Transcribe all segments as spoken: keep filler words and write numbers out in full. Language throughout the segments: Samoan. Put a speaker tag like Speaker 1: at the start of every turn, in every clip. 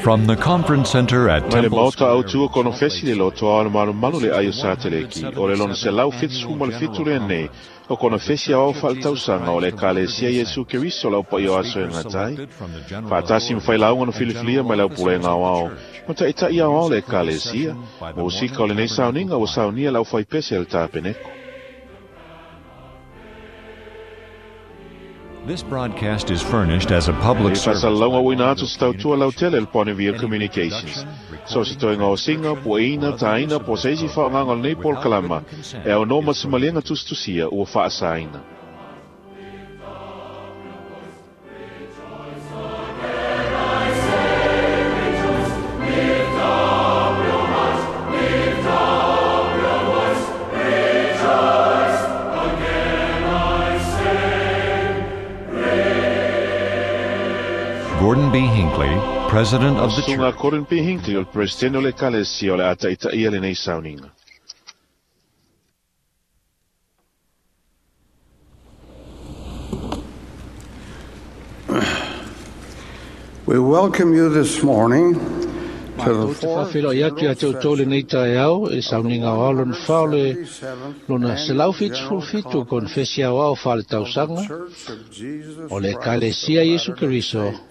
Speaker 1: From the Conference Center at
Speaker 2: Mai le
Speaker 1: Temple
Speaker 2: maota
Speaker 1: Square
Speaker 2: au tua
Speaker 1: in
Speaker 2: kono
Speaker 1: Salt Lake
Speaker 2: fesi le loto ao malu malu le ai o sateleki o le lona se lau fitu ma le fitu le nei o kono fesi ao whaletausaga o le ekalesia Iesu Keriso lau paia o aso e gatai. Faatasi ma failauga na filifilia mai le aupulega aoao ma taʻitaʻi aoao le ekalesia. Musika o lenei sauniga ua saunia le aufaipese a le tapeneko.
Speaker 1: This broadcast is furnished as a public
Speaker 2: E
Speaker 1: service.
Speaker 2: faasalalauga
Speaker 1: by
Speaker 2: uina atu
Speaker 1: Bonneville
Speaker 2: se tautua lautele le Bonneville
Speaker 1: Any
Speaker 2: Communications.
Speaker 1: reproduction,
Speaker 2: So se toega o singa,
Speaker 1: recording,
Speaker 2: puaina,
Speaker 1: or other
Speaker 2: taina,
Speaker 1: use of
Speaker 2: po
Speaker 1: this
Speaker 2: se isi
Speaker 1: program
Speaker 2: faaaogaga o lenei
Speaker 1: without
Speaker 2: polokalama
Speaker 1: written consent
Speaker 2: e aunoa ma
Speaker 1: is
Speaker 2: se maliega
Speaker 1: prohibited.
Speaker 2: tusitusia ua faasaina.
Speaker 1: Gordon B. Hinckley, President of the
Speaker 2: Suga
Speaker 1: Church.
Speaker 2: Gordon B. Hinckley o le Peresetene o le Ekalesia o le a taʻitaʻia lenei sauniga.
Speaker 3: We welcome you this morning to the
Speaker 4: Matou te
Speaker 3: fourth
Speaker 4: whawhilo i atu ia te
Speaker 3: general
Speaker 4: utō le nei
Speaker 3: session
Speaker 4: tae au e
Speaker 3: of the
Speaker 4: sauniga o ao lona whao le
Speaker 3: one hundred seventy-seventh
Speaker 4: lona se lau
Speaker 3: Annual
Speaker 4: whitu
Speaker 3: General
Speaker 4: fitu
Speaker 3: Conference
Speaker 4: konfesi au ao whale
Speaker 3: of the
Speaker 4: tausaga
Speaker 3: Church of Jesus
Speaker 4: o le
Speaker 3: Christ of
Speaker 4: Ekalesia Iesu
Speaker 3: Latter-day
Speaker 4: Keriso
Speaker 3: Saints.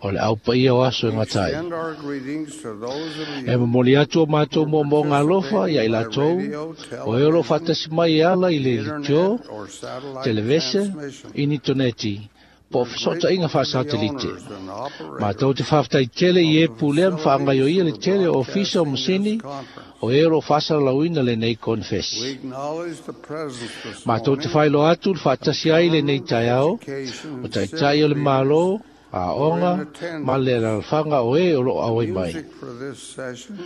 Speaker 4: o le au paia o aso e
Speaker 3: We
Speaker 4: ngatai.
Speaker 3: extend our greetings to those of
Speaker 4: E
Speaker 3: you
Speaker 4: momoli atu o mātou
Speaker 3: who
Speaker 4: mō
Speaker 3: are
Speaker 4: mō ngā lofa ia i
Speaker 3: participating by
Speaker 4: lātou
Speaker 3: radio,
Speaker 4: o e olo
Speaker 3: television,
Speaker 4: whatasi mai e ala i le litio,
Speaker 3: internet, or satellite
Speaker 4: televese,
Speaker 3: transmission.
Speaker 4: initoneti, po
Speaker 3: We're
Speaker 4: sota inga
Speaker 3: grateful to the
Speaker 4: whaasatelite.
Speaker 3: owners and
Speaker 4: Mātou
Speaker 3: operators
Speaker 4: te whawhtai tele i
Speaker 3: of
Speaker 4: e
Speaker 3: the
Speaker 4: pulea mwhaangaio
Speaker 3: facilities
Speaker 4: ia le
Speaker 3: for
Speaker 4: tele o ofisa o
Speaker 3: broadcasting
Speaker 4: masini
Speaker 3: this conference.
Speaker 4: o e olo whaasaralauina le nei
Speaker 3: We
Speaker 4: konfesi.
Speaker 3: acknowledge the presence this
Speaker 4: Mātou te
Speaker 3: morning
Speaker 4: whailo atu le whaatasi ai le nei
Speaker 3: of
Speaker 4: tai ao,
Speaker 3: education
Speaker 4: o
Speaker 3: and
Speaker 4: taitai o le
Speaker 3: civic leaders
Speaker 4: malo, a
Speaker 3: who are in
Speaker 4: onga, ma le
Speaker 3: attendance.
Speaker 4: ralwhanga o e o lo awai mai.
Speaker 3: Music for this session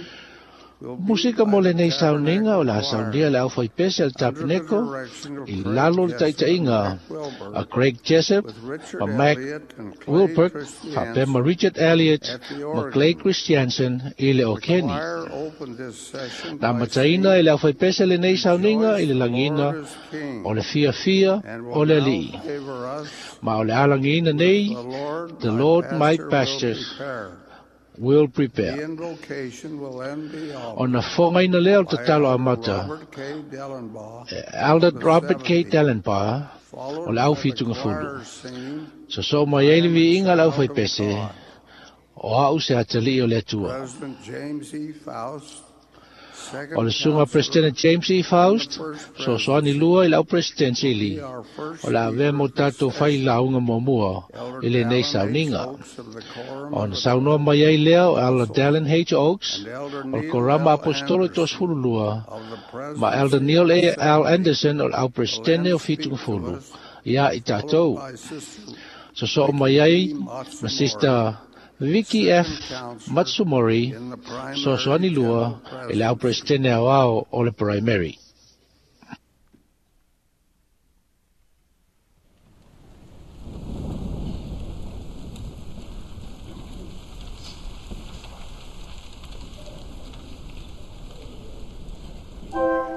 Speaker 3: will be
Speaker 4: Musika
Speaker 3: by
Speaker 4: mo
Speaker 3: the
Speaker 4: le nei sauniga o
Speaker 3: Tabernacle
Speaker 4: la saunia
Speaker 3: Choir
Speaker 4: le au whaipese al
Speaker 3: under the
Speaker 4: tapeneko
Speaker 3: direction of
Speaker 4: i
Speaker 3: Craig
Speaker 4: lalo le
Speaker 3: Jessup and
Speaker 4: taitaiga
Speaker 3: Mac Wilbur,
Speaker 4: a Craig Jessup,
Speaker 3: with Richard
Speaker 4: ma Mac
Speaker 3: Elliott and Clay
Speaker 4: Wilbur, whapea ma
Speaker 3: Christiansen
Speaker 4: Richard Elliott,
Speaker 3: at the
Speaker 4: ma Clay
Speaker 3: organ.
Speaker 4: Christiansen i le
Speaker 3: The
Speaker 4: Okeni.
Speaker 3: choir opened this session
Speaker 4: Na
Speaker 3: by
Speaker 4: mataina e le
Speaker 3: singing
Speaker 4: au whaipese le nei sauniga i
Speaker 3: Rejoice,
Speaker 4: le
Speaker 3: the
Speaker 4: langina
Speaker 3: Lord is King,
Speaker 4: o le fia fia
Speaker 3: and
Speaker 4: o
Speaker 3: will
Speaker 4: le
Speaker 3: now
Speaker 4: alii.
Speaker 3: favor us
Speaker 4: Ma o le alangiina
Speaker 3: with
Speaker 4: nei,
Speaker 3: The Lord
Speaker 4: the
Speaker 3: my
Speaker 4: Lord my
Speaker 3: Pastor will
Speaker 4: pastor
Speaker 3: prepare.
Speaker 4: will
Speaker 3: The
Speaker 4: prepare.
Speaker 3: invocation will then be
Speaker 4: O na
Speaker 3: offered
Speaker 4: whangaina lea o
Speaker 3: by
Speaker 4: tatalo a
Speaker 3: Elder
Speaker 4: mata,
Speaker 3: Robert K. Dellenbaugh
Speaker 4: Elder
Speaker 3: the
Speaker 4: Robert K.
Speaker 3: seventy,
Speaker 4: Dellenbaugh, o
Speaker 3: followed
Speaker 4: le au
Speaker 3: by the
Speaker 4: whitunga fulu.
Speaker 3: choir singing,
Speaker 4: So so mai
Speaker 3: I
Speaker 4: ai le
Speaker 3: Am a
Speaker 4: viiga le au
Speaker 3: Child of
Speaker 4: whaipese,
Speaker 3: God.
Speaker 4: o au se atali o le atua.
Speaker 3: President James E. Faust,
Speaker 4: O
Speaker 3: second
Speaker 4: le sunga
Speaker 3: counselor
Speaker 4: President James E.
Speaker 3: in the
Speaker 4: Faust,
Speaker 3: first
Speaker 4: so soani
Speaker 3: presidency,
Speaker 4: lua i lau presidency
Speaker 3: will be
Speaker 4: li,
Speaker 3: our first
Speaker 4: o la avea
Speaker 3: speaker
Speaker 4: mo
Speaker 3: at this
Speaker 4: tātou whai
Speaker 3: session.
Speaker 4: launga mua
Speaker 3: Elder
Speaker 4: i le nei
Speaker 3: Dallin H.
Speaker 4: sauniga.
Speaker 3: Oaks of the Quorum
Speaker 4: O
Speaker 3: of
Speaker 4: na
Speaker 3: the
Speaker 4: saunoa mai ai lea o Elder
Speaker 3: Apostles
Speaker 4: Dallin H. Oaks,
Speaker 3: and Elder
Speaker 4: o le
Speaker 3: Neil
Speaker 4: Korama
Speaker 3: L.
Speaker 4: Apostolo
Speaker 3: Anderson
Speaker 4: Tosfululua,
Speaker 3: of the
Speaker 4: ma Elder
Speaker 3: Presidency
Speaker 4: Neil
Speaker 3: of the
Speaker 4: A. L.
Speaker 3: Seventy
Speaker 4: Anderson o le au
Speaker 3: will
Speaker 4: presidente
Speaker 3: then
Speaker 4: o
Speaker 3: speak
Speaker 4: Fitunga
Speaker 3: to
Speaker 4: Fulu,
Speaker 3: us,
Speaker 4: ia i
Speaker 3: followed
Speaker 4: tātou.
Speaker 3: by Sister
Speaker 4: So so mai
Speaker 3: Vicki
Speaker 4: ai
Speaker 3: E.
Speaker 4: ma
Speaker 3: Matsumori,
Speaker 4: Sister Vicky F.
Speaker 3: second counselor
Speaker 4: Matsumori,
Speaker 3: in the
Speaker 4: so
Speaker 3: primary
Speaker 4: soani lua
Speaker 3: general
Speaker 4: i le au
Speaker 3: presidency.
Speaker 4: presidente au ao o le primary.
Speaker 5: Lord.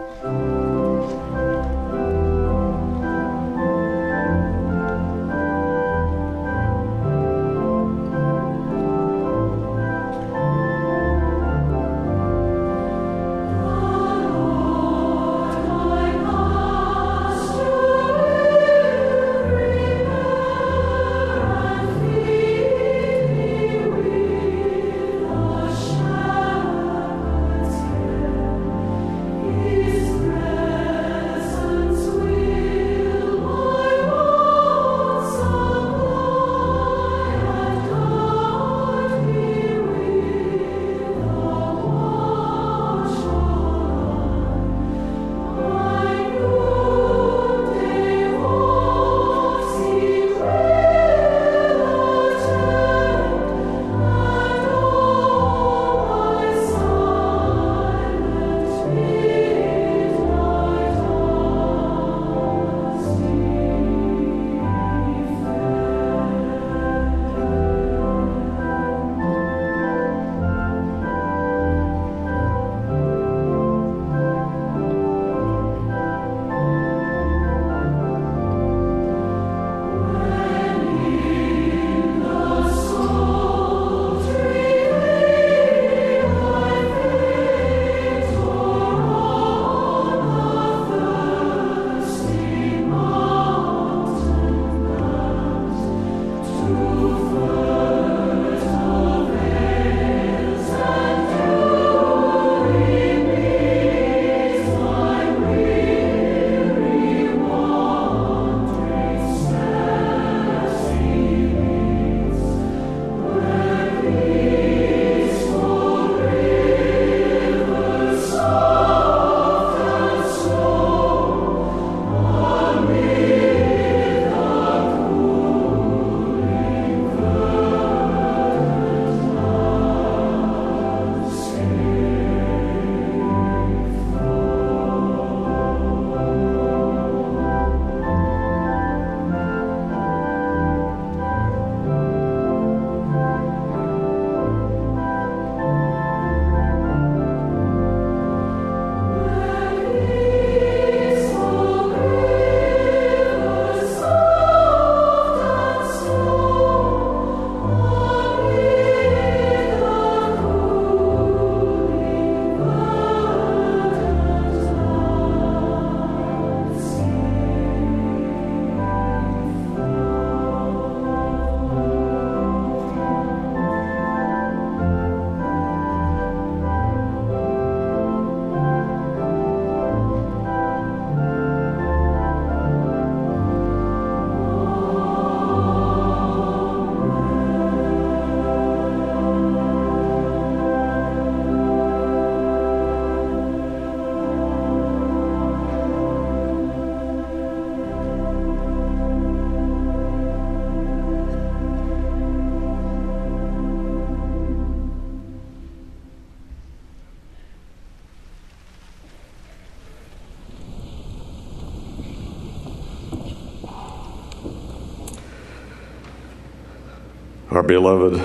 Speaker 5: Our beloved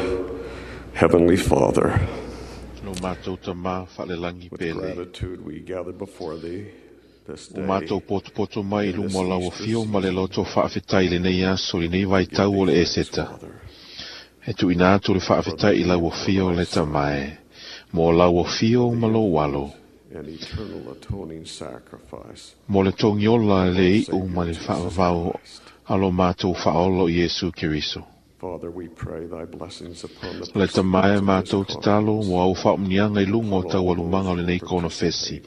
Speaker 5: Heavenly Father,
Speaker 2: Lo mātou tamā whalelangi
Speaker 5: with
Speaker 2: pele.
Speaker 5: gratitude we gather before thee this
Speaker 2: O mātou
Speaker 5: day.
Speaker 2: potopoto mai i luma o lau afio ma le loto whaafetai le nei aso le nei vai tau o le eseta.
Speaker 5: Father,
Speaker 2: E tu ina atu le whaafetai i lau afio le tamae. Mo lau afio ma lo walo.
Speaker 5: an eternal atoning sacrifice.
Speaker 2: Mo le tongiola le iu ma le whaavau alo mātou whaolo Iesu Keriso.
Speaker 5: Father, we pray thy blessings upon the
Speaker 2: Le tamae
Speaker 5: participants of
Speaker 2: mātou
Speaker 5: this
Speaker 2: te talo
Speaker 5: conference.
Speaker 2: mo au whaomnianga i lunga o tau alumanga o le nei kona fesi.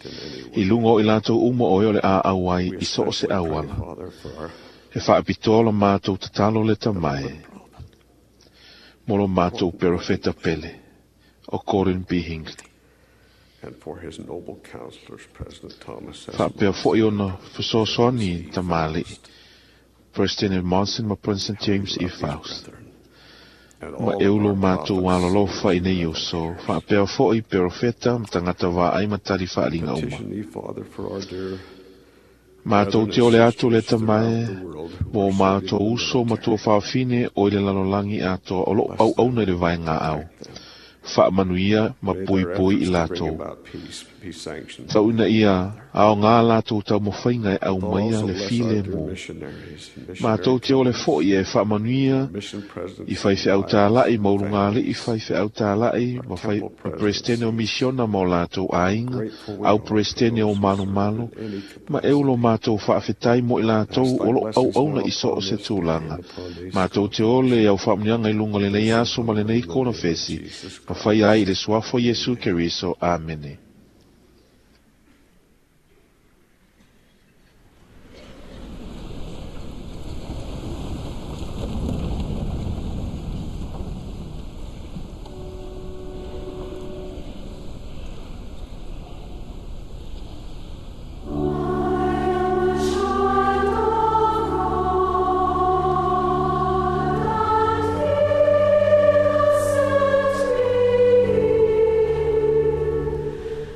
Speaker 2: I lunga o i lātou uma o e o le a au ai
Speaker 5: We
Speaker 2: i so o se
Speaker 5: especially pray,
Speaker 2: auala.
Speaker 5: Father, for our
Speaker 2: E whaapitoa mātou te talo le tamae. Mo lo mātou perofeta pele. O Gordon B. Hinckley.
Speaker 5: and for his noble counselors, President Thomas S.
Speaker 2: Whaapea foi ona whasosoani tamali. President Monson ma President James E. Faust.
Speaker 5: Brethren, and
Speaker 2: Ma
Speaker 5: all
Speaker 2: e
Speaker 5: of
Speaker 2: ulo
Speaker 5: our
Speaker 2: mātou
Speaker 5: prophets
Speaker 2: alolofa i nei oso. Whaapea foi perofeta ma tangata wā ai matari whaalinga uma.
Speaker 5: Petition thee, Father, for our dear
Speaker 2: Mātou te ole atu le tamae, mō mātou uso ma tō whawhine o i le lalolangi atoa o lo au au nei le vai ngā au. Whaamanuia ma
Speaker 5: May
Speaker 2: pui
Speaker 5: their
Speaker 2: pui i
Speaker 5: efforts to bring
Speaker 2: lātou.
Speaker 5: about peace be sanctioned.
Speaker 2: Tau ina ia, ao ngā lātou tau mawhainga e au
Speaker 5: Thou
Speaker 2: maia
Speaker 5: also
Speaker 2: le
Speaker 5: bless
Speaker 2: file
Speaker 5: our dear
Speaker 2: mō.
Speaker 5: missionaries, missionary
Speaker 2: Mātou te ole foi e whaamanuia
Speaker 5: mission presidents,
Speaker 2: i whai whiau tālai, maurunga le i whai whiau tālai, ma whai
Speaker 5: temple
Speaker 2: ma presidente o misiona mō lātou āinga,
Speaker 5: Grateful we
Speaker 2: au
Speaker 5: are for
Speaker 2: presidente o
Speaker 5: those who
Speaker 2: mano
Speaker 5: serve
Speaker 2: mano,
Speaker 5: in any
Speaker 2: ma e ulo mātou whaafetai mo i lātou
Speaker 5: Ask thy
Speaker 2: o lo au
Speaker 5: blessings
Speaker 2: auna
Speaker 5: now
Speaker 2: i so o
Speaker 5: upon
Speaker 2: se
Speaker 5: this day
Speaker 2: tūlanga.
Speaker 5: and upon these
Speaker 2: Mātou te ole au whaamnianga i lunga le nei aso ma le nei kona fesi, ma whai ai i le suafo Yesu Keriso. Amene.
Speaker 6: Set me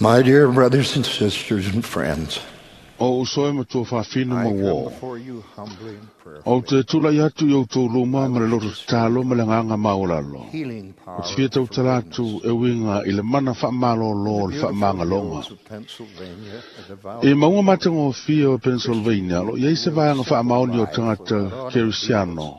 Speaker 3: My dear brothers and sisters and friends,
Speaker 2: O uso e matua whawhina
Speaker 3: I
Speaker 2: ma
Speaker 3: come
Speaker 2: wō.
Speaker 3: before you humbly and
Speaker 2: O
Speaker 3: prayerfully.
Speaker 2: te tula i atu i au tō luma ma le loto talo ma le nganga maulalo.
Speaker 3: Healing
Speaker 2: O
Speaker 3: power
Speaker 2: te whia
Speaker 3: of
Speaker 2: tau talatu
Speaker 3: forgiveness.
Speaker 2: e winga i le mana whaamalolo
Speaker 3: The
Speaker 2: le
Speaker 3: beautiful
Speaker 2: whaamangalonga.
Speaker 3: hills of Pennsylvania, a devout
Speaker 2: E maunga matango whia o Pennsylvania, lo iei se
Speaker 3: live
Speaker 2: vaanga
Speaker 3: simple
Speaker 2: whaamaoni o
Speaker 3: life
Speaker 2: tangata
Speaker 3: without automobiles,
Speaker 2: Kerisiano.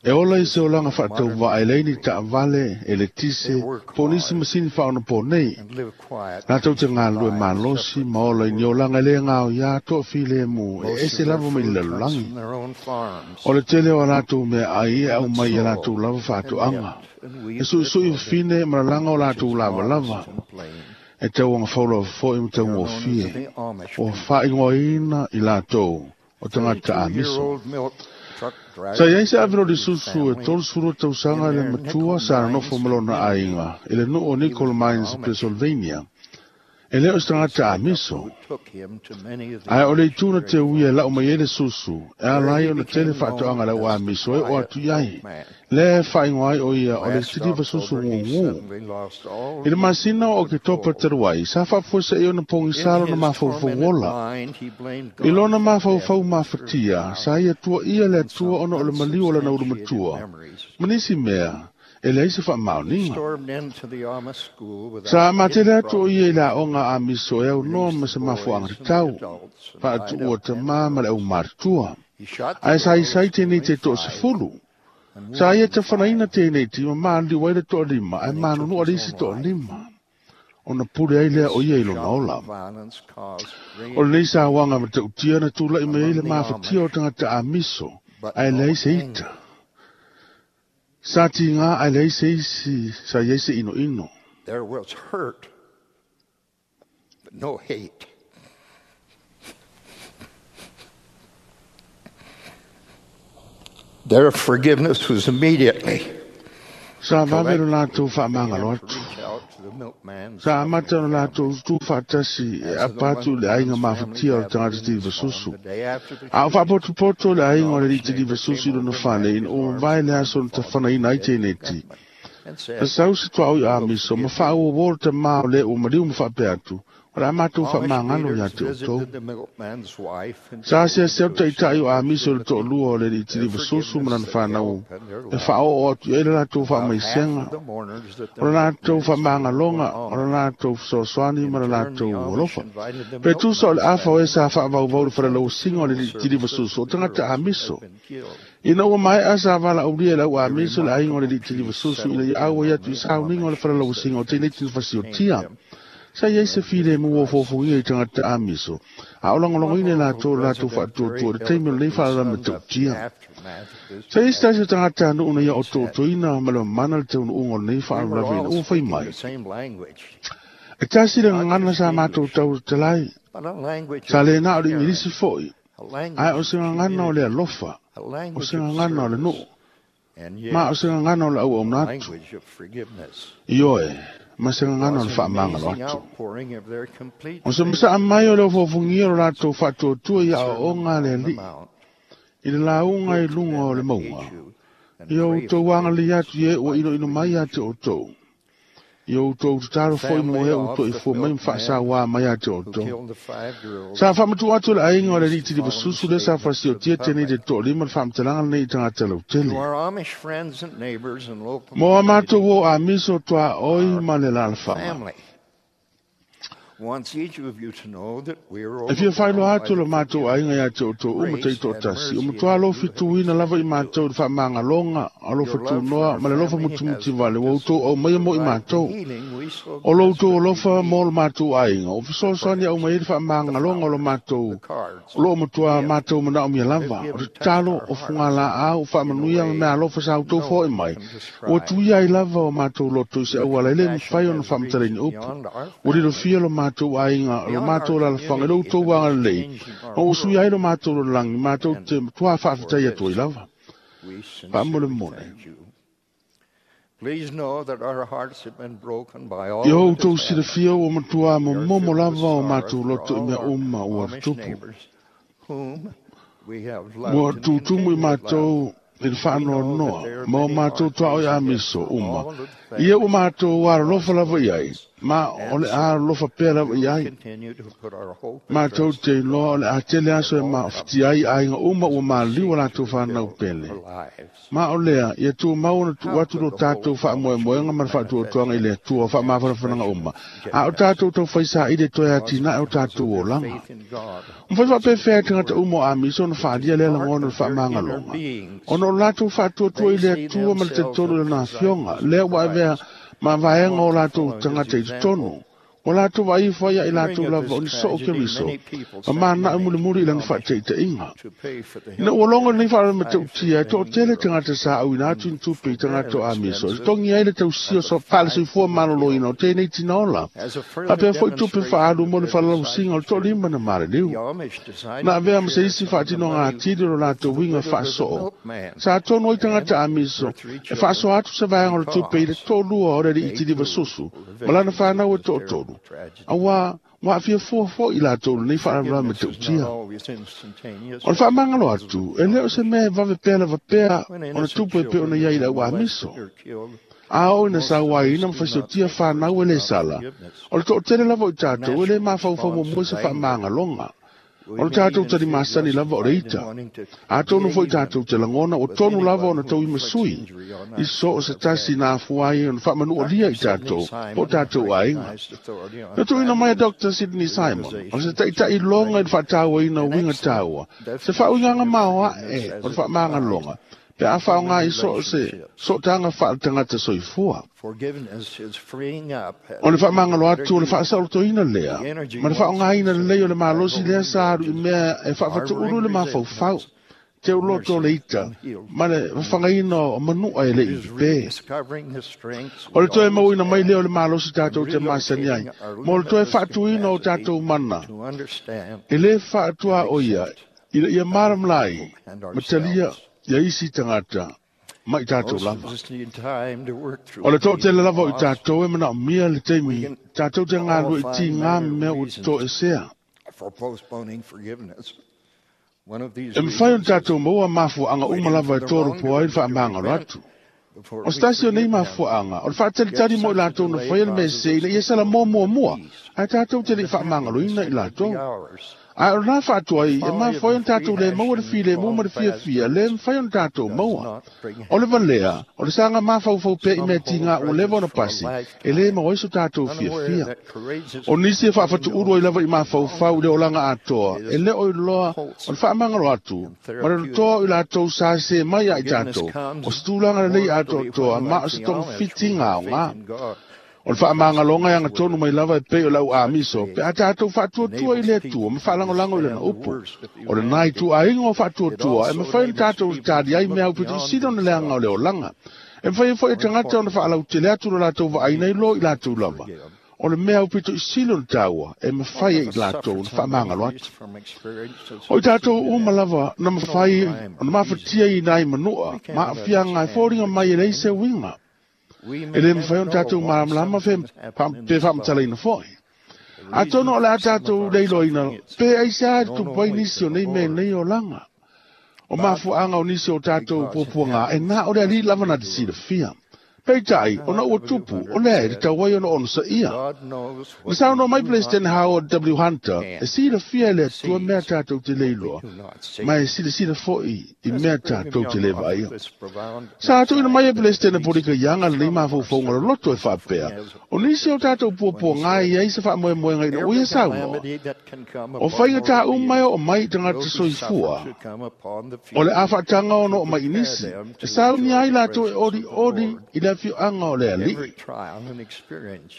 Speaker 2: E ola i se olanga whaatau
Speaker 3: modern
Speaker 2: wa e leini
Speaker 3: machinery.
Speaker 2: ta vale, e le tise,
Speaker 3: They work
Speaker 2: po nisi
Speaker 3: hard
Speaker 2: masini whaona po nei.
Speaker 3: and live quiet,
Speaker 2: Nā tau te
Speaker 3: peaceful
Speaker 2: ngā lue
Speaker 3: lives
Speaker 2: malosi,
Speaker 3: separate
Speaker 2: ma
Speaker 3: from
Speaker 2: ola
Speaker 3: the
Speaker 2: i ni
Speaker 3: world.
Speaker 2: olanga le ngāo ia toa file mu, e
Speaker 3: Most
Speaker 2: ese
Speaker 3: of their
Speaker 2: lava mai
Speaker 3: food
Speaker 2: le
Speaker 3: comes
Speaker 2: lalolagi.
Speaker 3: from their own farms.
Speaker 2: O le tele o rātou mea ai e au
Speaker 3: They
Speaker 2: mai i
Speaker 3: sew
Speaker 2: rātou lava
Speaker 3: and
Speaker 2: whaatuanga.
Speaker 3: knit and
Speaker 2: E
Speaker 3: weave
Speaker 2: sui
Speaker 3: their
Speaker 2: sui
Speaker 3: clothing,
Speaker 2: whine ma langa o
Speaker 3: which
Speaker 2: rātou
Speaker 3: is
Speaker 2: lava
Speaker 3: modest
Speaker 2: lava.
Speaker 3: and plain.
Speaker 2: E tau anga faula fo i
Speaker 3: They
Speaker 2: mtau
Speaker 3: are
Speaker 2: ngō
Speaker 3: known as
Speaker 2: fie.
Speaker 3: the Amish
Speaker 2: O
Speaker 3: people.
Speaker 2: whaingoa ina i rātou o tangata amiso.
Speaker 3: thirty-two-year-old milk truck
Speaker 2: Sa
Speaker 3: driver
Speaker 2: iai se avero
Speaker 3: and
Speaker 2: li
Speaker 3: his
Speaker 2: susu e
Speaker 3: family
Speaker 2: tolu suru tausanga
Speaker 3: in
Speaker 2: le
Speaker 3: their
Speaker 2: matua
Speaker 3: nickel
Speaker 2: sa
Speaker 3: mines
Speaker 2: nofo malona
Speaker 3: community.
Speaker 2: aiga i le nuu o
Speaker 3: He
Speaker 2: Nickel
Speaker 3: was an
Speaker 2: Mines,
Speaker 3: Amish
Speaker 2: Pennsylvania. E leo se
Speaker 3: police
Speaker 2: tangata
Speaker 3: pickup
Speaker 2: amiso.
Speaker 3: who took him to many of the
Speaker 2: Ae o le ituna te
Speaker 3: missionary
Speaker 2: ui e lau
Speaker 3: farms.
Speaker 2: mai e le susu, e
Speaker 3: There
Speaker 2: alai
Speaker 3: he
Speaker 2: o na tele
Speaker 3: became known
Speaker 2: whaatoanga lau
Speaker 3: as the
Speaker 2: amiso e o
Speaker 3: quiet
Speaker 2: atu iai.
Speaker 3: milkman.
Speaker 2: Le whaingoa ai o ia o le
Speaker 3: Last
Speaker 2: tiriva susu
Speaker 3: October, he
Speaker 2: ngungu.
Speaker 3: suddenly lost all
Speaker 2: I le
Speaker 3: his
Speaker 2: masina o ke topa
Speaker 3: control.
Speaker 2: teruai, sa whaafuesa e ona pongi
Speaker 3: In
Speaker 2: salo na
Speaker 3: his
Speaker 2: mafaufau
Speaker 3: tormented
Speaker 2: ola.
Speaker 3: mind, he blamed
Speaker 2: I
Speaker 3: God
Speaker 2: lona
Speaker 3: for the death
Speaker 2: mafaufau
Speaker 3: of his first
Speaker 2: mafatia,
Speaker 3: child
Speaker 2: sa ia tua ia le
Speaker 3: and
Speaker 2: atua
Speaker 3: some
Speaker 2: ona o le maliu o lana ulu
Speaker 3: unsubstantiated
Speaker 2: matua.
Speaker 3: memories.
Speaker 2: Manisi mea, e leai se
Speaker 3: He
Speaker 2: whaamaoninga.
Speaker 3: stormed into the Amish school
Speaker 2: Sa
Speaker 3: without any
Speaker 2: matele atu o
Speaker 3: problem,
Speaker 2: ia i la onga a miso e au noa
Speaker 3: released
Speaker 2: ma
Speaker 3: the
Speaker 2: se mafuanga
Speaker 3: boys
Speaker 2: te
Speaker 3: and the
Speaker 2: tau.
Speaker 3: adults, and
Speaker 2: Whaatu
Speaker 3: lined
Speaker 2: ua
Speaker 3: up
Speaker 2: te
Speaker 3: ten
Speaker 2: mā ma le au
Speaker 3: girls.
Speaker 2: mātua.
Speaker 3: He shot the
Speaker 2: Ai sa
Speaker 3: girls,
Speaker 2: isai tēnei
Speaker 3: killing
Speaker 2: te toa se
Speaker 3: five
Speaker 2: fulu.
Speaker 3: and
Speaker 2: Sa ia
Speaker 3: wounding
Speaker 2: te whanaina
Speaker 3: five.
Speaker 2: tēnei ti ma maali waira toa lima, ai
Speaker 3: Then he
Speaker 2: mānu
Speaker 3: took
Speaker 2: nua
Speaker 3: his
Speaker 2: risi
Speaker 3: own
Speaker 2: toa
Speaker 3: life.
Speaker 2: lima. Ona pure ai lea o
Speaker 3: This
Speaker 2: ia i lona
Speaker 3: shocking
Speaker 2: ola.
Speaker 3: violence caused
Speaker 2: O
Speaker 3: great
Speaker 2: lei sa wanga ma te utia na tūla i me
Speaker 3: among
Speaker 2: le
Speaker 3: the
Speaker 2: mafatia o
Speaker 3: Amish,
Speaker 2: tangata a miso.
Speaker 3: but
Speaker 2: Ai
Speaker 3: no
Speaker 2: lei se ita.
Speaker 3: anger.
Speaker 2: Sa ti ngā ai lei se isi, sa iei se ino ino.
Speaker 3: There was hurt, but no hate. Their forgiveness was immediately
Speaker 2: Sa vavero
Speaker 3: collected.
Speaker 2: lātou
Speaker 3: They began
Speaker 2: whaamangalo
Speaker 3: to
Speaker 2: atu.
Speaker 3: reach out to the milkman's
Speaker 2: Sa
Speaker 3: family
Speaker 2: amata
Speaker 3: and
Speaker 2: o lātou
Speaker 3: families.
Speaker 2: tū whaatasi e
Speaker 3: As of the
Speaker 2: apatu le aiga
Speaker 3: milkman's family
Speaker 2: mafatia o
Speaker 3: gathered
Speaker 2: tangata
Speaker 3: in
Speaker 2: ti
Speaker 3: his home
Speaker 2: vasusu.
Speaker 3: the day after the
Speaker 2: A o
Speaker 3: shooting,
Speaker 2: whaapotupoto le
Speaker 3: an
Speaker 2: aiga o le
Speaker 3: Amish
Speaker 2: riti
Speaker 3: neighbor
Speaker 2: vasusu
Speaker 3: came
Speaker 2: i lona
Speaker 3: over and
Speaker 2: whane
Speaker 3: wrapped
Speaker 2: in
Speaker 3: his
Speaker 2: o
Speaker 3: arms
Speaker 2: vai le
Speaker 3: around
Speaker 2: aso
Speaker 3: the
Speaker 2: na te
Speaker 3: father of
Speaker 2: whanaina
Speaker 3: the
Speaker 2: ai
Speaker 3: dead
Speaker 2: tēnei ti.
Speaker 3: gunman and
Speaker 2: Na
Speaker 3: said,
Speaker 2: sau se tua oi
Speaker 3: "We
Speaker 2: a
Speaker 3: will
Speaker 2: miso, ma
Speaker 3: forgive
Speaker 2: whaau
Speaker 3: you."
Speaker 2: o wō te mā o le o mariu ma whaapea atu. O la mātou
Speaker 3: Amish
Speaker 2: whaamangalo ia
Speaker 3: leaders
Speaker 2: te o tō.
Speaker 3: visited the milkman's wife and
Speaker 2: Sa asia
Speaker 3: children
Speaker 2: seu
Speaker 3: to
Speaker 2: taitai o
Speaker 3: extend
Speaker 2: a
Speaker 3: their
Speaker 2: miso le
Speaker 3: sympathy,
Speaker 2: to'olua o le
Speaker 3: their
Speaker 2: litili vasusu ma
Speaker 3: forgiveness,
Speaker 2: lana
Speaker 3: their
Speaker 2: whanau.
Speaker 3: help, and their
Speaker 2: E
Speaker 3: love.
Speaker 2: whaao o atu e le lātou
Speaker 3: About half
Speaker 2: whaamaisenga.
Speaker 3: of the mourners that the
Speaker 2: O le lātou
Speaker 3: milkman's funeral were
Speaker 2: whaamangaloga, o le
Speaker 3: Amish.
Speaker 2: lātou fesoasoani ma
Speaker 3: In
Speaker 2: le
Speaker 3: turn, the
Speaker 2: lātou
Speaker 3: Amish
Speaker 2: alofa.
Speaker 3: invited the
Speaker 2: Pe tusa o le
Speaker 3: milkman's
Speaker 2: afa o e
Speaker 3: family
Speaker 2: sa whaavauvau
Speaker 3: to
Speaker 2: le
Speaker 3: attend the
Speaker 2: wharelausinga o le
Speaker 3: funeral
Speaker 2: litili
Speaker 3: services
Speaker 2: vasusu o
Speaker 3: of the
Speaker 2: tangata
Speaker 3: girls
Speaker 2: a
Speaker 3: who
Speaker 2: miso.
Speaker 3: had been killed.
Speaker 2: Ina ua mai asa wala aulia lau a
Speaker 3: A
Speaker 2: miso le ainga o le
Speaker 3: remarkable
Speaker 2: litili
Speaker 3: peace
Speaker 2: vasusu ina
Speaker 3: settled
Speaker 2: i
Speaker 3: in
Speaker 2: au ai
Speaker 3: among
Speaker 2: atu i
Speaker 3: the
Speaker 2: sauninga o le
Speaker 3: Amish as their
Speaker 2: wharelausinga o tēnei
Speaker 3: defenses
Speaker 2: tini
Speaker 3: tamed
Speaker 2: fasiotia.
Speaker 3: them
Speaker 2: Sa iai se
Speaker 3: and
Speaker 2: file
Speaker 3: endured
Speaker 2: mu o
Speaker 3: crisis.
Speaker 2: fofungia i tangata a miso. A o
Speaker 3: One
Speaker 2: langolongoina
Speaker 3: local
Speaker 2: lātou lātou
Speaker 3: resident very
Speaker 2: whaatuatua le taimi o lenei
Speaker 3: eloquently
Speaker 2: whaarama
Speaker 3: summed up the
Speaker 2: tautia.
Speaker 3: aftermath of this
Speaker 2: Sa isi tasi o
Speaker 3: tragedy
Speaker 2: tangata anu una ia
Speaker 3: when
Speaker 2: o
Speaker 3: he said,
Speaker 2: tōtoina ma le mana le teunu unga o lenei
Speaker 3: "We were
Speaker 2: whaarama
Speaker 3: all
Speaker 2: ina ua whai
Speaker 3: speaking
Speaker 2: mai.
Speaker 3: the same language,
Speaker 2: E tasi le
Speaker 3: not
Speaker 2: ngangana
Speaker 3: just
Speaker 2: sa mātou
Speaker 3: English,
Speaker 2: tau te lai.
Speaker 3: but a language
Speaker 2: Sa
Speaker 3: of
Speaker 2: le nā o le
Speaker 3: caring,
Speaker 2: ingirisi foi.
Speaker 3: a
Speaker 2: Ai
Speaker 3: language
Speaker 2: o
Speaker 3: of
Speaker 2: se ngangana o le
Speaker 3: community,
Speaker 2: alofa.
Speaker 3: a
Speaker 2: O
Speaker 3: language
Speaker 2: se
Speaker 3: of
Speaker 2: ngangana o le
Speaker 3: service,
Speaker 2: nuu.
Speaker 3: and
Speaker 2: Ma o
Speaker 3: yes,
Speaker 2: se ngangana o le au au
Speaker 3: a
Speaker 2: natu.
Speaker 3: language of forgiveness."
Speaker 2: Ioe, ma se
Speaker 3: It
Speaker 2: ngangana o
Speaker 3: was
Speaker 2: le
Speaker 3: an
Speaker 2: whaamangalo
Speaker 3: amazing
Speaker 2: atu.
Speaker 3: outpouring of their complete
Speaker 2: O se
Speaker 3: faith
Speaker 2: masa
Speaker 3: and
Speaker 2: amai o le
Speaker 3: trust in
Speaker 2: ofofungia o
Speaker 3: Jesus
Speaker 2: lātou whaatuatua
Speaker 3: in
Speaker 2: i
Speaker 3: the
Speaker 2: a
Speaker 3: Sermon
Speaker 2: o le
Speaker 3: on the
Speaker 2: alii.
Speaker 3: Mount.
Speaker 2: I le launga i
Speaker 3: Good to
Speaker 2: lunga o
Speaker 3: them
Speaker 2: le
Speaker 3: that
Speaker 2: maunga.
Speaker 3: hate you and
Speaker 2: Ia o
Speaker 3: pray
Speaker 2: tau
Speaker 3: for
Speaker 2: anga
Speaker 3: them
Speaker 2: li
Speaker 3: that
Speaker 2: atu e ua ino ino
Speaker 3: spitefully
Speaker 2: mai
Speaker 3: use
Speaker 2: a te
Speaker 3: you.
Speaker 2: o tau. Ia o tau tataro
Speaker 3: The
Speaker 2: foi mo
Speaker 3: family
Speaker 2: he o
Speaker 3: of
Speaker 2: to i
Speaker 3: the
Speaker 2: fua mai
Speaker 3: milkman
Speaker 2: whaasawā mai a te o
Speaker 3: who
Speaker 2: tau.
Speaker 3: killed the five girls
Speaker 2: Sa whamatu atu le ainga o le
Speaker 3: released
Speaker 2: riti
Speaker 3: the
Speaker 2: li
Speaker 3: following
Speaker 2: vasusu le sa
Speaker 3: statement to
Speaker 2: whasio
Speaker 3: the
Speaker 2: tia tēnei te
Speaker 3: public.
Speaker 2: tō lima le whamtalanga nei i tangata
Speaker 3: To
Speaker 2: lautele.
Speaker 3: our Amish friends and neighbors and local
Speaker 2: Mo a mātou
Speaker 3: community,
Speaker 2: o a miso toa oi
Speaker 3: our
Speaker 2: ma le lalawhanga.
Speaker 3: family wants each of you to know that we are
Speaker 2: E fia whailo
Speaker 3: overwhelmed by
Speaker 2: atu
Speaker 3: the
Speaker 2: le mātou ainga ia te o tō uma te
Speaker 3: grace
Speaker 2: tō
Speaker 3: and
Speaker 2: tasi. O
Speaker 3: mercy
Speaker 2: matua
Speaker 3: that
Speaker 2: alofi
Speaker 3: you have
Speaker 2: tuina lava i
Speaker 3: extended to
Speaker 2: mātou
Speaker 3: us.
Speaker 2: le whaamangaloga, alofa
Speaker 3: Your love for
Speaker 2: tunoa,
Speaker 3: our
Speaker 2: ma le alofa
Speaker 3: family has
Speaker 2: mutumuti vale,
Speaker 3: helped
Speaker 2: wa
Speaker 3: us
Speaker 2: utou au mai mo i
Speaker 3: provide the
Speaker 2: mātou.
Speaker 3: healing we so
Speaker 2: O lo utou
Speaker 3: desperately
Speaker 2: alofa mo
Speaker 3: need.
Speaker 2: le mātou ainga. O fesoasoani au
Speaker 3: Perhaps
Speaker 2: mai le
Speaker 3: the
Speaker 2: whaamangaloga o le
Speaker 3: flowers,
Speaker 2: mātou.
Speaker 3: the cards,
Speaker 2: O lo
Speaker 3: the
Speaker 2: matua
Speaker 3: gifts
Speaker 2: mātou mana o mia
Speaker 3: have
Speaker 2: lava. O
Speaker 3: given
Speaker 2: te
Speaker 3: touched
Speaker 2: talo
Speaker 3: our
Speaker 2: o funga
Speaker 3: hearts
Speaker 2: la au,
Speaker 3: in a
Speaker 2: whaamanuia ma
Speaker 3: way
Speaker 2: mea alofa sa utou
Speaker 3: no
Speaker 2: fo i
Speaker 3: one
Speaker 2: mai.
Speaker 3: can
Speaker 2: Ua
Speaker 3: describe.
Speaker 2: tuia ai lava o mātou loto i se
Speaker 3: Your
Speaker 2: au ala ele
Speaker 3: compassion
Speaker 2: mwhai o na
Speaker 3: has reached
Speaker 2: whamtaleni upu.
Speaker 3: beyond our
Speaker 2: Ua lilo
Speaker 3: family,
Speaker 2: fia lo mātou ainga, lo
Speaker 3: beyond our
Speaker 2: mātou lalawhanga, lo
Speaker 3: community,
Speaker 2: utou
Speaker 3: and
Speaker 2: wanga
Speaker 3: is
Speaker 2: lei.
Speaker 3: changing our
Speaker 2: O usui ai
Speaker 3: world.
Speaker 2: lo mātou lo langi, mātou
Speaker 3: And
Speaker 2: te tua
Speaker 3: for
Speaker 2: whaafetai atu ai
Speaker 3: this,
Speaker 2: lava.
Speaker 3: we
Speaker 2: Whaamole
Speaker 3: sincerely
Speaker 2: mone.
Speaker 3: thank you. Please know that our hearts have been broken by
Speaker 2: I
Speaker 3: all
Speaker 2: hou
Speaker 3: that
Speaker 2: tau
Speaker 3: has happened.
Speaker 2: sirafia o matua
Speaker 3: We
Speaker 2: mo
Speaker 3: are
Speaker 2: momo
Speaker 3: filled with
Speaker 2: lava o
Speaker 3: sorrow
Speaker 2: mātou
Speaker 3: for
Speaker 2: loto i
Speaker 3: all
Speaker 2: mea
Speaker 3: our
Speaker 2: uma ua
Speaker 3: Amish
Speaker 2: tupu.
Speaker 3: neighbors whom we have
Speaker 2: Mua
Speaker 3: loved and
Speaker 2: tūtumu i
Speaker 3: continue to love.
Speaker 2: mātou i le
Speaker 3: We
Speaker 2: whaanoa
Speaker 3: know that
Speaker 2: noa,
Speaker 3: there are
Speaker 2: ma o
Speaker 3: many
Speaker 2: mātou
Speaker 3: hard
Speaker 2: toa o
Speaker 3: days
Speaker 2: i
Speaker 3: ahead
Speaker 2: amiso
Speaker 3: for
Speaker 2: uma.
Speaker 3: all of the
Speaker 2: Ia o
Speaker 3: families
Speaker 2: mātou
Speaker 3: who
Speaker 2: wara
Speaker 3: lost
Speaker 2: lofa lava
Speaker 3: loved
Speaker 2: i ai.
Speaker 3: ones.
Speaker 2: Ma o le a lofa pea lava i ai. Mātou te iloa o le a tele aso e maofitia ai aiga uma ua maliu o latou whanau pele. Ma o lea, ia tumau ona tuu atu lo tātou faamoemoega ma le faatuatuaga i le Atua faamafanafanaga uma. A o tātou taufaisa i le toe atinae o tātou olaga. Mafai faapefea e tagata uma o Amiso ona faalia lea lagona o le faamagaloga. Ona o latou faatuatua i le Atua ma le talitonu i lana afioga, lea ua avea ma vaega o latou tagata i totonu. O latou vaifo ai i latou lava o ni soo Keriso, ma mana'u mulimuli i lana fa'ataitaiga. Ina ua logo lenei fa'alamatautia e to'atele tagata sa auina atu i ni tupe i tagata o Amiso, e totogi ai le tausia so fa'alesoifua malōlōina o tēnei tinaola, faapea fo'i tupe fa'aalu mo le falalausiga o le to'alima na maliliu. Na avea ma se isi fa'atinoga atili o lo latou uiga fa'asoo, sa tonu ai tagata Amiso e fa'asoa atu se vaega o le tupe i le to'alua o le ali'i tiliva susu, ma lana fanau e to'atolu. Auā ua aafia fua fo'i latou lenei faalavelave matautia. O le faamagalo atu, e le o se mea e vave pea lava pea ona tupu e pei ona iai i le au Amiso. A oo ina sauaina ma faisotia fanau e lē sala, o le to'atele lava o i tatou e lē mafaufau muamua i se faamagaloga. O le tātou talimasani lava o le ita. Atonu fo'i tātou te lagona ua tonu lava ona tauimasui i so o se tasi na afua ai ona faamanualia i tātou po o tātou aiga. Na tuuina mai a Doctor Sidney Simon, o se ta'ita'i loga i le fa'atāuaina o uiga taua, se fa'auigaga maoa'e o le fa'amagaloga, pe a fa'aaogā i so o se sootaga fa'aletagata soifua. O le fa'amagalo atu o le fa'asaolotoina lea, ma le fa'aaogāina lelei o le malosi lea sa alu i mea e fa'afatu'ulu i le mafaufau, teuloto o le ita, ma le fafagaina o manu'a e le'i pepē. O le toe mauina mai lea o le malosi tātou te masani ai, mo le toe fa'atuina o tātou mana, e lē fa'atuā o ia, ina ia malamalai, ma talia ia isi tagata ma i tātou lava. O le to'atele lava o i tātou e manaomia le taimi tātou te galue i tigā ma mea ua totoesea. E mafai ona tātou maua mafuaaga uma lava e tolopo ai le faamagalo atu. O se tasi o nei mafuaaga, o le fa'atalitali mo i latou na faia le mea sese ina ia salamoa muamua, ae tātou te le'i faamagaloina i latou. Ae o lena fa'atoai e mafua ai ona tātou lē maua le filemu ma le fiafia lē mafai ona tātou maua. O le valea, o le saga mafaufau pea i mea tigā ua leva ona pasi, e lē maua ai so tātou fiafia. O nisi e fa'afatu'ulu ai lava i mafaufau i le olaga atoa, e lē o iloa o le fa'amagalo atu, ma le lotoa o i latou sa sesē mai ia i tātou, o se tulaga lelei atoatoa ma o se togafitiga aogā. O le fa'amagaloga e agatonu mai lava e pei o le au Amiso, pe a tātou fa'atuatua i le Atua ma fa'alagolago i lana upu. O lenā ituaiga o fa'atuatua e mafai ona tātou tali ai mea aupitoʻisili ona leaga o le olaga. E mafai ai fo'i e tagata ona fa'alautele atu lo latou va'aina i lo i latou lava. O le mea aupitoʻisili ona taua e mafai ai i latou ona fa'amagalo atu. O i tātou uma lava na mafai ona mafatia i nai manu'a ma aafiaga e foliga mai e leai se uiga. E lē mafai ona tātou malamalama fe pe fa'amatalaina fo'i. Atonu o le a tātou leiloaina pe aisea e tupu ai nisi o nei mea nei olaga. O mafuaaga o nisi o tātou puapuagā e na o le ali'i lava na te silafia. Peitai, ona ua tupu, o lea e tatau ai ona onosaia. Na saunoa mai President Howard W. Hunter, e silafia e le Atua mea tātou te le iloa, ma e silasila fo'i i mea tātou te le vaaia. Sa tuuina mai e President Polika Young lenei mafaufauga loloto e fa'apea, o nisi o tātou puapuagā e iai se fa'amoemoega ina ua ia saunoa. O faigatā uma e oo mai i tagata soifua, o le a'afa'ataga ona oo mai i nisi, e saunia ai latou e olioli i le afioaga o le ali'i.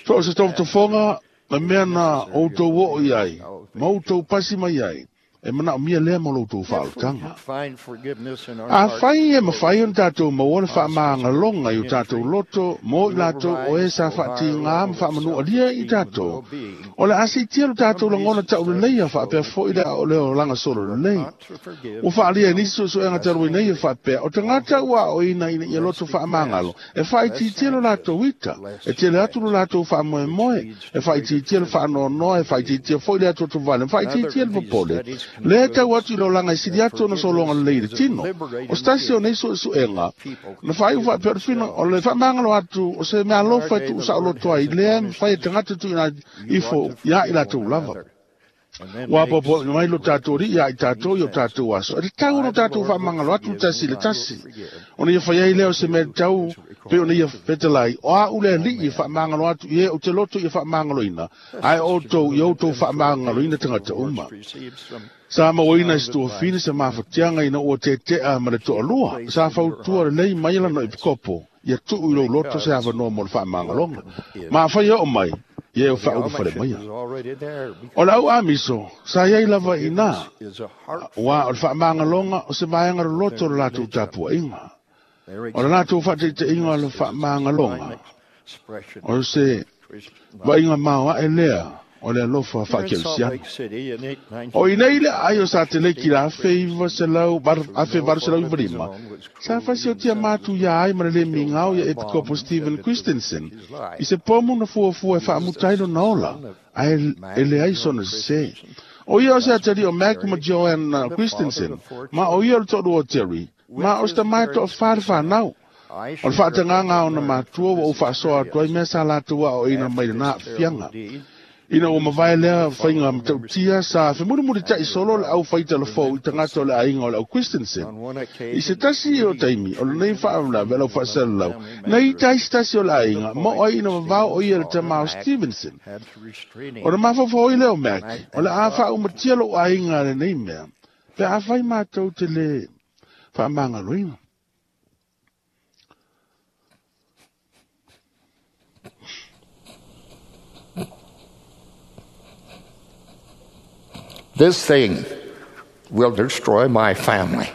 Speaker 2: So o se tofotofoga ma mea na outou oo i ai, ma outou pasi mai ai, e manaomia lea mo lo outou fa'aolotaga. Afai e mafai ona tātou maua le fa'amagaloga i o tātou loto mo i latou o e sa fa'atigā ma fa'amanu'alia i tātou, o le a si'itia lo tātou lagona ta'uleleia fa'apea fo'i le a'o le olaga solo lelei. Ua fa'alia e nisi su'esu'ega talu ai nei e fa'apea, o tagata ua a'oina ina ia loto fa'amagalo, e fa'aitiitia lo latou ita, e tele atu lo latou fa'amoemoe, e fa'aitiitia le fa'anoanoa, e fa'aitiitia fo'i le atuatuvale, ma fa'aitiitia le popole. Le tau atu i le olaga e sili atu ona sologa lelei i le tino. O se tasi o nei suesuega, na faaiu faapea o le fina o le faamagalo atu o se meaalofa e tuusaoloto ai lea e mafai e tagata tuuina ifo ia i latou lava. Ua apoapoaiina mai lo tatou alii ia i tatou i o tatou aso. E tatau ona tatou faamagalo atu le tasi i le tasi. Ona ia fai ai lea o se mea tatau pei ona ia fetalai, o au le alii e faamagalo atu i e ou te loto ia faamagaloina, ae outou ia outou faamagaloina tagata uma. Sa mauaina e se tuafine se mafatiaga ina ua tetea ma le toalua, sa fautua lelei mai lana epikopo, ia tuu i lou loto se avanoa mo le faamagaloga. Ma afai e oo mai, ia e faaulufale maia. O le au amiso, sa iai lava i ina, aua o le faamagaloga o se vaega loloto o le latou tapuaiga. O le latou faataitaiga o le faamagaloga, o se vaaiga maoae lea o le alofa faakerisiano. O i nei le aai o Sateleki i le afe valu selau iva lima, sa fasiotia matu ia ai ma le le migao ia Epikopo Stephen Christensen i se pomu na fuafua e faamuta ai lona ola, ae e leai sona sesē. O ia o se atalii o Mac ma Joanne Christensen, ma o ia o le toalua o Terry, ma o se tama e toafa le fanau. O le faatagaga o ona matua ua ou faasoa atu ai mea sa latou aoaoina mai lena aafiaga. Ina ua mavae lea faiga matautia, sa femulimulitai solo le au faitala fou i tagata o le aiga o le au Christensen. I se tasi o taimi o lenei faalavelave lau faasalalau, na ita ai se tasi o le aiga, ma o ai ina vavao o ia le tama o Stevenson. Ona mafaufau ai lea o Mac, o le a faaumatia lou aiga lenei mea, pe afai matou te le faamagaloina.
Speaker 3: This thing will destroy my family.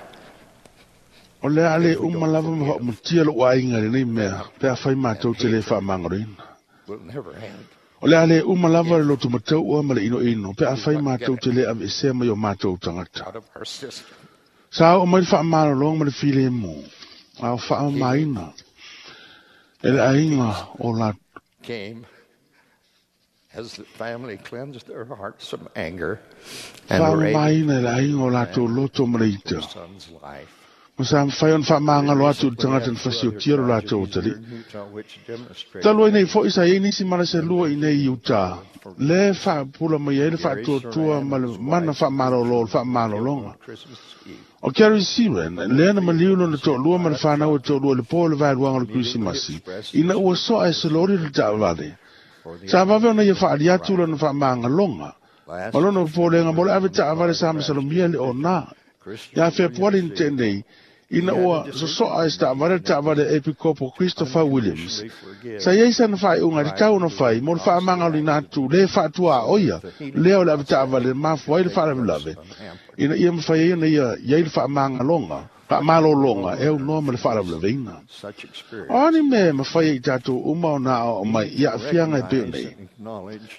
Speaker 2: O le a le uma lava ma faaumatia lou aiga lenei mea, pe afai matou te le faamagaloina.
Speaker 3: Will never end.
Speaker 2: O le a le uma lava le loto mataua ma le inoino, pe afai matou te le aveesea mai o matou tagata.
Speaker 3: Out of our system.
Speaker 2: Sa oo mai le faamalologa ma le filemu, a o faamamaina e le aiga o la
Speaker 3: Came as the family cleansed their hearts of anger and were able
Speaker 2: faamamaina e le aiga o latou loto ma le ita.
Speaker 3: their son's life.
Speaker 2: Ma sa mafai ona faamagalo atu i le tagata na fasiotia lo latou atalii. Talu ai nei foi sa iai nisi mala se lua i nei i Utah, le faapula mai ai le faatuatua ma le mana faamalolo o le faamalologa. O Kerry Siren, lea na maliu lona toalua ma le fanau e toalua i le po o le vaeluaga o le Kerisimasi, ina ua soa e se loli le taavale. Sa vave ona ia faali atu lona faamagaloga, ma lona popolega mo le ave taavale sa masalomia le ona. Ia Fepuari na tenei, ina ua sosoa e se taavale le taavale a Epikopo Christopher Williams. Sa iai sana faaiuga i le tau ona fai mo le faamagaloina atu le faatua oia, lea o le ave taavale mafua ai le faalavelave, ina ia mafai ai ona ia iai le faamagaloga, faamalologa e aunoa ma le faalavelaveina.
Speaker 3: Such experience
Speaker 2: O ani mea e mafai ai i tatou uma ona aoao mai i aafiaga e pei ona
Speaker 3: recognize
Speaker 2: nei.
Speaker 3: and acknowledge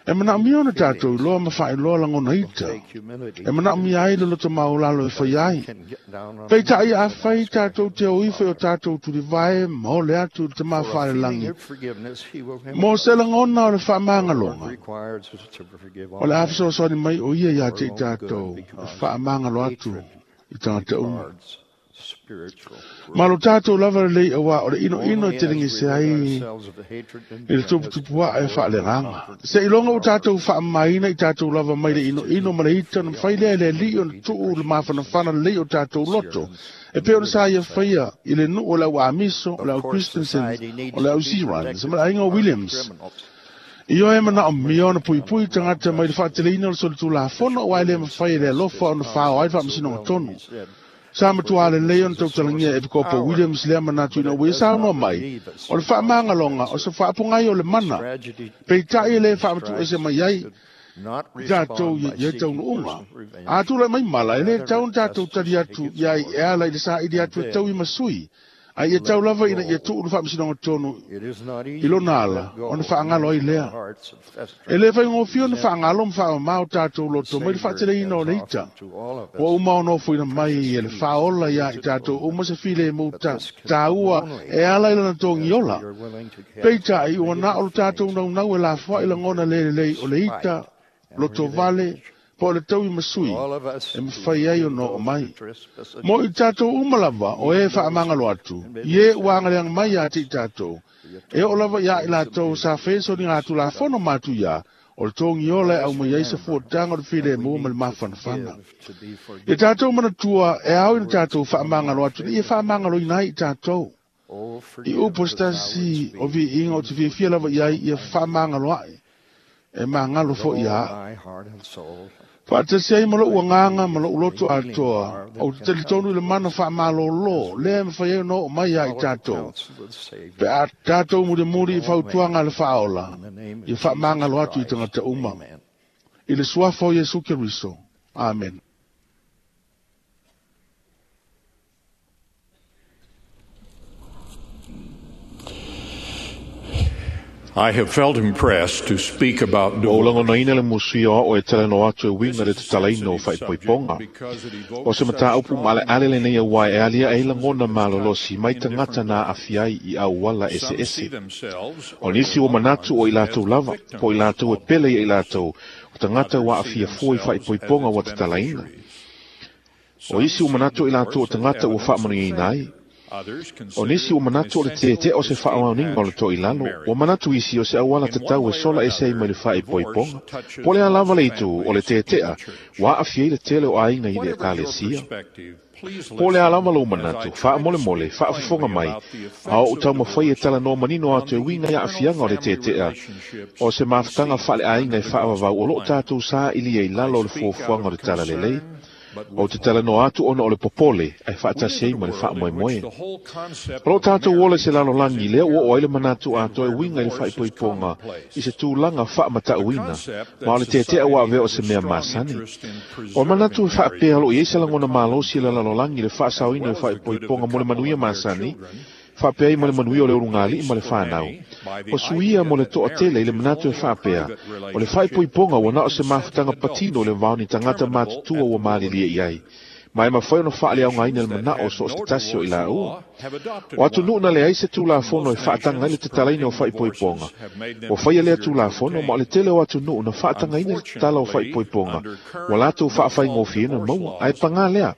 Speaker 2: E manaomia ona tatou iloa ma faailoa lagona ita.
Speaker 3: take humility
Speaker 2: E manaomia ai le loto maulalo e fai ai.
Speaker 3: can get down on
Speaker 2: Peitai
Speaker 3: our
Speaker 2: a
Speaker 3: knees and
Speaker 2: fai
Speaker 3: ask our
Speaker 2: tatou te o
Speaker 3: Heavenly
Speaker 2: ifo i o
Speaker 3: Father
Speaker 2: tatou tulivae ma ole atu i le tama
Speaker 3: for a feeling
Speaker 2: faalelangi.
Speaker 3: of forgiveness he will
Speaker 2: Mo se
Speaker 3: impart.
Speaker 2: lagona o le
Speaker 3: The Lord
Speaker 2: faamagaloga,
Speaker 3: requires us to forgive
Speaker 2: o
Speaker 3: all
Speaker 2: le a
Speaker 3: men
Speaker 2: fesoasoani mai o ia ia
Speaker 3: for
Speaker 2: te i
Speaker 3: our own good
Speaker 2: tatou e
Speaker 3: because
Speaker 2: faamagalo atu
Speaker 3: hatred
Speaker 2: i tagata uma.
Speaker 3: retards spiritual
Speaker 2: Ma lo
Speaker 3: growth.
Speaker 2: tatou lava lelei auā o le inoino e
Speaker 3: Only
Speaker 2: te
Speaker 3: as we
Speaker 2: ligese
Speaker 3: rid
Speaker 2: ai
Speaker 3: ourselves of the hatred and
Speaker 2: i le
Speaker 3: bitterness
Speaker 2: tuputupu
Speaker 3: can
Speaker 2: ae
Speaker 3: the Lord
Speaker 2: faaleagaga.
Speaker 3: comfort
Speaker 2: Se iloga
Speaker 3: our
Speaker 2: ua tatou
Speaker 3: hearts.
Speaker 2: faamamaina i tatou lava mai le
Speaker 3: Just to
Speaker 2: inoino ma le ita ona
Speaker 3: be
Speaker 2: mafai lea e le
Speaker 3: honest
Speaker 2: alii
Speaker 3: with
Speaker 2: ona
Speaker 3: each
Speaker 2: tuu le
Speaker 3: Christian
Speaker 2: mafanafana lelei o tatou loto.
Speaker 3: Syrians
Speaker 2: E pei ona sa ia
Speaker 3: themselves.
Speaker 2: faia i le nuu o le au Amiso, o le
Speaker 3: Of
Speaker 2: au
Speaker 3: course,
Speaker 2: Christensen,
Speaker 3: society
Speaker 2: o
Speaker 3: needs
Speaker 2: le
Speaker 3: to
Speaker 2: au
Speaker 3: be
Speaker 2: Sirans,
Speaker 3: protected
Speaker 2: ma le aiga o
Speaker 3: from armed
Speaker 2: Williams.
Speaker 3: criminals.
Speaker 2: I oe
Speaker 3: Not
Speaker 2: manaomia ona
Speaker 3: bringing
Speaker 2: puipui
Speaker 3: down
Speaker 2: tagata mai le
Speaker 3: justice.
Speaker 2: faateleina o le solitulafono
Speaker 3: Bishop
Speaker 2: ua e le
Speaker 3: Williams
Speaker 2: mafai e le
Speaker 3: stressed
Speaker 2: alofa
Speaker 3: this
Speaker 2: ona fao ai le
Speaker 3: concept so
Speaker 2: faamasinoga
Speaker 3: well when
Speaker 2: tonu.
Speaker 3: he said,
Speaker 2: Sa matua
Speaker 3: Forgiveness
Speaker 2: lelei ona
Speaker 3: is a source
Speaker 2: tautalagia e
Speaker 3: of
Speaker 2: Epikopo
Speaker 3: power,
Speaker 2: Williams lea manatu
Speaker 3: but
Speaker 2: ina
Speaker 3: it
Speaker 2: ua ia
Speaker 3: does
Speaker 2: saunoa
Speaker 3: not
Speaker 2: mai,
Speaker 3: relieve us
Speaker 2: o le
Speaker 3: of
Speaker 2: faamagaloga o
Speaker 3: consequences.
Speaker 2: se faapogai o le
Speaker 3: This
Speaker 2: mana,
Speaker 3: tragedy
Speaker 2: peitai e le
Speaker 3: determined
Speaker 2: faamatuese
Speaker 3: strikes
Speaker 2: mai ai
Speaker 3: should not
Speaker 2: tatou
Speaker 3: respond by
Speaker 2: ia
Speaker 3: seeking
Speaker 2: taunuuga.
Speaker 3: personal revenge.
Speaker 2: A tula mai mala, e le
Speaker 3: Rather,
Speaker 2: tau
Speaker 3: let
Speaker 2: na tatou
Speaker 3: justice
Speaker 2: tali
Speaker 3: take
Speaker 2: atu
Speaker 3: its
Speaker 2: ia i
Speaker 3: course
Speaker 2: e ala i le saili
Speaker 3: and
Speaker 2: atu e tau i
Speaker 3: then
Speaker 2: masui. Ai ia tau
Speaker 3: let
Speaker 2: lava ina ia
Speaker 3: go.
Speaker 2: tuu le faamasinoga tonu
Speaker 3: It is not
Speaker 2: i
Speaker 3: easy
Speaker 2: lona
Speaker 3: to
Speaker 2: ala,
Speaker 3: let go
Speaker 2: ona
Speaker 3: of
Speaker 2: faagalo ai
Speaker 3: in our
Speaker 2: lea.
Speaker 3: hearts of
Speaker 2: E
Speaker 3: festering
Speaker 2: le faigofie ona
Speaker 3: resentment.
Speaker 2: faagalo ma faamamao tatou
Speaker 3: The
Speaker 2: loto mai le
Speaker 3: Savior
Speaker 2: faateleina o
Speaker 3: has
Speaker 2: le ita.
Speaker 3: offered to all of
Speaker 2: Ua
Speaker 3: us
Speaker 2: uma ona ofoina mai
Speaker 3: precious
Speaker 2: e le
Speaker 3: peace
Speaker 2: faaola
Speaker 3: and
Speaker 2: ia i
Speaker 3: his
Speaker 2: tatou uma
Speaker 3: atonement.
Speaker 2: se file mu
Speaker 3: But
Speaker 2: ta,
Speaker 3: this can come
Speaker 2: tāua
Speaker 3: only
Speaker 2: e ala i lana togi
Speaker 3: as
Speaker 2: ola.
Speaker 3: we are willing to cast
Speaker 2: Peitai
Speaker 3: all
Speaker 2: ua na o
Speaker 3: negative
Speaker 2: le tatou
Speaker 3: feelings
Speaker 2: naunau e lafoai
Speaker 3: of
Speaker 2: lagona
Speaker 3: anger,
Speaker 2: lelelei o le ita,
Speaker 3: spite, and
Speaker 2: loto vale,
Speaker 3: revenge
Speaker 6: Po le taui masui e mawhai ai o no o mai. Mo i tātou umalava o e whaamangalo atu. Ie uangaleang mai a te i tātou. E o lava ia i lātou sa whenso ni ngā tula whono mātu ia. O le tongi ola e au mai ai se fuatanga o le while mua ma le mawhanawhana. I tātou manatua e au i tātou whaamangalo atu. I e whaamangalo ina i tātou. I upo stasi o vi inga o te whiawhia lava iai ia whaamangalo ai. E mangalo fo ia. Whaatasi ai malo uanganga malo uloto atoa. O te talitonu le mana whaamalolo. Lea mwhai au no mai ai tātou. Pe a tātou muri muri i whautuanga le whaola. I whaamangalo atu i tangata uma. I le suafa o Yesu Keriso. Amen.
Speaker 7: I have felt impressed to speak about
Speaker 2: O langonaina le musuia o e tele no atu e winga le tatalaina o whaipoiponga. O se mata upu maale ale le nei wai e alia e langona malolosi mai tangata nā afiai i au wala ese ese. O nisi o manatu o i lātou lava, po i lātou e pele i lātou, o tangata wa afia fua i whaipoiponga wa tatalaina. O isi o manatu i lātou o tangata ua whaamanuiaina ai. O nisi o manatu o le te te o se whaawauninga o le toi lalo, o manatu isi o se awala te tau e sola e sei mai le whaepoiponga. Po le alava le itu o le te tea, wa awhia i le tele o ainga i le ekalesia. Po le alava lo manatu, wha mole mole, wha afufonga mai, a o tau mawhai e tala no manino atu e winga ia awhianga o le te tea, o se mawhatanga wha le ainga e whaawawau o lo tātou saa ili e lalo o le fuafuanga o le tala lelei. O te tala no atu ona o le popole, ai whaatasi ai ma le wha moe moe. O lo tātou ole se lalo langi lea ua o ai le manatu atoa e winga i le whaipoiponga i se tūlanga wha matauina, ma o le tetea ua avea o se mea masani. O manatu e whaapea lo i eisa langona malosi le lalo langi le whaasauina e whaipoiponga mo le manuia masani, whaapea i mo le manuia o le urungali i ma le whanau. O suia mo le toa tele i le manatu e whaapea, o le whaipoiponga ua na o se mawhatanga patino le vaoni tangata mātutua ua maalilia i ai. Mai mawhai ono whaale au ngaina le mana o so o se tasi o i la ua. O atu nuu na le ai se tūlafono e whaatanga i le tatalaina o whaipoiponga. O whaia lea tūlafono ma o le tele o atu nuu na whaatanga ina le tatala o whaipoiponga. Wa lātou whaawhai ngōwhiena maua, ai pangā lea.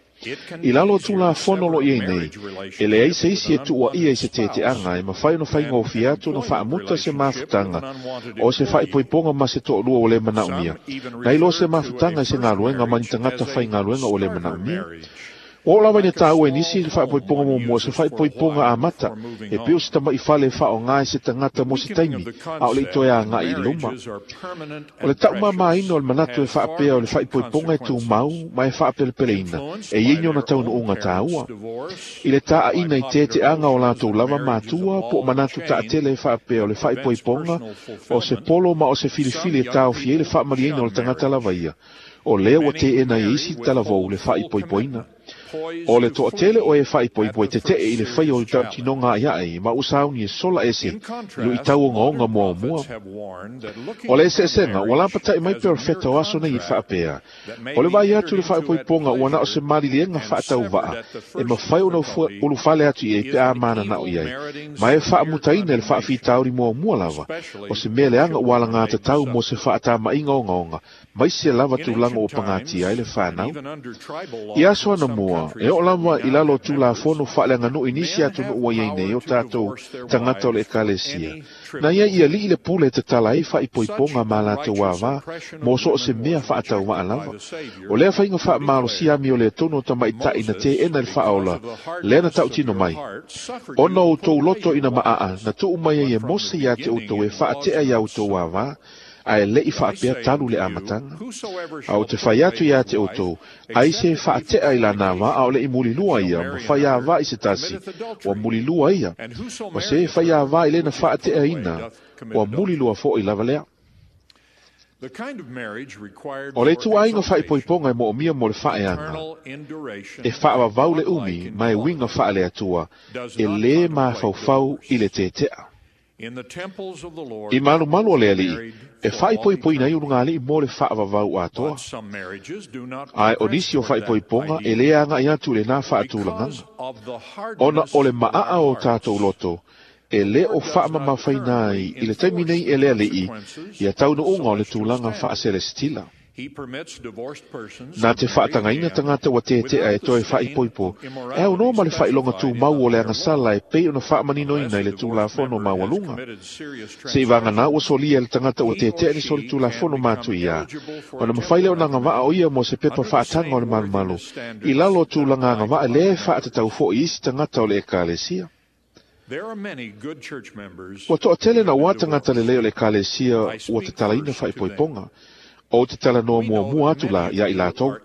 Speaker 2: I lalo tūlafono lo iei nei, e le ai se isi e tua ia i se tete anga, e mawhai no whai ngōwhia atu no whaamuta se mawhutanga, o se whaipoiponga ma se to'olua o le manaumia. Nei lo se mawhutanga i se ngāluenga mani tangata whai ngāluenga o le manaumia. O lawa ina tāua e nisi le whaipoiponga mo mua se whaipoiponga a mata, e peo se tama i whale wha o ngāi se tangata mo se taimi, a o le itoe a ngā i luma. O le tauma maina o le manatu e whaapea o le whaipoiponga e tū mau, ma e whaapelepeleina, e ienyo na taunu unga tāua. I le taa ina i te te anga o lātou lava mātua, po manatu taatele e whaapea o le whaipoiponga, o se polo ma o se filifili e tāo fie le whaamaliaina o le tangata lava ia. O lea ua te ena i isi talavou le whaipoipoina. O le toa tele o e whaipoipoi te te i le whai o tau tinonga ai ai, ma usauni e sola ese, lu i tau onga onga mua mua. O le ese esenga, ua lapatai mai pe o wheta o aso nei i whaapea. O le vai atu le whaipoiponga ua na o se marilienga whaatau waa, e mawhai o na ulu whale atu i e pe a mana nao i ai. Ma e whaamutaina le whaawhitauri mua mua lava, o se mea leanga ua la ngā tatau mo se whaatama inga onga onga, mai se lava tūlanga o pangati ai le whanau. I aso ana mua, e o lava i lalo tūlafono whaaleanga no inisi atu no ua iei nei o tātou tangata o le ekalesia. Na ia ia li i le pule te tala e whaipoiponga mā lātou wā mō so o se mea whaatau waa lava. O lea whainga whaamalo siami o le tono tamaitai na te ena le whaola, lea na tautino mai. Ona o tō loto ina maa, na tuu mai ai e mose ia te o tau e whaatea ia o tō wā a e lei whaapea talu le amatanga. A o te whai atu ia te otou, ai se whaatea i la nā wā, a o le i mulilua ia, ma whai a wā i se tasi, wa mulilua ia. Ma se whai a wā i le na whaatea ina, wa mulilua fo i lava lea. O le tuainga whaipoiponga e moomia mo le whaeanga, e whaawawau le umi, ma e winga whaale atua, e le mawhauwhau i le tetea. I malu malu o le alii, e whaipoipoina i urunga alii mo le whaawawau atoa. Ai o nisi o whaipoiponga e le anga i atu le nā whaatulanganga. Ona o le maa o tātou loto, e le o whaamamawhaina ai i le taimi nei e le alii, ia taunuunga o le tūlanga whaaselestila. Na te whaatanga tagata ua tetea e toe whaipoipo, e au no ma le whailonga tū mau o le angasala e pei ona whaamaninoina i le tūlafono maualuga. Se i vāngana ua solia le tagata ua tetea ni soli tūlafono mātu ia, ona mawhai leo na ngawaa o ia mo se pepa whaatanga o le malumalu, i lalo o tūlanga ngawaa le whaatatau fo i isi tagata o le ekalesia. Ua toatele na ua tagata le leo le ekalesia ua te talaina whaipoiponga, o te tala noa mua mua atu la ia i lātou.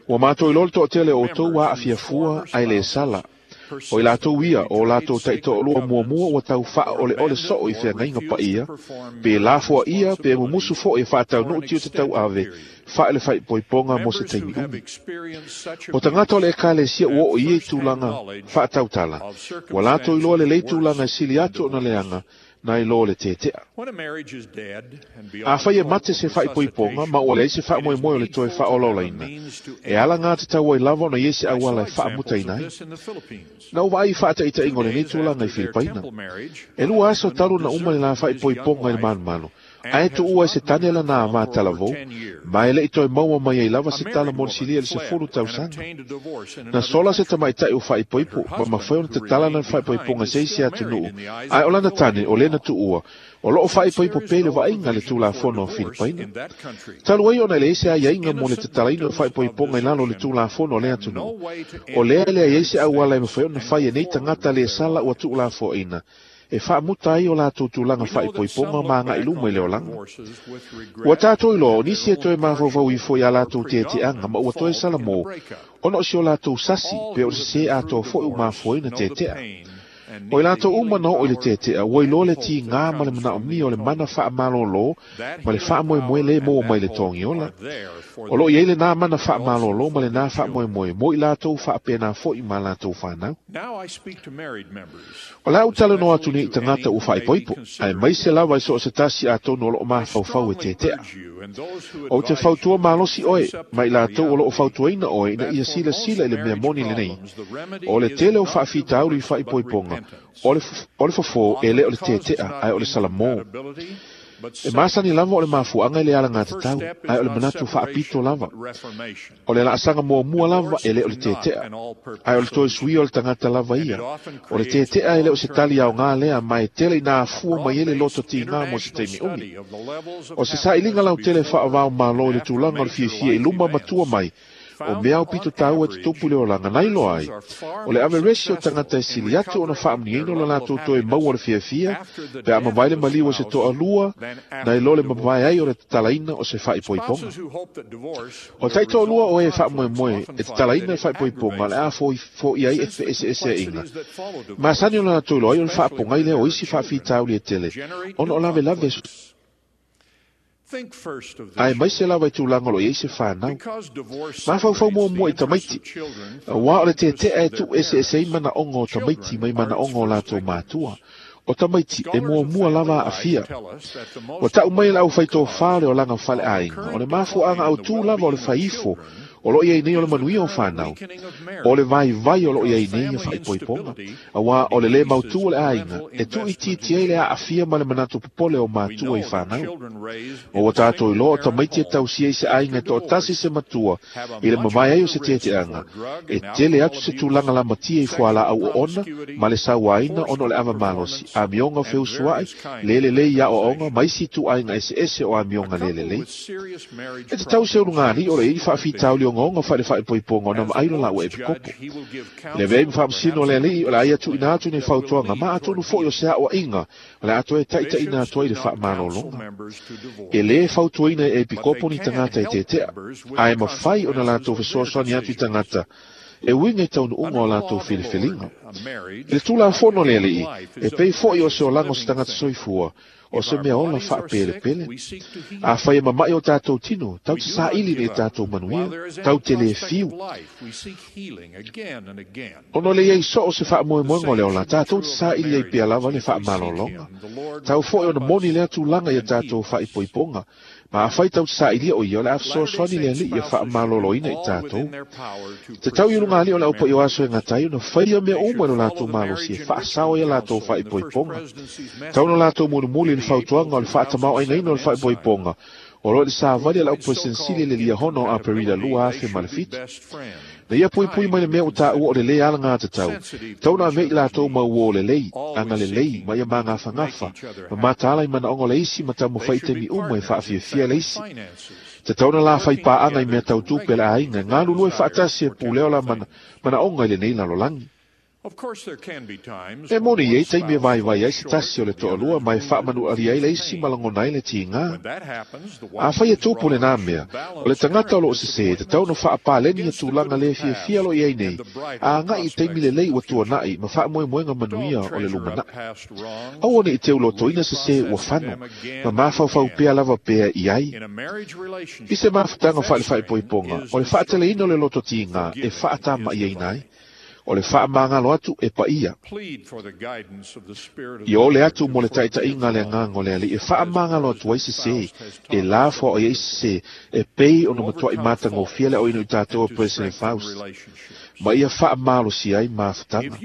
Speaker 2: Ua mātou i lolo toatele o tau a awhia fua ai le sala. O i lātou ia o lātou taitoalua mua mua ua tau whaa ole ole soo i whia ngainga pa ia, pe lāfua ia, pe mumusu fo e whaatau nuu tio te tau ave, whaa le whaipoiponga mo se taimi umi. O tangata o le ekalesia ua o ia i tūlanga whaatau tala. Ua lātou i loa le lei tūlanga e sili atu o na leanga, na i lo le tetea. A whai e mate se whaipoiponga, ma ua lei se whaamoemoe o le toe whaololaina. E ala ngā te tau ai lava ona iese awala e whaamuta inai. Na ua ai whaataita ingo le nei tūlanga i Filipaina. E lua aso talu na uma le la whaipoiponga i le manumalu. Ae tu ua e se tane la nā mātalavou, ma e lei toe maua mai ai lava se tala mo le silia le se fulu tausaga. Na sola se tamaitai o whaipoipo, ma mawhai ona te tala na whaipoiponga se isi atunuu, ae o lana tane o lena tuua, o loo whaipoipo pele vainga le tūlafono o Filipaina. Talu ai ona le ese ai ainga mo le te talaina o whaipoiponga i lalo le tūlafono o le atunuu. O lea lea i ese auala e mawhai ona whai e nei tangata le sala ua tuulafoaina, e whaamuta ai o lātou tūlanga whaipoiponga ma ngā iluma i le olanga. Ua tātou i loa, o nisi e toe mafaufau ifo i a lātou teteanga, ma ua toe sala mō, ona o si o lātou sasi, pe o se se atoa foi u mafoe na tetea. O i lātou uma na o i le tetea, ua i loa le ti ngā ma le manao mia o le mana whaamalolo, ma le whaamoemoe le mō mai le tongiola. O lo i eile nā mana whaamalolo ma le nā whaamoemoe, mō i lātou whaapena foi ma lātou whanau. O lau tala no atu ni i tangata u whaipoipo, ai mai se lawa i so o se tasi a tonu o loo mafaufau e tetea. O te fautua malosi oe, ma i lātou o loo fautuaina oe ina ia sila sila i le mea moni le nei. O le tele o whaafitauri i whaipoiponga, o le, o le fofo e le o le tetea, ai o le salamō. E masani lava o le mafuanga i le ala ngā te tau, ai o le manatu whaapito lava. O le laasanga mua mua lava e le o le tetea, ai o le toe sui o le tangata lava ia. O le tetea e le o se tali au ngā lea, ma e tele i nā afua mai ele loto ti ngā mo se teimi umi. O se sailinga lau tele whaawao malo i le tūlanga o le fiafia i luma matua mai, o mea o pito tāua te topu le olanga nai loa ai. O le ave resi o tangata e sili atu ona whaamniaina o la lātou toe maua le fiafia, pe a mawai le maliu o se toa lua, nai lo le mawai ai o le tatalaina o se whaipoiponga. O tai toa lua o e whaamoemoe, e tatalaina e whaipoiponga le a fo i ai e ese ese inga. Masani o la lātou loa ai o le whaaponga i lea o isi whaafitauli e tele, ona o lave lave Ai mai se lava i tūlanga lo i se whanau. Mafaufau mua mua i tamaiti. Wā o le tetea e tu ese ese i mana onga o tamaiti mai mana onga o lātou mātua. O tamaiti e mua mua lava a fia. O tau mai la au whaito whare o langa whale ainga. O le mafuanga au tū lava o le whaifo. O lo ia nei o le manuia o whanau. O le vai vai o lo ia nei o whaipoiponga. A wā o le le mautu o le ainga. E tu i titi ai le a afia ma le manatu popole o mātua i whanau. O wa tātou i loa o tamaiti e tausia i se ainga e to tasi se matua i le mawai ai o se teteanga. E tele atu se tūlanga la matia i fuala au o ona ma le sauaina ono le ava malosi. A mionga feusuai, lele le ia o onga, maisi tu ainga ese ese o a mionga lele le. E te tau se urungani o le i whaafitauli o ngonga whaere whaipoiponga o na maailo la ua e pikopo. Le vei mwhaamsino le alii o le aia tu ina atu nei fautuanga, ma atonu foi o se aoa inga, o le atoe taita ina atoa i le whaamalolonga. E le fautuaina e pikopo ni tangata e tetea, ae mawhai o na lātou fesoasoani atu i tangata, e winga i taunu unga o lātou whiliwhilinga. I le tūla fono le alii, e pei foi o se o lango se tangata soifua, o se mea ola whaapelepele. A whai e mamai o tātou tino, tau te saili nei tātou manuia, tau te le fiu. Ono le iei so o se whaamoemoenga o le ola, tātou te saili ei pia lava le whaamalolonga. Tau foi ona moni lea tūlanga ia tātou whaipoiponga, ma a whai tau te sailia o ia o le awhasoaswani le ali ia whaamaloloina i tātou. Te tau i runga ali o le aupa i o aso e ngā na whai a mea uma no lātou malosi e whaasao ia lātou whaipoiponga. Tau no lātou munumuli le fautuanga o le whaatamau aina ina o le whaipoiponga. O lo o le savali a le au Peresetene le liahono o Aperila lua afe ma le fitu. Na ia puipui mai le mea o tāua o le lē alagatatau, tau na mea i latou mau uō lelei, agalelei, ma ia magafagafa, ma mataala i manaoga o le isi ma taumafai i taimi uma e faafiafia le isi. Tatau na la faipaaga i mea tautupe a le aiga, e galulue faatasi e pulea o la manaoga i lenei lalolagi. E moni i ai taimi e vaivai ai se tasi o le toalua ma e faamanualia ai le isi ma lagona ai le tigā. Afai e tupu lenā mea, o le tagata o loo sesē, tatau ona faapaleni ia tulaga lē fiafia o loo i ai nei, a agai i taimi lelei ua tuana'i ma faamoemoega manuia o le lumana'i. Aua ne i teulotoina sesē ua fano, ma mafaufau pea lava pea i ai. I se mafutaga faale-faaipoipoga, o le faateleina o le loto tigā e faatama'iaina ai. O le faamagalo atu e paia. Ia ole atu mo le taita'iga a le agaga o le Alii e faamagalo atu ai sesē, e lafoa'i ai sesē, e pei ona matua'i matagofie le aoina o i tatou e President Faust, ma ia faamalosia ai mafutaga.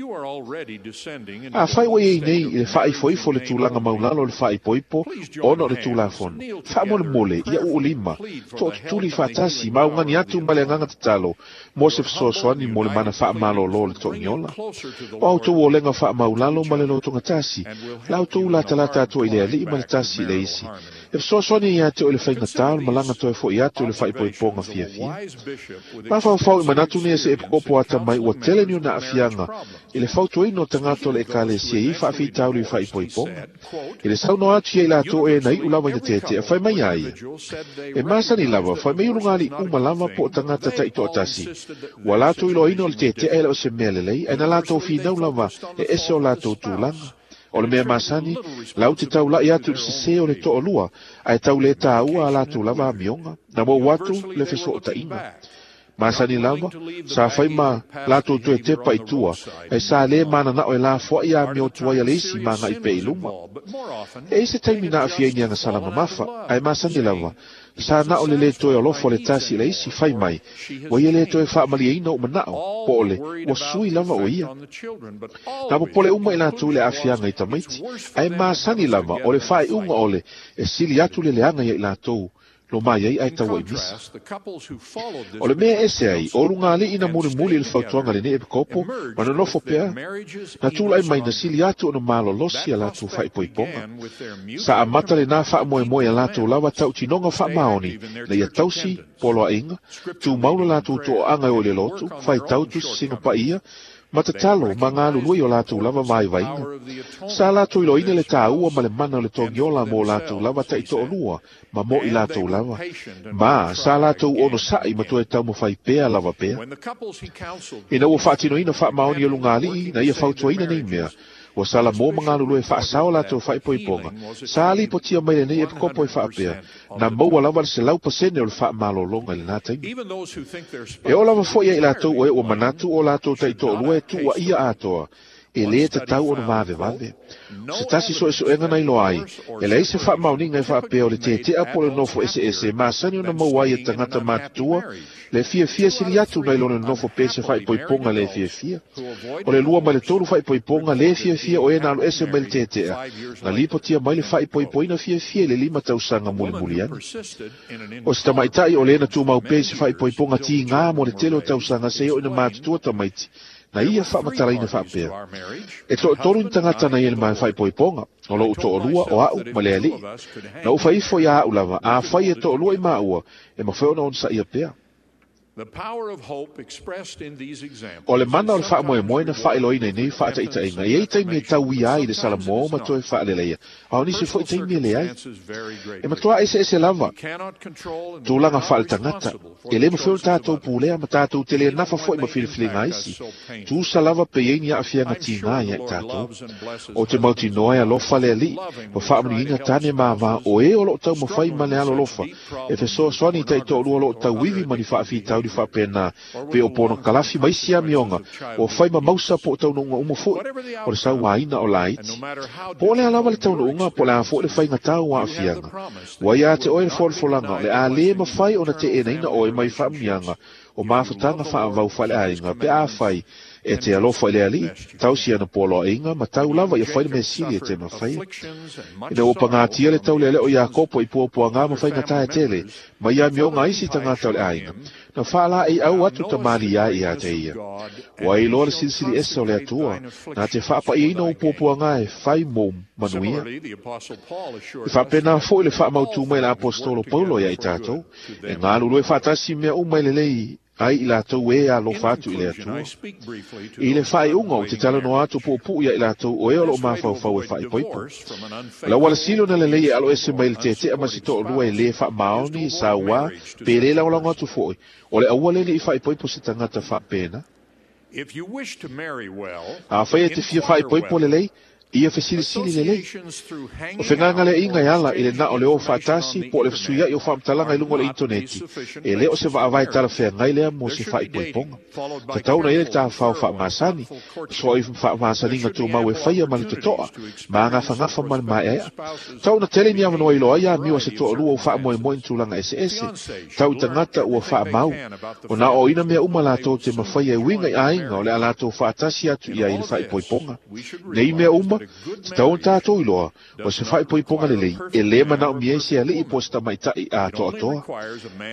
Speaker 2: Afai ua i ai nei i le faaifoifo le tulaga maulalo o le faaipoipo ona o le Tulafono, faamolemole ia uulima, tootutuli faatasi ma augani atu ma le agaga tatalo mo se fesoasoani mo le mana faamalōlō o le toagiola. O a outou olega faamaulalo ma le lotogatasi, la outou latalata atu ai i le Alii ma le tasi i le isi, e fesoasoani ia te oe le faigatā o le malaga toe fo'i atu i le faaipoipoga fiafia. Mafaufau i manatu nei e se epikopo atamai ua tele ni ona aafiaga i le fautuaina o tagata o le Ekalesia i faafitauli i faaipoipoga. I le saunoa atu ia i latou e na iu lava ina tete'a, fai mai a ia. E masani lava, fai mai ulugalii uma lava po o tagata ta'itoatasi, ua latou iloaina o le tete'a e le o se mea lelei, ae na latou finau lava e ese o latou tulaga. O le mea masani, lau te taula'i atu i le sesē o le to'alua, ae tau lē tāua a latou lava amioga, na mou atu le feso'ota'iga. Masani lava, sa fai ma latou toe tepa i tua, ae sa lē manana'o e lafoa'i amio tuai a le isi ma aga'i pea i luma. E i ai se taimi na aafia ai ni agasala mamafa, ae masani lava, sa na'o le lē toe alofa o le tasi i le isi, fai mai, ua ia lē toe faamalieina o'u mana'o, po o le, ua sui lava o ia. Na popole uma i latou i le aafiaga i tamaiti, ae masani lava o le faaiuga o le, e sili atu le leaga ia i latou, lo mai ai ae taua'i misa. O le mea e ese ai, o lugalii na mulimuli i le fautuaga lenei epikopo, ma nonofo pea, na tula'i mai na sili atu ona malolosi a latou faaipoipoga. Sa amata lenā faamoemoe a latou lava tautinoga faamaoni na ia tausi poloa'iga, tumau lo latou to'oaga e oo i le lotu, faitau tusisiga paia, ma tatalo ma galulue i o latou lava vaivaiga. Sa latou iloaina le tāua ma le mana o le togiola mo latou lava ta'ito'olua ma mo i latou lava, ma sa latou onosa'i ma toe taumafai pea lava pea. Ina ua faatinoina faamaoni o lugalii na ia fautuaina nei mea, ua salamō ma galulue e faasao latou faaipoipoga, sa lipotia mai lenei epikopo e faapea, na maua lava le selau pasene o le faamalōlōga i lenā taimi. E oo lava fo'i ia i latou o e ua manatu o latou ta'ito'olua e tu'uaʻia atoa, e lē tatau ona vavevave. O se tasi so'eso'ega na iloa ai, e leai se faamaoniga e faapea o le tete'a po o le nofo eseese e masani ona maua ai e tagata matutua le fiafia sili atu nai lo le nonofo pea i se faaipoipoga lē fiafia. O le lua ma le tolu faaipoipoga lē fiafia o e na alu ese mai le tete'a, na lipotia mai le faaipoipoina fiafia i le lima tausaga mulimuli ane. O se tamaita'i o lē na tumau pea i se faaipoipoga tigā mo le tele o tausaga seia oo ina matutua tamaiti, na ia faamatalaina faapea, E to'atolu ni tagata na ia i le faaipoipoga, o lo'u to'alua, o a'u ma le Alii. Na ou faifo iā a'u lava, afai e to'alua i maua, e mafai ona onosaʻia pea. O le mana o le faamoemoe na faailoaina i nei faataʻitaʻiga, e i ai taimi e tauia ai i le salamō ma toe faaleleia, a o nisi foʻi taimi e leai. E matuā eseese lava tulaga faaletagata, e lē mafai ona tatou pulea ma tatou te lē nafa foʻi ma filifiliga a isi, tusa lava pe i ai ni aafiaga tigā iā i tatou. O te mautinoa e alofa le Alii ma faamanuiaina tane ma avā o e o loo taumafai ma le alolofa e fesoasoani i ta'ito'olua o loo tauivi ma ni faafitauli faapena pe o ponokalafi ma isi amioga ua fai ma mausa po o taunuuga uma foʻi o le sauāina o laiti. Po o le a lava le taunuuga po o le a foʻi le faigatā o aafiaga, ua iā te oe le folafolaga o le a lē mafai ona teʻenaina oe mai faamuniaga o mafutaga faavau faaleaiga pe afai E te alofa i le alii, tausi ana pualoaiga ma tau lava ia fai le measili e te mafaia. Ina ua pagatia le taulealea o Iakopo i puapuaga ma faigata e tele, ma ia amioga ai isi tagata o le aiga, na faalaeiau atu tamaliia ia te ia. Ua iloa le silisili ese o le Atua, na te faapaiaina o puapuaga e fai mo manuia. E faapena foi le faamautu mai le Aposetolo Paulo ia i tatou, e galulue faatasi mea uma e lelei ai i latou e alofa atu i le Atua. I le faaiuga o te talanoa atu puupuu ia i latou o e o loo mafaufau e faaipoipo. O le auala sili ona lelei e aloese mai le tetea ma se toalua e lē faamaoni sauā pe lē lagolago atu foi, o le aua lea nei faaipoipo se tagata faapena. Afai e te fia faaipoipo lelei, ia fesilisili lelei. O fegagaleaiga e ala i le na o le o faatasi po o le fesuiai o faamatalaga i luga o le initoneti, e lē o se vaavae talafeagai lea mo se faaipoipoga. Tatau na i ai le tafafao faamasani, soai faamasaniga tumau e faia ma le totoa, ma agafagafa ma le maeaea. Tau na tele ni avanoa iloa ai amio a se toalua ua faamoemoe i ni tulaga eseese, tau i tagata ua faamau. O na oina mea uma latou te mafaia e uiga i aiga o le a latou faatasi atu i ai i le faaipoipoga. Nei mea uma, tatau ona tatou iloa, o se faaipoipoga lelei, e lē manaomia ai se alii po o se tamaitai atoatoa.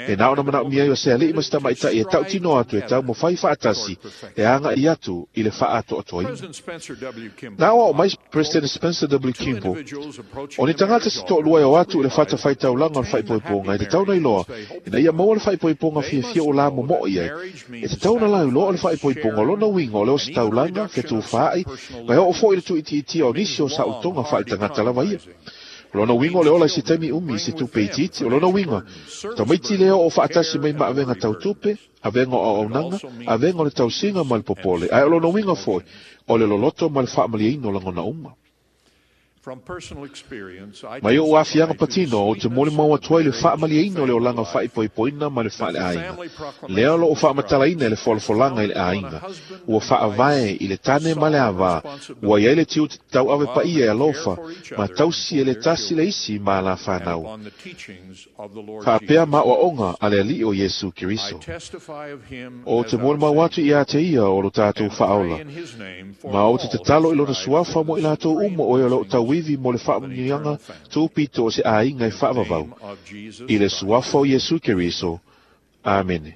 Speaker 2: E na ona manaomia ai o se alii ma se tamaitai e tautino atu e taumafai faatasi e aga'i atu i le faaatoatoaina. Na aoao mai President Spencer W. Kimball, o ni tagata se toalua e o atu i le fatafaitaulaga o le faaipoipoga e tatau ona iloa, ina ia maua le faaipoipoga fiafia o la momoo i ai. E tatau ona lauiloa o le faaipoipoga o lona uiga o le ositaulaga, fetufaai, ma e oo foi i le tuuitiitia o nisi o saolotoga faaletagata lava ia. O lona uiga o le ola i se taimi umi i se tupe itiiti. O lona uiga, o tamaiti lea o faatasi mai ma avega tau tupe, avega o auaunaga, avega o le tausiga ma le popole, ae o lona uiga foi, o le loloto ma le faamalieina o lagona uma. Mai oʻu aafiaga patino, ou te molimau atu ai le faamalieina o le olaga faaipoipoina ma le faaleaiga. Lea o loo faamatalaina e le folafolaga i le aiga, ua faavae i le tane ma le avā, ua i ai le tiute tauave paia e alofa, ma tausi e le tasi le isi ma la fanau. Faapea ma aoaoga a le Alii o Iesu Keriso. Ou te molimau atu ia te ia o lo tatou faaola, ma ou te tatalo i lona suafa mo i latou uma o e o loo tauivi mo le faamanuiaga tupito o se aiga e faavavau. I le suafa o Iesu Keriso. Amene.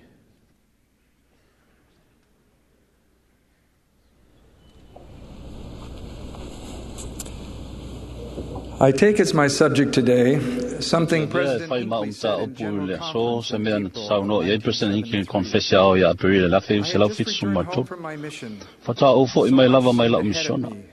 Speaker 8: I take as my subject today something
Speaker 9: Avea e
Speaker 8: President
Speaker 9: fai ma
Speaker 8: Hinckley
Speaker 9: o
Speaker 8: said in
Speaker 9: mataupu i
Speaker 8: General
Speaker 9: le aso
Speaker 8: Conference
Speaker 9: se
Speaker 8: in
Speaker 9: mea na
Speaker 8: April
Speaker 9: saunoa i ai
Speaker 8: of
Speaker 9: President
Speaker 8: nineteen
Speaker 9: Hinckley i
Speaker 8: seventy-three.
Speaker 9: konfesi ao ia Aperila le afe
Speaker 8: I had
Speaker 9: selau
Speaker 8: just
Speaker 9: fitu
Speaker 8: returned
Speaker 9: ma
Speaker 8: home
Speaker 9: tolu.
Speaker 8: from my mission.
Speaker 9: Faatoa ou fo'i
Speaker 8: So
Speaker 9: mai
Speaker 8: much
Speaker 9: lava mai
Speaker 8: seemed
Speaker 9: la'u
Speaker 8: ahead of
Speaker 9: misiona.
Speaker 8: me.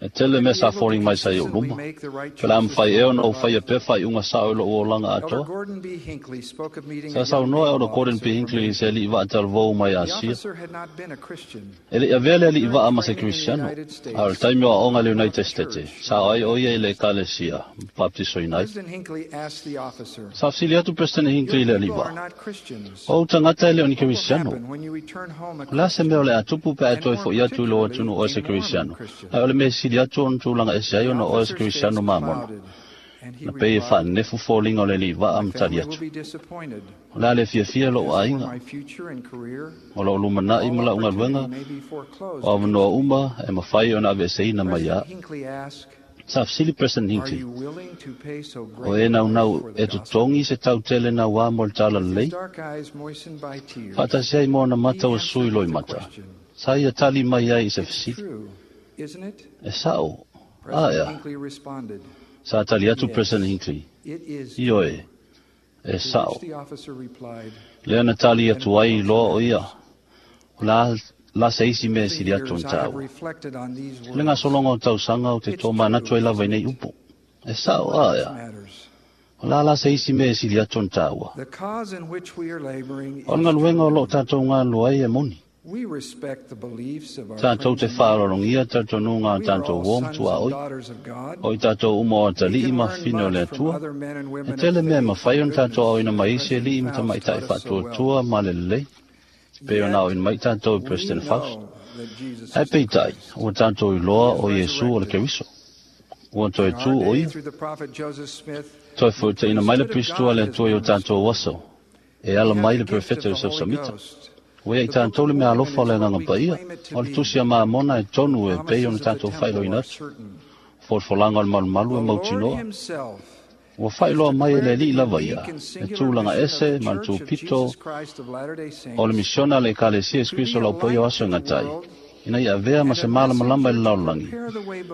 Speaker 9: E tele
Speaker 8: Would I
Speaker 9: mea
Speaker 8: be
Speaker 9: sa
Speaker 8: able to
Speaker 9: foliga mai sa i ou
Speaker 8: consistently
Speaker 9: luma.
Speaker 8: make the right
Speaker 9: Pe la
Speaker 8: choices
Speaker 9: mafai
Speaker 8: for
Speaker 9: ea
Speaker 8: my
Speaker 9: ona ou faia
Speaker 8: life?
Speaker 9: pea faaiuga sa'o i lo'u olaga
Speaker 8: Elder
Speaker 9: atoa.
Speaker 8: Gordon B. Hinckley spoke of meeting
Speaker 9: Sa
Speaker 8: a young
Speaker 9: saunoa e
Speaker 8: naval
Speaker 9: Elder Gordon
Speaker 8: officer
Speaker 9: P.
Speaker 8: from
Speaker 9: Hinckley i se
Speaker 8: Asia.
Speaker 9: alii vaatalvou mai
Speaker 8: The
Speaker 9: Asia.
Speaker 8: officer had not been a Christian.
Speaker 9: E le'i avea le alii
Speaker 8: During
Speaker 9: vaa ma se
Speaker 8: training in the
Speaker 9: Kristiano,
Speaker 8: United
Speaker 9: a o le
Speaker 8: States,
Speaker 9: taimi o aoga i le
Speaker 8: he taught
Speaker 9: United
Speaker 8: the
Speaker 9: States,
Speaker 8: church
Speaker 9: sa
Speaker 8: and
Speaker 9: o ai o ia i le
Speaker 8: baptized.
Speaker 9: ekalesia, baptisoina ai.
Speaker 8: President Hinckley asked the officer,
Speaker 9: Sa fesili atu President
Speaker 8: Your
Speaker 9: Hinckley i le alii
Speaker 8: people are
Speaker 9: vaa,
Speaker 8: not Christians.
Speaker 9: O ou tagata e le o ni
Speaker 8: What will
Speaker 9: Kristiano.
Speaker 8: happen when you return home a
Speaker 9: O le a se mea o
Speaker 8: Christian,
Speaker 9: le atupu pe a
Speaker 8: and
Speaker 9: toe
Speaker 8: more
Speaker 9: fo'i atu i lou
Speaker 8: particularly
Speaker 9: atunuu o
Speaker 8: a
Speaker 9: se
Speaker 8: Mormon
Speaker 9: Kristiano?
Speaker 8: Christian?
Speaker 9: Ae o le mea sili atu ona tulaga ese ai
Speaker 8: The
Speaker 9: ona oe se
Speaker 8: officer's face
Speaker 9: Kristiano mamona.
Speaker 8: clouded, and he
Speaker 9: Na pei e
Speaker 8: replied,
Speaker 9: faanefu foliga o le alii vaa
Speaker 8: My
Speaker 9: ma tali
Speaker 8: family will
Speaker 9: atu.
Speaker 8: be disappointed.
Speaker 9: O le a le fiafia lo'u
Speaker 8: As for
Speaker 9: aiga,
Speaker 8: my future and career,
Speaker 9: o lo'u lumana'i
Speaker 8: all
Speaker 9: ma la'u
Speaker 8: opportunity
Speaker 9: galuega,
Speaker 8: may be foreclosed
Speaker 9: o avanoa
Speaker 8: against me.
Speaker 9: uma e mafai ona aveeseina mai
Speaker 8: President
Speaker 9: ia.
Speaker 8: Hinckley asked,
Speaker 9: Sa fesili President
Speaker 8: Are
Speaker 9: Hinckley,
Speaker 8: you willing to pay so
Speaker 9: o
Speaker 8: great
Speaker 9: e
Speaker 8: a price
Speaker 9: naunau
Speaker 8: for the
Speaker 9: e
Speaker 8: gospel?
Speaker 9: totogi se tautele nauā mo le tala
Speaker 8: With his
Speaker 9: lelei?
Speaker 8: dark eyes moistened by tears,
Speaker 9: Faatasi ai mo ona
Speaker 8: he
Speaker 9: mata ua sui
Speaker 8: answered
Speaker 9: loi
Speaker 8: the
Speaker 9: mata.
Speaker 8: question,
Speaker 9: Sa ia tali mai ai i se
Speaker 8: It's
Speaker 9: fesili.
Speaker 8: true, isn't it?
Speaker 9: E sa'o, a
Speaker 8: President
Speaker 9: ea.
Speaker 8: Hinckley responded,
Speaker 9: Sa tali atu President
Speaker 8: Yes,
Speaker 9: Hinckley,
Speaker 8: it is
Speaker 9: ioe,
Speaker 8: true.
Speaker 9: e
Speaker 8: To
Speaker 9: sa'o.
Speaker 8: which the officer replied,
Speaker 9: Lea na tali
Speaker 8: And
Speaker 9: atu
Speaker 8: what
Speaker 9: ai
Speaker 8: else
Speaker 9: loa o ia.
Speaker 8: matters?
Speaker 9: O la, la se isi mea
Speaker 8: Over the
Speaker 9: sili atu
Speaker 8: years,
Speaker 9: ona
Speaker 8: I have
Speaker 9: tāua.
Speaker 8: reflected on these
Speaker 9: Le
Speaker 8: words.
Speaker 9: gasologa o tausaga o te
Speaker 8: It's
Speaker 9: tō manatu
Speaker 8: true,
Speaker 9: ai lava i
Speaker 8: isn't
Speaker 9: nei
Speaker 8: it?
Speaker 9: upu. E sa'o
Speaker 8: What
Speaker 9: a
Speaker 8: else
Speaker 9: ea.
Speaker 8: matters?
Speaker 9: O la la se isi mea sili atu ona tāua.
Speaker 8: The cause in which we are laboring
Speaker 9: O le
Speaker 8: is
Speaker 9: galuega o loo
Speaker 8: true.
Speaker 9: tatou galulue ai e moni.
Speaker 8: We respect the beliefs of our
Speaker 9: Tatou
Speaker 8: friends
Speaker 9: te
Speaker 8: and neighbors.
Speaker 9: faalologia talitonuga a
Speaker 8: We are
Speaker 9: tatou
Speaker 8: all
Speaker 9: uo
Speaker 8: sons
Speaker 9: matua
Speaker 8: and
Speaker 9: oi.
Speaker 8: daughters of God.
Speaker 9: O i tatou uma o
Speaker 8: We
Speaker 9: atalii
Speaker 8: can
Speaker 9: ma
Speaker 8: learn
Speaker 9: fine o le
Speaker 8: much from
Speaker 9: Atua.
Speaker 8: other men and
Speaker 9: E
Speaker 8: women of
Speaker 9: tele mea e
Speaker 8: faith
Speaker 9: mafai
Speaker 8: and
Speaker 9: ona tatou
Speaker 8: goodness
Speaker 9: aoina
Speaker 8: that
Speaker 9: mai isi
Speaker 8: President
Speaker 9: alii ma
Speaker 8: Faust
Speaker 9: tamaitai
Speaker 8: taught us so well.
Speaker 9: faatuatua ma le lelei. Pe ona
Speaker 8: Yet,
Speaker 9: aoina mai tatou i
Speaker 8: we
Speaker 9: President Faust.
Speaker 8: know that Jesus
Speaker 9: Ae
Speaker 8: is the
Speaker 9: peitai,
Speaker 8: Christ.
Speaker 9: ua tatou
Speaker 8: He
Speaker 9: iloa
Speaker 8: is
Speaker 9: o Iesu o le
Speaker 8: resurrected.
Speaker 9: Keriso. Ua toe
Speaker 8: In our
Speaker 9: tu o
Speaker 8: day,
Speaker 9: ia.
Speaker 8: through the prophet Joseph Smith,
Speaker 9: Toe
Speaker 8: the
Speaker 9: foitaina mai le
Speaker 8: priesthood of
Speaker 9: Kristu a
Speaker 8: God
Speaker 9: le
Speaker 8: has
Speaker 9: Atua i o
Speaker 8: been restored.
Speaker 9: tatou aso. E ala
Speaker 8: We have
Speaker 9: mai
Speaker 8: the
Speaker 9: le
Speaker 8: gift of
Speaker 9: profeta
Speaker 8: the
Speaker 9: Joseph
Speaker 8: Holy
Speaker 9: Samita.
Speaker 8: Ghost.
Speaker 9: Ua ia i tātou le mea alofa o le agaga paia, o le tusi a Mamona e tonu e pei ona tātou faailoina atu. Folafolaga o le malumalu e mautinoa. Ua faailoa mai e le Alii lava ia, e tulaga ese ma le tupito o le misiona a le Ekalesia Iesu Keriso o le aupaia o aso e gata ai, ina ia avea ma se malamalama i le lalolagi,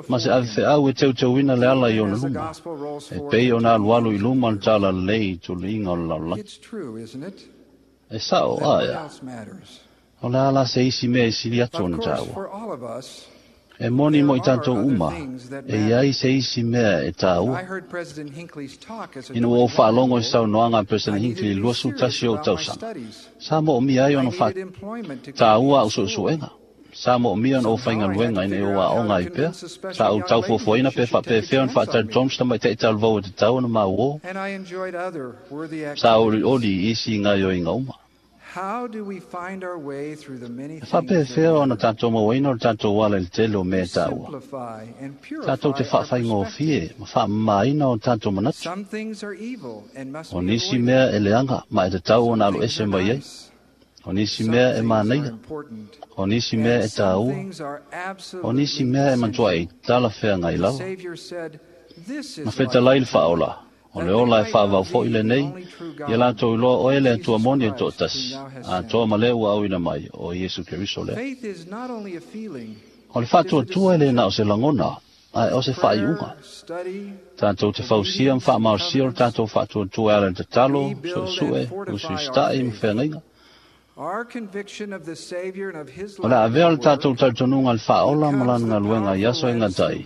Speaker 9: ma se avefeau e teuteuina le ala i ona luma, e pei ona alualu i luma le talalelei i tuliga o le lalolagi. E sa'o aea, o le a la se isi mea e sili atu ona tāua. E moni mo i tātou uma, e iai se isi mea e tāua. Ina ua ou faalogo i saunoaga a President Hinckley i le luasefulu tasi o ou tausaga, sa moomia ai ona faataua a'u suesuega. Sa moomia ona ou faigaluega ina ia ou aoga ai pea. Sa ou taufuafuaina pe faapefea ona faatalitonu se tamaita'i talavou e tatau ona mauō. Sa olioli i isi gaoioiga uma. E faapefea ona tatou mauaina o le tatou ala i le tele o mea e taua. Tatou te faafaigofie ma faamamaina o tatou manatu. O nisi mea e leaga ma e tatau ona alu ese mai ai. O nisi mea e manaia. O nisi mea e tāua. O nisi mea e matuai talafeagai lava. Na fetalai le Faaola, o le ola e faavau fo'i lenei, ia latou iloa oe le Atua moni e to'atasi, atoa ma lē ua auina mai, o Iesu Keriso lea. O le faatuatua e lē na o se lagona, ae o se faaiuga. Tatou te fausia ma faamalosia o le tatou faatuatua e ala i le tatalo, suesue, usuisita'i ma feagaiga. O le a avea o le tatou talitonuga i le Faaola ma lana galuega i aso e gata ai,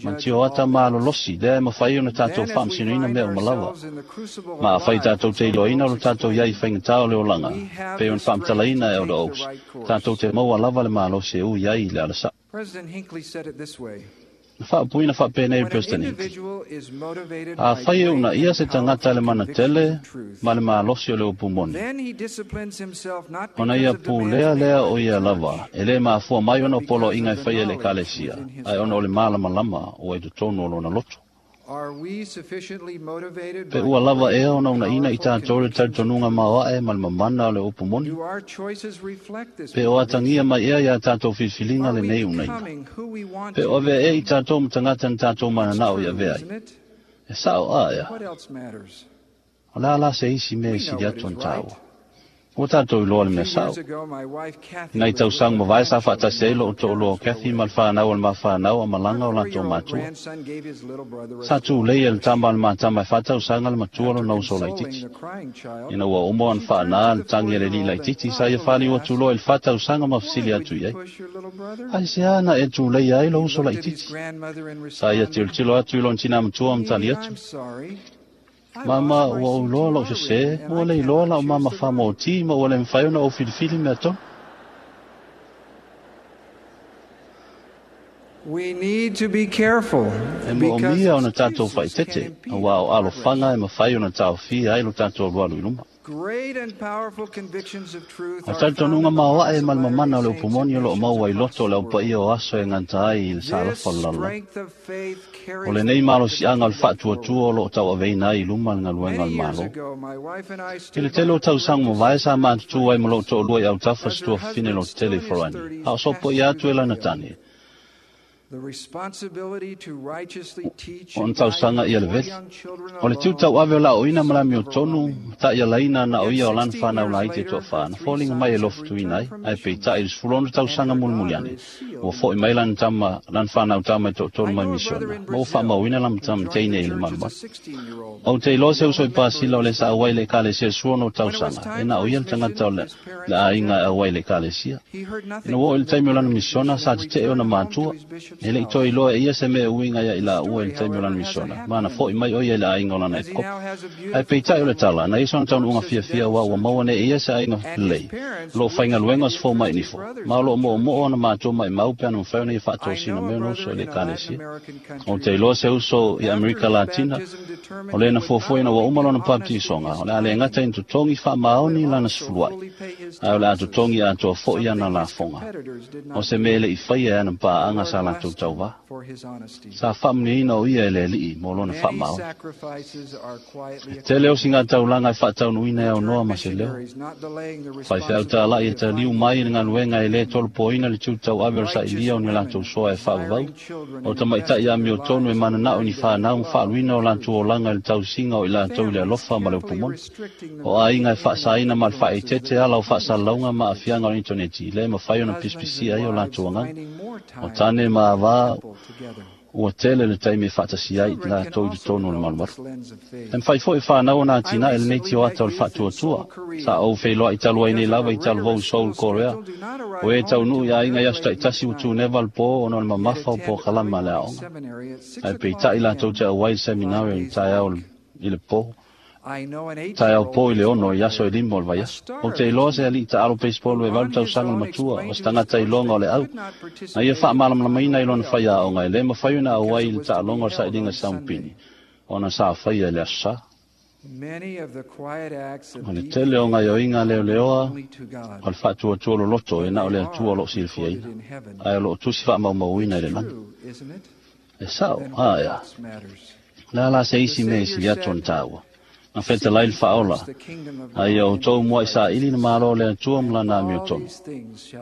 Speaker 9: ma tioata malolosi lea e mafai ona tatou faamasinoina mea uma lava. Ma afai tatou te iloaina o le tatou iai faigata o le olaga, pei ona faamatalaina e Elder Oaks, tatou te maua lava le malosi e ui ai i le alasaʻu. Na faapuina faapenei le President Hinckley. Afai e uunaia se tagata e le manatele ma le malosi o le upu moni, ona ia pulea lea o ia lava, e lē mafua mai ona o poloaiga e faia e le Ekalesia, ae ona o le malamalama ua i totonu o lona loto. Pe ua lava ea ona uunaina i tatou le talitonuga maoaʻe ma le mamana o le upu moni? Pe o atagia mai ea iā tatou filifiliga lenei uunaina? Pe o avea ea i tatou ma tagata na tatou mananao i avea ai? E sa'o aea, o le a la se isi mea e sili atu ona tāua. Ua tatou iloa le mea sa'o. I nai tausaga mavae sa faatasi ai lo'u to'alua o Kathy ma le fanau o le mafanau a malaga o latou matua. Sa tulei e le tama a le matama e faatausaga le matua lona uso laitiiti. Ina ua uma ona faanā le tagi a le alii laitiiti, sa ia faliu atu loa i le faatausaga ma fesili atu i ai. Aisea na e tuleia ai lou uso laitiiti? Sa ia tilotilo atu i lona tinā matua ma tali atu. Mama, ua ou iloa la'u sesē, ua le iloa la'u mama faamōtī ma ua le mafai ona ou filifili mea tonu.
Speaker 8: We need to be careful
Speaker 9: E moomia ona tatou faaeteete, auā o alofaga e mafai ona taofia ai lo tatou alualu i luma.
Speaker 8: Great and powerful convictions of truth
Speaker 9: O
Speaker 8: are
Speaker 9: talitonuga
Speaker 8: found in the
Speaker 9: maoaʻe
Speaker 8: hearts
Speaker 9: ma
Speaker 8: of
Speaker 9: le mamana o le
Speaker 8: Latter-day
Speaker 9: upu
Speaker 8: Saints
Speaker 9: moni o
Speaker 8: and
Speaker 9: loo maua i
Speaker 8: missions
Speaker 9: loto o le
Speaker 8: across the
Speaker 9: aupaia o
Speaker 8: world.
Speaker 9: aso e gata ai i le
Speaker 8: This
Speaker 9: salafa o le lalolagi.
Speaker 8: strength of faith
Speaker 9: O
Speaker 8: carries
Speaker 9: lenei
Speaker 8: the work of the
Speaker 9: malosiaga o le
Speaker 8: kingdom
Speaker 9: faatuatua
Speaker 8: forward.
Speaker 9: o loo tauaveina ai i luma le galuega o
Speaker 8: Many
Speaker 9: le
Speaker 8: years
Speaker 9: Malo.
Speaker 8: ago, my wife and I
Speaker 9: I le
Speaker 8: stood by
Speaker 9: tele o
Speaker 8: a
Speaker 9: tausaga
Speaker 8: courageous
Speaker 9: mavae sa
Speaker 8: sister in
Speaker 9: matutu ai ma loo
Speaker 8: France
Speaker 9: to'alua i autafa
Speaker 8: as
Speaker 9: se
Speaker 8: her
Speaker 9: tuafafine
Speaker 8: husband,
Speaker 9: lo
Speaker 8: still
Speaker 9: tetele i
Speaker 8: in his
Speaker 9: Farani.
Speaker 8: thirties,
Speaker 9: A o
Speaker 8: passed
Speaker 9: sopoia
Speaker 8: through
Speaker 9: atu
Speaker 8: the
Speaker 9: e lana
Speaker 8: veil.
Speaker 9: tane.
Speaker 8: The responsibility to righteously teach
Speaker 9: O
Speaker 8: and
Speaker 9: na
Speaker 8: guide
Speaker 9: tausaga
Speaker 8: her
Speaker 9: ia le
Speaker 8: four
Speaker 9: veli.
Speaker 8: young children
Speaker 9: O le
Speaker 8: alone
Speaker 9: tiutau ave o la'oina ma
Speaker 8: seemed
Speaker 9: lami o tonu,
Speaker 8: overwhelming.
Speaker 9: ma ta'ialaina na o
Speaker 8: Yet
Speaker 9: ia o lana
Speaker 8: sixteen
Speaker 9: fanau
Speaker 8: years
Speaker 9: laiti e
Speaker 8: later, her
Speaker 9: to'afā, na
Speaker 8: three
Speaker 9: foliga mai e
Speaker 8: sons have
Speaker 9: lofutuina
Speaker 8: returned
Speaker 9: ai,
Speaker 8: from
Speaker 9: ae
Speaker 8: missions,
Speaker 9: peita'i i le sefulu ono
Speaker 8: and
Speaker 9: tausaga
Speaker 8: her
Speaker 9: mulimuli
Speaker 8: daughter
Speaker 9: ane.
Speaker 8: is sealed
Speaker 9: Ua
Speaker 8: in
Speaker 9: fo'i
Speaker 8: the
Speaker 9: mai lana
Speaker 8: church.
Speaker 9: tama, lana fanau tama e to'atolu
Speaker 8: I
Speaker 9: mai
Speaker 8: know a brother
Speaker 9: misiona,
Speaker 8: in
Speaker 9: ma ua
Speaker 8: Brazil
Speaker 9: faamauina lana
Speaker 8: who joined the
Speaker 9: tamateine i le
Speaker 8: church as a
Speaker 9: malumalu.
Speaker 8: sixteen-year-old,
Speaker 9: Ou te iloa se
Speaker 8: the
Speaker 9: uso i
Speaker 8: only member
Speaker 9: Pasila
Speaker 8: in
Speaker 9: o le
Speaker 8: his
Speaker 9: sa auai
Speaker 8: family.
Speaker 9: le ekalesia i le sefulu ono
Speaker 8: When it was
Speaker 9: tausaga, e
Speaker 8: time
Speaker 9: na
Speaker 8: for
Speaker 9: o ia
Speaker 8: his
Speaker 9: le tagata o
Speaker 8: mission,
Speaker 9: le,
Speaker 8: his
Speaker 9: le
Speaker 8: parents
Speaker 9: aiga e
Speaker 8: objected.
Speaker 9: auai le ekalesia.
Speaker 8: He heard
Speaker 9: Ina
Speaker 8: nothing
Speaker 9: ua oo i
Speaker 8: from
Speaker 9: le
Speaker 8: them
Speaker 9: taimi o lana
Speaker 8: during his
Speaker 9: misiona,
Speaker 8: mission
Speaker 9: sa
Speaker 8: and
Speaker 9: tete'e ona
Speaker 8: returned home to
Speaker 9: matua.
Speaker 8: his bishop's
Speaker 9: E le'i
Speaker 8: house.
Speaker 9: toe iloa e ia se mea e uiga ia i
Speaker 8: The
Speaker 9: laua i
Speaker 8: story,
Speaker 9: le taimi o
Speaker 8: however,
Speaker 9: lana
Speaker 8: has a
Speaker 9: misiona,
Speaker 8: happy
Speaker 9: ma na fo'i
Speaker 8: ending,
Speaker 9: mai o ia i le aiga o lana
Speaker 8: as he
Speaker 9: epikopo.
Speaker 8: now has a
Speaker 9: Ae
Speaker 8: beautiful
Speaker 9: peita'i o le
Speaker 8: family,
Speaker 9: tala, na ia sona
Speaker 8: works
Speaker 9: taunuuga
Speaker 8: as a
Speaker 9: fiafia
Speaker 8: dental
Speaker 9: auā ua maua
Speaker 8: surgeon,
Speaker 9: nei e ia se aiga
Speaker 8: and his
Speaker 9: lelei.
Speaker 8: parents
Speaker 9: Loo
Speaker 8: wish he
Speaker 9: faigaluega o
Speaker 8: had
Speaker 9: se fōmaʻi
Speaker 8: interested
Speaker 9: nifo.
Speaker 8: brothers
Speaker 9: Ma o
Speaker 8: in
Speaker 9: loo
Speaker 8: the church.
Speaker 9: mo'omo'o ona matua maʻimau pe ana mafai ona ia
Speaker 8: I
Speaker 9: faatosina
Speaker 8: know a
Speaker 9: mai ona uso
Speaker 8: brother
Speaker 9: i le
Speaker 8: in a Latin
Speaker 9: ekalesia.
Speaker 8: American
Speaker 9: O te
Speaker 8: country
Speaker 9: iloa se uso
Speaker 8: who,
Speaker 9: i
Speaker 8: after
Speaker 9: Amerika
Speaker 8: his
Speaker 9: Latina,
Speaker 8: baptism,
Speaker 9: o
Speaker 8: determined
Speaker 9: le
Speaker 8: he
Speaker 9: na
Speaker 8: would not
Speaker 9: fuafuaina ua
Speaker 8: only
Speaker 9: uma
Speaker 8: be
Speaker 9: lona
Speaker 8: honest with
Speaker 9: papatisoga,
Speaker 8: his
Speaker 9: o le a le gata
Speaker 8: tithing,
Speaker 9: ina totogi faamaoni
Speaker 8: but
Speaker 9: lana
Speaker 8: also
Speaker 9: sefuluai,
Speaker 8: fully pay his
Speaker 9: ae o le a
Speaker 8: taxes,
Speaker 9: totogi atoa fo'i ana
Speaker 8: something his
Speaker 9: lafoga.
Speaker 8: competitors did
Speaker 9: O
Speaker 8: not
Speaker 9: se mea
Speaker 8: do.
Speaker 9: le'i faia e ana
Speaker 8: The
Speaker 9: paaga
Speaker 8: Lord
Speaker 9: sa
Speaker 8: bless
Speaker 9: latou latou tauvā. Sa faamuniaina o ia e le alii mo lona faamaoni. E tele o siga taulaga e faataunuuina e aunoa ma se leo. Faifeau talai e taliu mai i le galuega e lē tolopoina le tutauave o le sailia o ni latou soa e faavavau. O tamaita'i amiotonu e mananao i ni fanau ma faaluina o latou olaga i le tausiga o i latou i le alofa ma le upumoni. O aiga e faasaina ma le faaeteete ala o faasalalauga ma aafiaga o le initoneti lea e mafai ona pisipisia ai o latou agaga. O tane ma avā ua tele le taimi e faatasia ai i latou i totonu o le malumalu. E mafai foi e fanau ona atinae e lenei tioata o le faatuatua. Sa ou feiloai talu ai nei lava i talavou i Seoul, Korea, o e taunuu i aiga i aso taitasi ua tuneva le pō ona o le mamafa o pōkalama a le aoga. Ae peitai latou te auai i le seminari i le taeao i le pō. Taeao pō i le ono i aso e lima o le vaiaso. O te iloa se alii taalo baseball e valu tausaga le matua o se tagata iloga o le au. Na ia faamalamalamaina i lona faiaoga e lē mafai ona auai i le taaloga o le sailiga saumupini ona sa faia i le aso sa. O le tele o gaioiga leoleoa o le faatuatua loloto e na o le Atua o loo silafiaina, ae o loo tusi faamaumauina i le lagi. E sao, a ea. Le a la se isi mea i sili atu ona taua. Na fetalai le faaola, a ia outou mua'i saili le malo o le Atua ma lana amiotonu,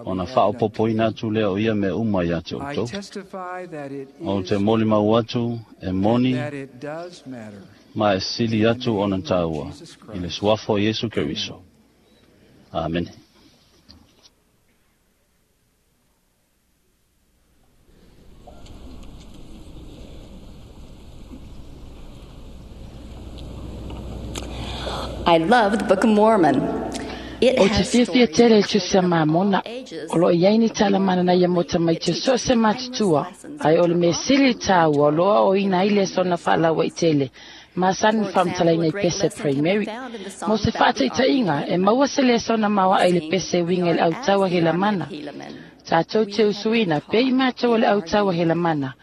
Speaker 9: ona faaopopoina atu lea o ia mea uma iā te outou. Ou te molimau atu e moni ma e sili atu ona taua i le suafa o Iesu Keriso. Amene.
Speaker 10: I love the Book of Mormon. It
Speaker 11: O te
Speaker 10: has
Speaker 11: fiafia
Speaker 10: stories
Speaker 11: tele i
Speaker 10: for
Speaker 11: tusi a
Speaker 10: children of all
Speaker 11: Mamona,
Speaker 10: ages.
Speaker 11: o loo iai ni talamanana ia mo tamaiti o
Speaker 10: It
Speaker 11: so o se
Speaker 10: teaches
Speaker 11: matutua,
Speaker 10: timeless lessons
Speaker 11: ae o
Speaker 10: which
Speaker 11: le
Speaker 10: are
Speaker 11: mea sili
Speaker 10: often
Speaker 11: tāua o loa o
Speaker 10: taught
Speaker 11: ina ai
Speaker 10: in
Speaker 11: le
Speaker 10: primary
Speaker 11: sona faalaua i
Speaker 10: schools.
Speaker 11: tele, ma sani
Speaker 10: For example, a
Speaker 11: faamatalaina i
Speaker 10: great
Speaker 11: pese
Speaker 10: lesson can be
Speaker 11: primary.
Speaker 10: found in the
Speaker 11: Mo
Speaker 10: song
Speaker 11: se
Speaker 10: about the army of
Speaker 11: faataitaiga, e
Speaker 10: Helaman.
Speaker 11: maua se lesona maoaʻa i le
Speaker 10: Sing,
Speaker 11: pese
Speaker 10: we
Speaker 11: uiga i le
Speaker 10: are as
Speaker 11: autaua
Speaker 10: the army of
Speaker 11: helamana.
Speaker 10: Helaman.
Speaker 11: Tātou
Speaker 10: We
Speaker 11: te
Speaker 10: have been
Speaker 11: usuina, pei
Speaker 10: taught
Speaker 11: mātou o
Speaker 10: in
Speaker 11: le
Speaker 10: our
Speaker 11: autaua
Speaker 10: youth.
Speaker 11: helamana,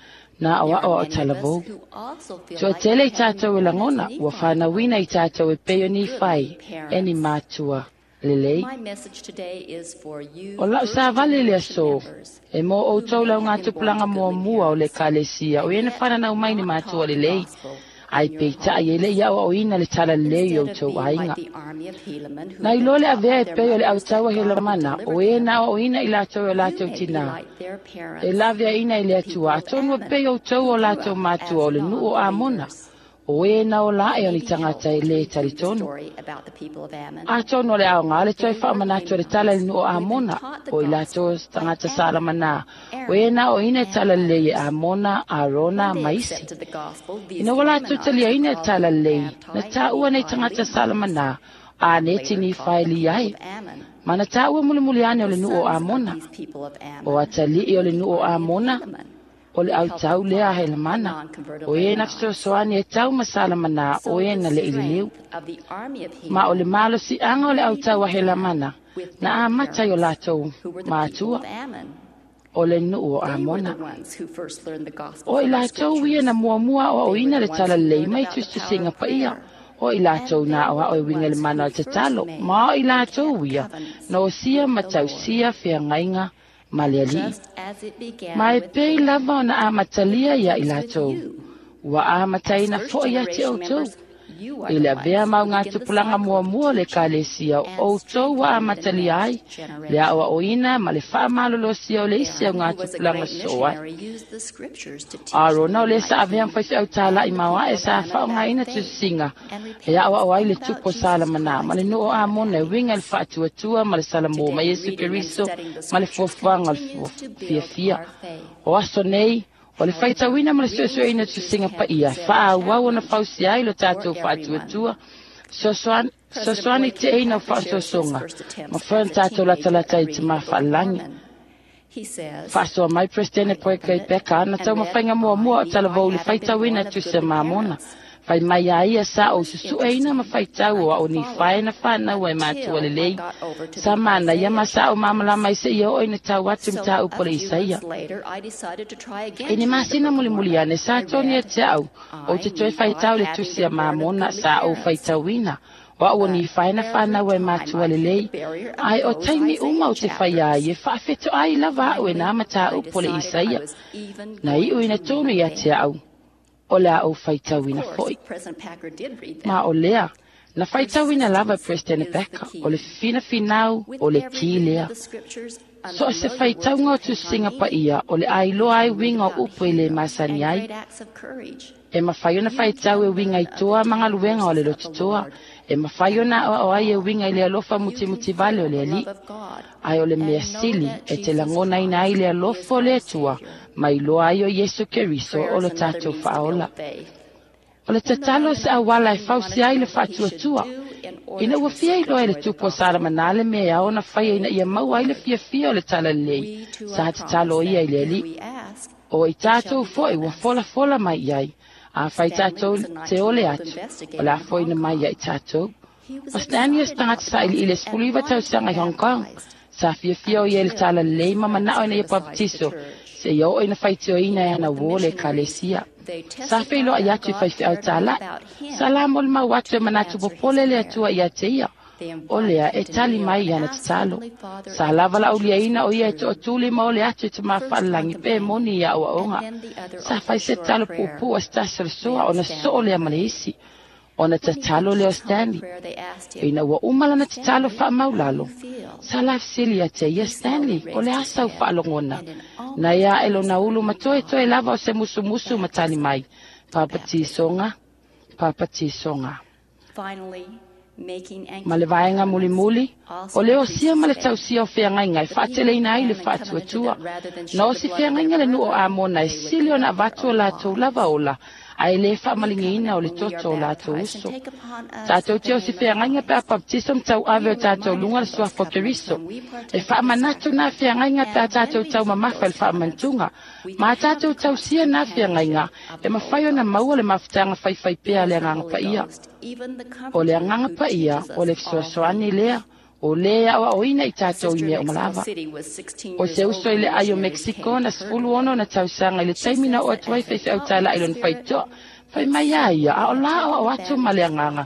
Speaker 11: na
Speaker 10: There
Speaker 11: aoao
Speaker 10: are
Speaker 11: o
Speaker 10: many of us
Speaker 11: talavou.
Speaker 10: who also feel
Speaker 11: Toa
Speaker 10: like
Speaker 11: tele
Speaker 10: we
Speaker 11: i
Speaker 10: have
Speaker 11: tātou e
Speaker 10: been born as
Speaker 11: lagona, ua
Speaker 10: Nephi
Speaker 11: fanauina i tātou e pei o
Speaker 10: to
Speaker 11: ni
Speaker 10: goodly
Speaker 11: whai, e ni
Speaker 10: parents.
Speaker 11: mātua lelei.
Speaker 10: My message today is for you
Speaker 11: O lau
Speaker 10: first
Speaker 11: sa vale le
Speaker 10: generation
Speaker 11: aso,
Speaker 10: members
Speaker 11: e mō
Speaker 10: who
Speaker 11: outou
Speaker 10: may
Speaker 11: lau
Speaker 10: have
Speaker 11: ngā
Speaker 10: been born
Speaker 11: tupulaga
Speaker 10: to
Speaker 11: mua
Speaker 10: goodly
Speaker 11: mua o le
Speaker 10: parents
Speaker 11: kalesia, o
Speaker 10: and
Speaker 11: ena
Speaker 10: yet
Speaker 11: whananau mai ni
Speaker 10: not
Speaker 11: mātua
Speaker 10: taught the
Speaker 11: lelei,
Speaker 10: gospel
Speaker 11: ai
Speaker 10: in your
Speaker 11: peitai e le
Speaker 10: homes.
Speaker 11: ia o ina le tala lelei o
Speaker 10: Instead of
Speaker 11: outou
Speaker 10: being like
Speaker 11: aiga.
Speaker 10: the army of Helaman who
Speaker 11: Na
Speaker 10: had been
Speaker 11: iloa le
Speaker 10: taught
Speaker 11: avea
Speaker 10: by
Speaker 11: e
Speaker 10: their
Speaker 11: pei o le
Speaker 10: mothers that
Speaker 11: autaua
Speaker 10: God would
Speaker 11: helamana, o
Speaker 10: deliver
Speaker 11: e
Speaker 10: them,
Speaker 11: na o ina i latou o
Speaker 10: you
Speaker 11: latou
Speaker 10: may be
Speaker 11: tinā.
Speaker 10: like their
Speaker 11: E
Speaker 10: parents,
Speaker 11: lavea ina i le
Speaker 10: the people
Speaker 11: Atua,
Speaker 10: of
Speaker 11: atonu e
Speaker 10: Ammon,
Speaker 11: pei outou
Speaker 10: who
Speaker 11: o
Speaker 10: grew
Speaker 11: latou
Speaker 10: up
Speaker 11: mātua
Speaker 10: as
Speaker 11: o le nuu o Amona,
Speaker 10: non-believers.
Speaker 11: o e na o la
Speaker 10: It
Speaker 11: e o
Speaker 10: may
Speaker 11: ni
Speaker 10: be
Speaker 11: tagata
Speaker 10: helpful
Speaker 11: e
Speaker 10: to
Speaker 11: lē
Speaker 10: review the
Speaker 11: talitonu.
Speaker 10: story about the people of Ammon.
Speaker 11: Atonu o le aoga le toe
Speaker 10: They were
Speaker 11: faamanatu o le tala i le
Speaker 10: Lamanites
Speaker 11: nuu o
Speaker 10: who had been
Speaker 11: Amona,
Speaker 10: taught the
Speaker 11: o i latou
Speaker 10: gospel by
Speaker 11: tagata
Speaker 10: Adam,
Speaker 11: salamanā, o e
Speaker 10: Aaron,
Speaker 11: na o ina e
Speaker 10: and
Speaker 11: tala lelei e
Speaker 10: others.
Speaker 11: Amona, Arona,
Speaker 10: When they
Speaker 11: ma isi.
Speaker 10: accepted the gospel, these
Speaker 11: Ina ua latou
Speaker 10: Lamanites were
Speaker 11: taliaina e
Speaker 10: called
Speaker 11: tala
Speaker 10: the
Speaker 11: lelei, na
Speaker 10: Baptized
Speaker 11: tāua nei
Speaker 10: Nephi
Speaker 11: tagata
Speaker 10: Lehites,
Speaker 11: salamanā, a
Speaker 10: and
Speaker 11: ne
Speaker 10: later
Speaker 11: tini
Speaker 10: called
Speaker 11: whai
Speaker 10: the
Speaker 11: li
Speaker 10: people
Speaker 11: ai.
Speaker 10: of Ammon.
Speaker 11: Mana tāua mulimuli ane o
Speaker 10: The
Speaker 11: le nuu o
Speaker 10: sons of
Speaker 11: Amona,
Speaker 10: these people of
Speaker 11: o
Speaker 10: Ammon
Speaker 11: atalii o
Speaker 10: were
Speaker 11: le
Speaker 10: the
Speaker 11: nuu o
Speaker 10: army of
Speaker 11: Amona,
Speaker 10: Helaman,
Speaker 11: o le
Speaker 10: who helped
Speaker 11: autau lea
Speaker 10: fight the
Speaker 11: helamana,
Speaker 10: non-converted
Speaker 11: o e na
Speaker 10: Lamanites.
Speaker 11: fesoasoani e tau masalamana, o
Speaker 10: So
Speaker 11: e
Speaker 10: the
Speaker 11: na le ilileu.
Speaker 10: strength of the army of
Speaker 11: Ma o le
Speaker 10: Helaman
Speaker 11: malosiaga o le
Speaker 10: really
Speaker 11: autaua
Speaker 10: began
Speaker 11: helamana,
Speaker 10: with
Speaker 11: na
Speaker 10: their
Speaker 11: amata i o
Speaker 10: parents,
Speaker 11: latou
Speaker 10: who were the people
Speaker 11: mātua,
Speaker 10: of Ammon.
Speaker 11: o le nuu o
Speaker 10: They were
Speaker 11: Amona.
Speaker 10: the ones who first learned the gospel
Speaker 11: O i
Speaker 10: from the
Speaker 11: latou ia
Speaker 10: scriptures.
Speaker 11: na muamua o
Speaker 10: They were
Speaker 11: aoina
Speaker 10: the
Speaker 11: le
Speaker 10: ones
Speaker 11: tala
Speaker 10: who
Speaker 11: lelei
Speaker 10: learned
Speaker 11: mai
Speaker 10: about the power
Speaker 11: tusitusiga
Speaker 10: of
Speaker 11: paia,
Speaker 10: prayer.
Speaker 11: o i
Speaker 10: And
Speaker 11: latou
Speaker 10: they
Speaker 11: na
Speaker 10: were
Speaker 11: aoao e
Speaker 10: the
Speaker 11: uiga i le
Speaker 10: ones
Speaker 11: mana o
Speaker 10: who
Speaker 11: le
Speaker 10: first
Speaker 11: tatalo,
Speaker 10: made
Speaker 11: ma o i
Speaker 10: and
Speaker 11: latou
Speaker 10: kept
Speaker 11: ia,
Speaker 10: covenants
Speaker 11: na osia
Speaker 10: with
Speaker 11: ma
Speaker 10: the Lord.
Speaker 11: tausia feagaiga ma le alii.
Speaker 10: Just as it began
Speaker 11: Ma e
Speaker 10: with
Speaker 11: pei
Speaker 10: them,
Speaker 11: lava ona
Speaker 10: it
Speaker 11: amatalia ia i
Speaker 10: continues with
Speaker 11: latou,
Speaker 10: you.
Speaker 11: ua
Speaker 10: As
Speaker 11: amataina
Speaker 10: first
Speaker 11: foʻi ia te
Speaker 10: generation
Speaker 11: outou.
Speaker 10: members, you are
Speaker 11: I
Speaker 10: the
Speaker 11: le avea
Speaker 10: ones
Speaker 11: mau
Speaker 10: who
Speaker 11: ngā
Speaker 10: begin the
Speaker 11: tupulaga
Speaker 10: cycle of
Speaker 11: muamua o le
Speaker 10: teaching
Speaker 11: kalesia o
Speaker 10: and
Speaker 11: outou ua
Speaker 10: strengthening the
Speaker 11: amatalia ai,
Speaker 10: next
Speaker 11: le
Speaker 10: generation.
Speaker 11: aoaoina ma le faamalolosia o le isi au
Speaker 10: Aaron,
Speaker 11: ngā
Speaker 10: who was a
Speaker 11: tupulaga
Speaker 10: great
Speaker 11: soo ai.
Speaker 10: missionary, used the scriptures to teach
Speaker 11: Arona o le sa
Speaker 10: Lamanite
Speaker 11: avea
Speaker 10: king
Speaker 11: faifeau tālaʻi
Speaker 10: and the
Speaker 11: maoaʻe
Speaker 10: people of
Speaker 11: sa
Speaker 10: Ammon about
Speaker 11: faaaogāina
Speaker 10: faith
Speaker 11: tusisiga
Speaker 10: and
Speaker 11: e
Speaker 10: repentance
Speaker 11: aoao ai
Speaker 10: and
Speaker 11: le
Speaker 10: about
Speaker 11: tupu o
Speaker 10: Jesus
Speaker 11: salamanā ma
Speaker 10: Christ
Speaker 11: le
Speaker 10: who
Speaker 11: nuu o
Speaker 10: had
Speaker 11: Amona e uiga i le
Speaker 10: happiness.
Speaker 11: faatuatua ma le salamō ma
Speaker 10: Today,
Speaker 11: Iesu
Speaker 10: reading and
Speaker 11: Keriso
Speaker 10: studying the
Speaker 11: ma le
Speaker 10: scriptures
Speaker 11: fuafuaga o le
Speaker 10: continues to build
Speaker 11: fiafia.
Speaker 10: our faith.
Speaker 11: O aso nei, o le
Speaker 10: However,
Speaker 11: faitauina ma le
Speaker 10: reading
Speaker 11: suesueina
Speaker 10: scriptures
Speaker 11: tusiga
Speaker 10: can
Speaker 11: paia,
Speaker 10: present a
Speaker 11: faaauau ona
Speaker 10: challenge
Speaker 11: fausia ai lo
Speaker 10: for
Speaker 11: tatou
Speaker 10: everyone.
Speaker 11: faatuatua, sosoani
Speaker 10: President
Speaker 11: sosoani
Speaker 10: Boyd K.
Speaker 11: teʻeina o
Speaker 10: Packer shares his
Speaker 11: faasoasoga,
Speaker 10: first
Speaker 11: ma
Speaker 10: attempts
Speaker 11: foe
Speaker 10: as
Speaker 11: ona
Speaker 10: a
Speaker 11: tatou
Speaker 10: teenager at
Speaker 11: latalata i
Speaker 10: reading
Speaker 11: te
Speaker 10: the Book of
Speaker 11: mafaalagi.
Speaker 10: Mormon. He says,
Speaker 11: Faasoa mai Presidente
Speaker 10: I
Speaker 11: Boyd
Speaker 10: opened
Speaker 11: K.
Speaker 10: it
Speaker 11: Packer ana
Speaker 10: and read,
Speaker 11: taumafaiga muamua
Speaker 10: I,
Speaker 11: o talavou
Speaker 10: Nephi,
Speaker 11: le
Speaker 10: having been
Speaker 11: faitauina
Speaker 10: born of
Speaker 11: tusi a
Speaker 10: goodly
Speaker 11: Mamona.
Speaker 10: parents.
Speaker 11: Fai mai a ia sa
Speaker 10: It
Speaker 11: o
Speaker 10: was
Speaker 11: susueina ma
Speaker 10: interesting.
Speaker 11: faitau
Speaker 10: I
Speaker 11: o ao
Speaker 10: could
Speaker 11: ni
Speaker 10: follow
Speaker 11: fae
Speaker 10: it
Speaker 11: na whanau ai mātua
Speaker 10: until I
Speaker 11: lelei.
Speaker 10: got over to
Speaker 11: Sa
Speaker 10: the
Speaker 11: mana ia
Speaker 10: Isaiah
Speaker 11: ma sa o mamalama
Speaker 10: chapters.
Speaker 11: i se ia oi na tau atu
Speaker 10: So
Speaker 11: mta
Speaker 10: a
Speaker 11: upo le
Speaker 10: few
Speaker 11: Isaia.
Speaker 10: months later, I decided to try
Speaker 11: E
Speaker 10: again
Speaker 11: ni
Speaker 10: to read the
Speaker 11: masina
Speaker 10: Book of
Speaker 11: mulimuli
Speaker 10: Mormon.
Speaker 11: ane sa
Speaker 10: I
Speaker 11: toni e
Speaker 10: read,
Speaker 11: te au, o
Speaker 10: I,
Speaker 11: te toe
Speaker 10: Nephi,
Speaker 11: faitau le
Speaker 10: having
Speaker 11: tusi a
Speaker 10: been born of
Speaker 11: Mamona
Speaker 10: goodly
Speaker 11: sa o
Speaker 10: parents.
Speaker 11: faitauina. O au o ni whaena whanau e mātua lelei, ai o taimi uma o te whai ai e whaafeto ai lava au e nā mata upo le Isaia. Na iu ina tonu ia te au, o le au whaitauina foi. Ma o lea, na whaitauina lava President Packer, o le whina whinau, o le ki lea. So se whaitaunga o tusinga pa ia, o le ailoa ai winga o upo i le masani ai. E mawhai ona whaitau e winga i toa mangaluenga o le lotutoa. E mawhai ona o ai e winga i le alofa muti muti vale o le ali. Ai o le mea sili e te langona ina ai le alofa o le atua, mai loa ai o Yesu Keriso o lo tātou whaola. O le tatalo se awala e fausi ai le whaatuatua. Ina ua fia iloa e le tupu o Salamanale mea e ao na whaia ina ia mau ai le fia fia o le talalei, sa tatalo ia i le ali. O i tātou foi ua fola fola mai iai. A whai tātou te ole atu, o la foina mai ia i tātou. O Stanley o stangata sa ili ile sefuluiva tausaga i Hong Kong. Sa fiafia o ia i le talalelei ma manao ina ia papatiso, se ia oo ina faitioina e ana uō le ekalesia. Sa feiloa i atu i faifeau tālai. Sa la mo le mau atu e manatu popole le atua ia te ia. O lea e tali mai i ana tatalo. Sa lava la uliaina o ia e to'atuli ma ole atu e te mawhaalalangi pe moni ia aoaoga. Sa fai se tatalo puupuu a se tasi o le soa ona soo lea ma le isi. Ona tatalo lea o Stanley. Ina ua uma lana tatalo whaamaulalo. Sa la fesili ia te ia Stanley, o le asa u whaalongona. Na ia e lona ulu matoe toe lava o se musumusu matali mai. Papatisonga, papatisonga. Ma le vaenga mulimuli, o le osia ma le tausia o feagaiga e faateleina ai le faatuatua. Na osi feagaiga le nuu o Amona e sili ona avatu o latou lava ola, ae lē faamaligiina o le toto o latou uso. Tatou te osi feagaiga pe a papatiso ma tauave o tatou luga le suafa o Keriso. E faamanatu na feagaiga pe a tatou taumamafa i le faamanatuga. Ma a tatou tausia na feagaiga e mafai ona maua le mafutaga faifaipea a le agaga paia. O le agaga paia o le fesoasoani lea, o le aoaoina i tatou i mea uma lava. O se uso i le ai o Mexico na sefulu ono na tausaga i le taimi na oo atu ai faifeau tāla'i lona faitoa. Fai mai a ia, a o la aoao atu ma le agaga.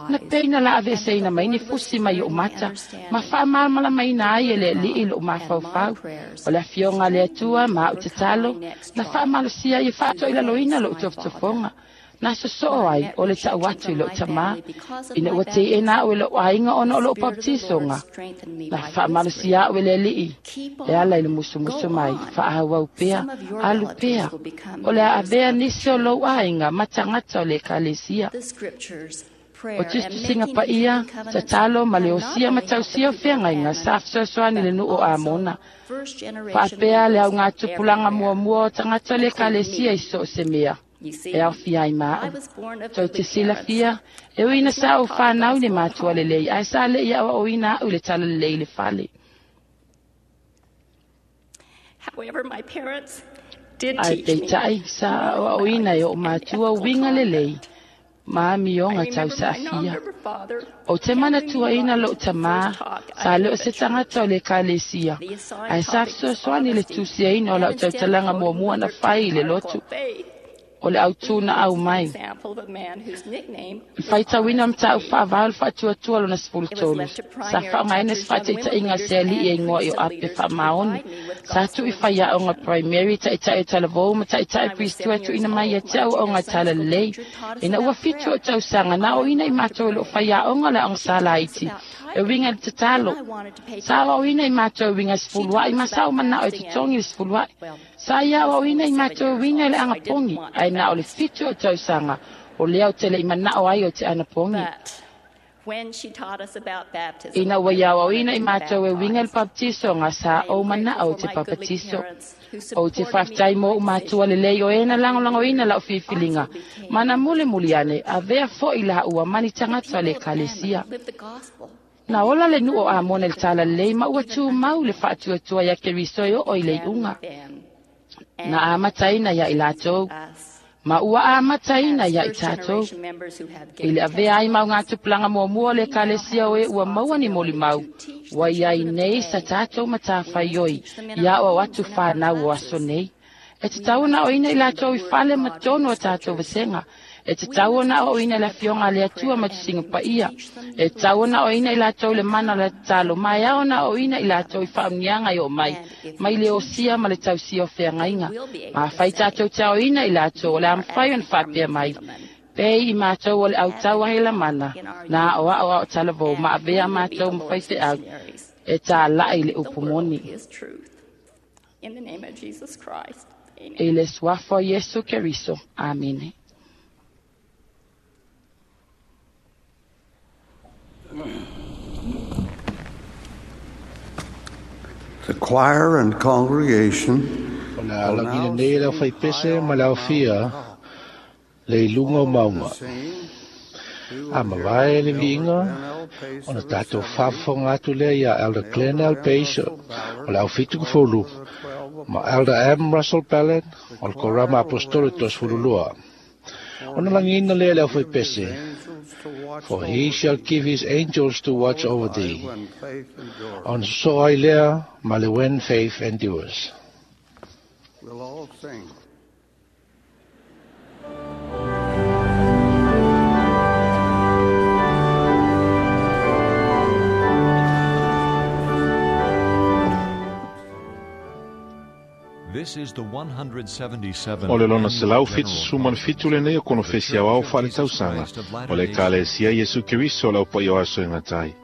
Speaker 11: Na peina la aveeseina mai ni fusi mai o'u mata, ma faamalamalamaina ai e le alii lo'u mafaufau. O le afioga a le Atua ma a'u tatalo, na faamalosia ai e faatoilaloina lo'u tofotofoga. Na sosoo ai o le ta'u atu i lo'u tamā, ina ua teʻena a'u e lo'u aiga ona o lo'u papatisoga. Na faamalosia a'u e le alii, e ala i le musumusu mai, faaauau pea, alu pea. O le a avea nisi o lou aiga ma tagata o le ekalesia. O tusitusiga paia, tatalo ma le osia ma tausia o feagaiga sa fesoasoani le nuu o Amona. Faapea le augatupulaga muamua o tagata o le ekalesia i so o se mea. E aofia ai ma a'u. Tou te silafia, e ui ina sa ou whanau i le matua lelei, ae sa le'i aoaoina a'u i le talalelei i le fale. Ae peitai, sa aoaoina e o'u matua uiga lelei, ma amioga tausaafia. Ou te manatuaina lo'u tamā, sa le o se tagata o le ekalesia, ae sa fesoasoani i le tusiaina o la'u tautalaga muamua na fai i le lotu. O le autū na au mai. I faitauina o mataupu faavao le faatuatua lona sefulu tolu. Sa faaaogaina se faataitaiga a se alii e igoa i o Ape Faamaoni. Sa tu'i faiaoga primary ta'ita'i o talavou ma ta'ita'i pristua e tu'uina mai ia te au aoga talalelei. Ina ua fitu o'u tausaga na aoina i matou i lo'u faiaoga o le aoga salaiti. E uiga i le tatalo. Sa aoaoina i matou e uiga i sefulua'i ma sa ou mana'o e totogi le sefulua'i. Sa ia aoaoina i matou e uiga i le agapogi, ae na o le fitu o tausaga, o lea o te le'i mana'o ai o te anapogi. Ina ua ia aoaoina i matou e uiga i le papatisoga, sa ou mana'o o te papatiso. Ou te faafetai mo o'u matua lelei o e na lagolagoina la'u filifiliga, ma na mulimuli ane, avea fo'i la'ua ma ni tagata o le ekalesia. Na ola le nuu o Amona i le talalelei ma ua tumau le faatuatua ia Keriso e oo i le iuga. Na amataina ia i latou, ma ua amataina ia i tatou. I le avea ai mau gatupulaga muamua o le ekalesia o e ua maua ni molimau, ua iai nei sa tatou matafaioi ia aoao atu whanau o aso nei. E tatau ona aoina i latou i fale ma tonu o tatou vasega, E tatau ona aoaoina i le afioga a le Atua ma tusiga paia. E tatau ona aoaoina i latou le mana o le tatalo, ma e ao ona aoaoina i latou i faamanuiaga e oo mai, mai le osia ma le tausia o feagaiga. Ma afai tatou te aoaoina i latou, o le a mafai ona faapea mai, pei i matou o le autau a Helamana, na aoao ao talavou ma avea matou ma faifeau, e tāla'i le upu moni.
Speaker 10: In the name of Jesus Christ. Amen.
Speaker 11: I le suafa o Iesu Keriso. Amene.
Speaker 5: The choir and congregation
Speaker 4: O le a lagina nei le aufaipese ma le aofia le iluga o mauga. A mavae le viiga, ona tatou faafofoga atu lea ia Elder Glenn L. Pace o le aufitukufulu ma Elder M. Russell Ballard o le Korama Apostolo Toasefululua. Ona lagiina lea le aufaipese, For he shall give his angels to watch over thee. Ona sosoo ai lea ma le When Faith Endures.
Speaker 5: We'll all sing.
Speaker 1: This is the one hundred seventy-seventh
Speaker 2: O le lona selau
Speaker 1: annual
Speaker 2: fitu
Speaker 1: General
Speaker 2: suma fitu lenei o konofesi aoao faaletausaga o le Ekalesia Iesu Keriso o le aupaia o aso e gatai.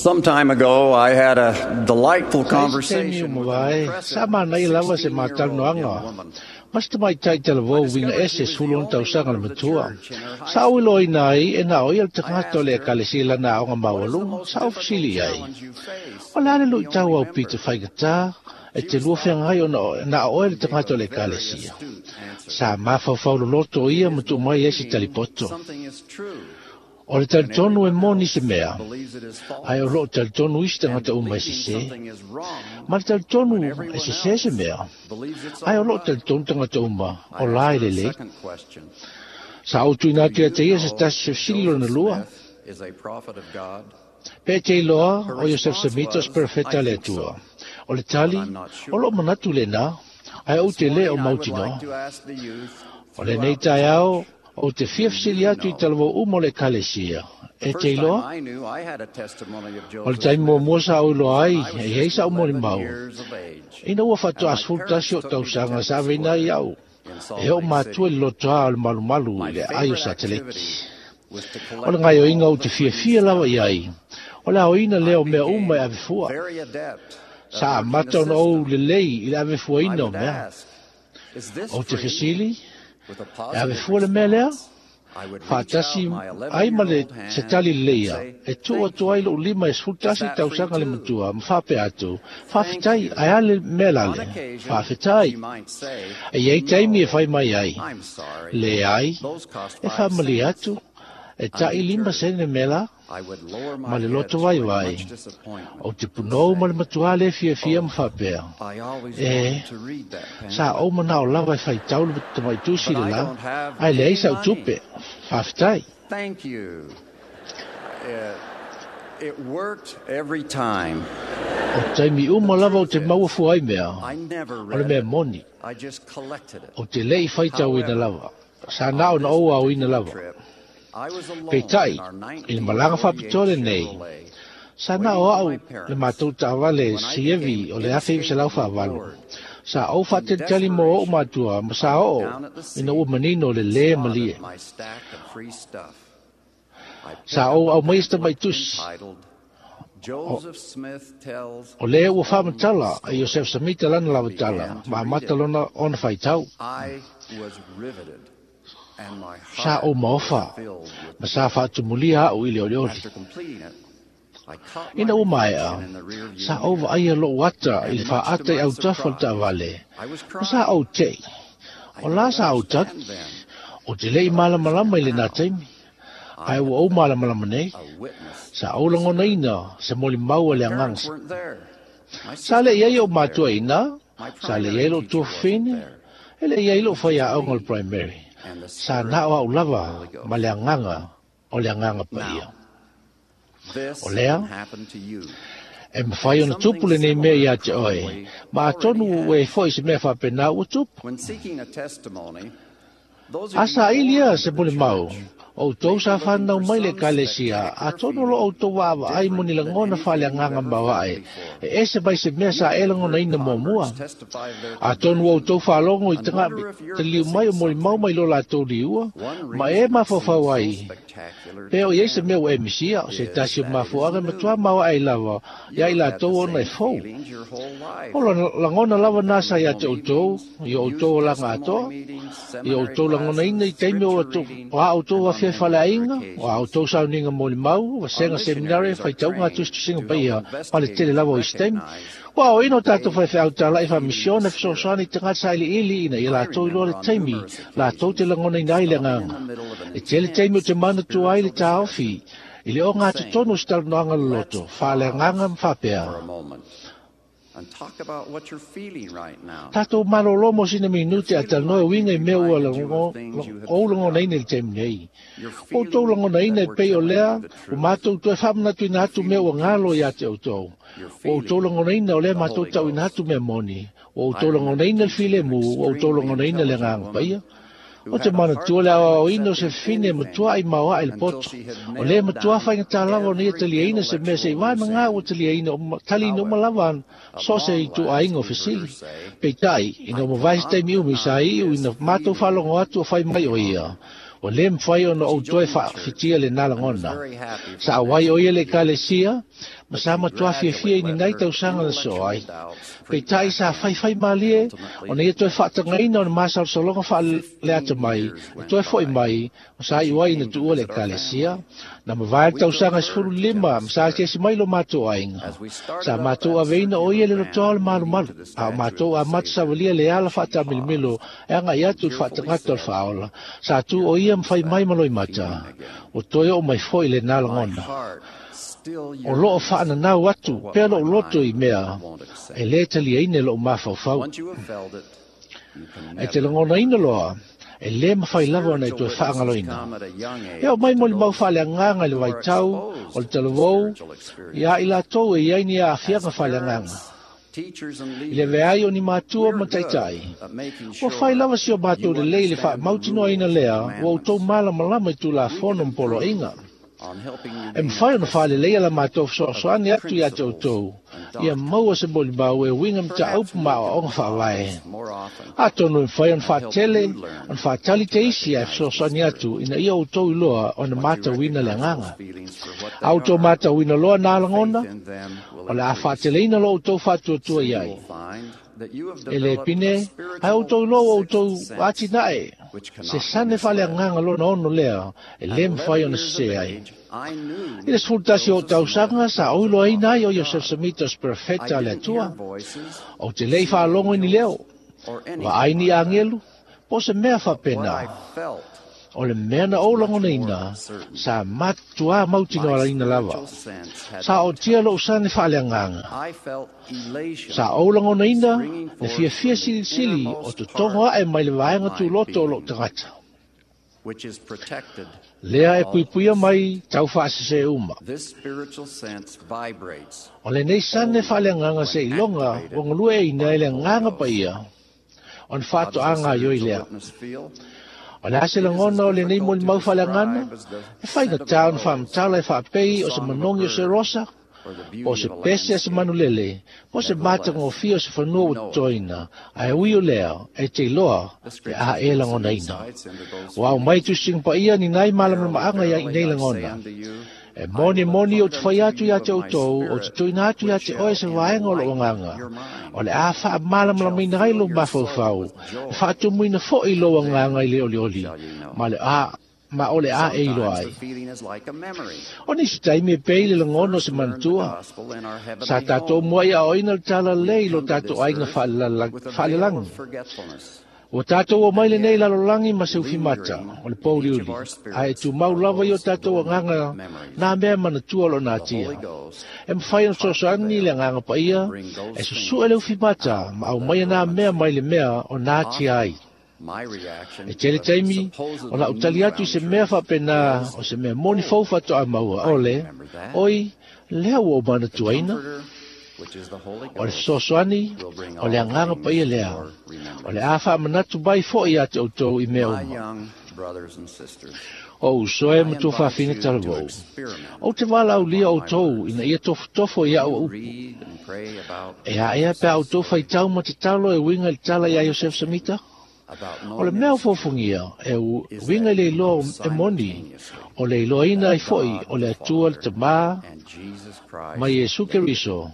Speaker 12: Some time ago, I had a delightful
Speaker 4: Sa isi taimi o
Speaker 12: conversation with an
Speaker 4: mavae,
Speaker 12: impressive
Speaker 4: sa manaia lava se matalanoaga. Mas te mai talavou uiga ese sefulu ono tausaga le matua. Sa au iloaina ai e na o ia le tagata o le Ekalesia i lana aoga maualuga, sa au fesili ai. O le a le luitau au pito faigata, e te lua feagai ona na o oe le tagata o le Ekalesia. Sa mafaufau loloto ia ma tuu mai ai se talipoto. O le talitonu e moni se mea, ae o loo talitonu isi tagata uma e sesē. Ma le talitonu e sesē se mea, ae o loo talitonu tagata uma o la e lelei. Sa ou tuuina atu ia te ia se tasi fesili lona lua. Pe te iloa o Iosef Semita o se perofeta a le Atua. O le tali, o loo manatu lenā, ae ou te lē o mautinoa. O lenei taeao, o te fia fesili atu i talavou uma o le ekalesia. E te iloa? O le taimi muamua sa ou iloa ai, e iai sa'u molimau. Ina ua faatoa sefulu tasi o'u tausaga sa aveina ai a'u, e o'u matua i le lotoā o le malumalu i le aai o Sateleki. O le gaioiga ou te fiafia lava i ai, o le aoina lea o mea uma e avefua. Sa amata ona ou lelei i le avefuaina o mea. Ou te fesili, e avefua le mea lea? Faatasi ai ma le se tali leleia, e tuu atu ai lo'u lima e sefulu tasi tausaga le matua, ma faapea atu, faafetai, ae a le mea lale? Faafetai. E iai taimi e fai mai ai. Leai, e faamalie atu, e ta'i lima sene mea la, ma le loto vaivai. Ou te punou ma le matuā lē fiafia ma faapea. E, sa ou mana'o lava e faitau le tamaitusi le la, ae leai sa'u tupe. Faafetai.
Speaker 12: Thank you. It worked every time.
Speaker 4: O taimi uma lava ou te maua fua ai mea, o le mea moni. Ou te le'i faitauina lava. Sa na'o na ou aoina lava. Peitai, i le malaga faapitoa lenei, sa na'o a'u le matou taavale Sievi o le afe iva selau faavalu. Sa ou faatalitali mo o'u matua ma sa o'o ina ua manino le lē malie. Sa ou aumaia se tamaitusi. O, o lē ua faamatala e Iosef Samita lana lava tala, ma amata lona ona faitau. Sa ou maofa, ma sa faatumulia a'u i le olioli. Ina ua maea, sa ou vaaia lo'u ata i le faaata i autafa o le taavale, ma sa ou te'i. O la sa ou tagi, ou te le'i malamalama i lenā taimi, ae ua ou malamalama nei, sa ou lagonaina se molimau a le agaga. Sa le'i ai o'u matua iinā, sa le'i ai lo'u tuafafine, e le'i ai lo'u faiaoga o le primary. Sa na'o a'u lava ma le agaga o le agaga paia. O lea, e mafai ona tupu lenei mea iā te oe, ma atonu ua e fo'i se mea faapenā ua tupu. A saili ia se molimau, o outou sa fanau mai le ekalesia, atonu o loo outou vaavaai mo ni lagona faaleagaga maoae, e ese mai se mea sa e lagonaina muamua. Atonu ua outou faalogo i tagata taliu mai o molimau mai lo latou liua, ma e mafaufau ai, pe o iai se mea ua e misia, o se tasi o mafuaaga e matuā maoae lava, ia i latou ona e fou. O lagona lava nā sa ia te outou, i o outou olaga atoa, i o outou lagonaina i taimi o a outou afia faleaiga, o a outou sauniga molimau, vasega seminare, faitauga a tusitusiga paia, ma le tele lava o isi taimi. Ua aoina o tatou faifeau tala'i faamisione fesoasoani i tagata sailiili ina ia latou iloa le taimi, latou te lagonaina ai le agaga. E tele taimi o te manatua ai le taofi, i le ogatotonu o se talanoaga loloto, faaleagaga ma faapea.
Speaker 12: And talk about what you're feeling right now.
Speaker 4: Tatou malolo mo sina minute a talanoa e uiga i mea ua ou lagonaina i le taimi nei. Ua outou lagonaina e pei o lea, ua matou toe faamanatuina atu mea ua galo iā te outou. Ua outou lagonaina o lea matou tauina atu mea moni. Ua outou lagonaina le filemu, ua outou lagonaina le agaga paia. O te manatua le aoaoina o se fafine e matua'i maoa'i le poto. O lea matuā faigatā lava ona ia taliaina se mea se'i vanagā ua taliaina taliina uma lava ana so o se ituaiga o fesili. Peitai, ina ua mavae se taimi umi sa iu ina matou faalogo atu o fai mai o ia. Ua lē mafai ona ou toe faafitia lenā lagona. Sa auai o ia le ekalesia, Ma sa matua fiafia i ni nai tausaga na soo ai. Peitai sa faifai malie, ona ia toe faatagaina o le masalosaloga faaleata mai, e toe fo'i mai, o sa iu ai ina tuua le ekalesia. Na mavae le tausaga e sefulu lima, ma sa asiasi mai lo matou aiga. Sa matou aveina o ia le lotoa o le malumalu, a o matou amata savalia le ala faatamilimilo e agai atu i le faatagata o le faaola. Sa tu o ia ma fai mai ma loimata. Ua toe oo mai fo'i lenā lagona. O loo faananau atu pea lou loto i mea e lē taliaina e lo'u mafaufau. E te lagonaina loa, e lē mafai lava ona e toe faagaloina. E oo mai molimau faaleagaga i le vaitau o le talavou iā i latou e i ai ni aafiaga faaleagaga. I le veai o ni matua ma taitai, ua fai lava si o matou lelei i le faamautinoaina lea ua outou malamalama i tulafono ma poloaiga. E mafai ona faaleleia la matou fesoasoani atu iā te outou, ia maua se molimau e uiga mataupu ma aoaoga faavae. Atonu e mafai ona faatele, ona faatali te isi ae fesoasoani atu ina ia outou iloa ona matauina le agaga. A outou matauina loa nā lagona, o le a faateleina lo outou faatuatua i ai. E le pine, ae outou iloa ua outou atinae, se sane faaleagaga lona ono lea e lē mafai ona sesē ai. I le sefulu tasi o tausaga sa oiloaina ai o Iosef Samita o se perofeta a le Atua. Ou te le i faalogo i ni leo, vaai ni agelu, po o se mea faapena. O le mea na ou lagonaina, sa matuā mautinoalaina lava. Sa ootia lo'u sane faaleagaga. Sa ou lagonaina le fiafia silisili o totogo a'e mai le vaega tuloto o lo'u tagata. Lea e puipuia mai tau faasesē uma. O lenei sane faaleagaga seiloga ua galueaiina e le agaga paia, ona faatoaga ai oi lea. O le a se lagona o lenei molimau faaleagaga, e faigatā ona faamatala e faapei o se manogi o se rosa, po o se pese a se manulele, po o se matagofie o se fanua ua totoina, ae ui o lea e te iloa pe a e lagonaina. Ua aumai tusiga paia ni nai malamalamaaga ia i nei lagona. E moni moni o te fai atu ia te outou, o te tuina atu ia te oe se vaega o lou agaga. O le a faamalamalamaina ai lou mafaufau, e faatumuina fo'i lou agaga i le olioli, ma le a ma o le a e iloa ai. O nisi taimi e pei le lagona o se manatua. Sa tatou mua i aoina le talalelei i lo tatou aiga faalelagi. Ua tatou o mai lenei lalolagi ma se ufimata o le pouliuli, ae tumau lava i o tatou agaga nā mea manatua o lo natia. E mafai ona fesoasoani le agaga paia e susue le ufimata ma aumaia nā mea mai le mea o natia ai. E tele taimi o lau tali atu i se mea faapena o se mea moni fou faatoa maua ole, oi lea ua o manatuaina. O le fesoasoani, o le agaga paia lea. O le a faamanatu mai fo'i ia te outou i mea uma. O uso e ma tuafafine talavou. Ou te valaaulia outou ina ia tofotofo i a'u upu. E aea pe a outou faitau ma tatalo e uiga i le tala iā Iosef Samita? O le mea o fofogia e uiga i le iloa e moni, o le iloaina ai fo'i o le Atua le Tamā ma Iesu Keriso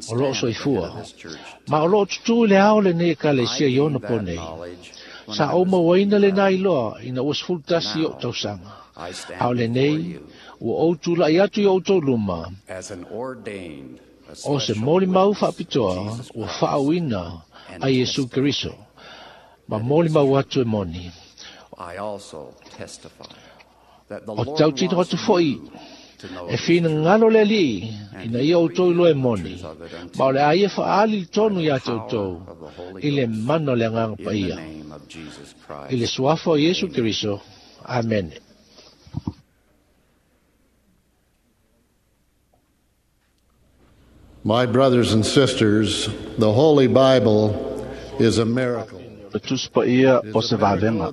Speaker 4: o loo soifua. Ma o loo tutū i le ao lenei ekalesia i ona po nei. Sa ou mauaina lenā iloa ina ua sefulu tasi o'u tausaga. A o lenei, ua ou tula'i atu i outou luma, o se molimau faapitoa ua faaauina a Iesu Keriso, ma molimau atu e moni. O tautino atu fo'i e finagalo le Alii ina ia outou iloa e moni, ma o le a ia faaali le tonu iā te outou i le mana o le agaga paia. I le suafa o Iesu Keriso. Amene.
Speaker 13: My brothers and sisters, the Holy Bible is a miracle.
Speaker 9: Le tusi paia o se vavega.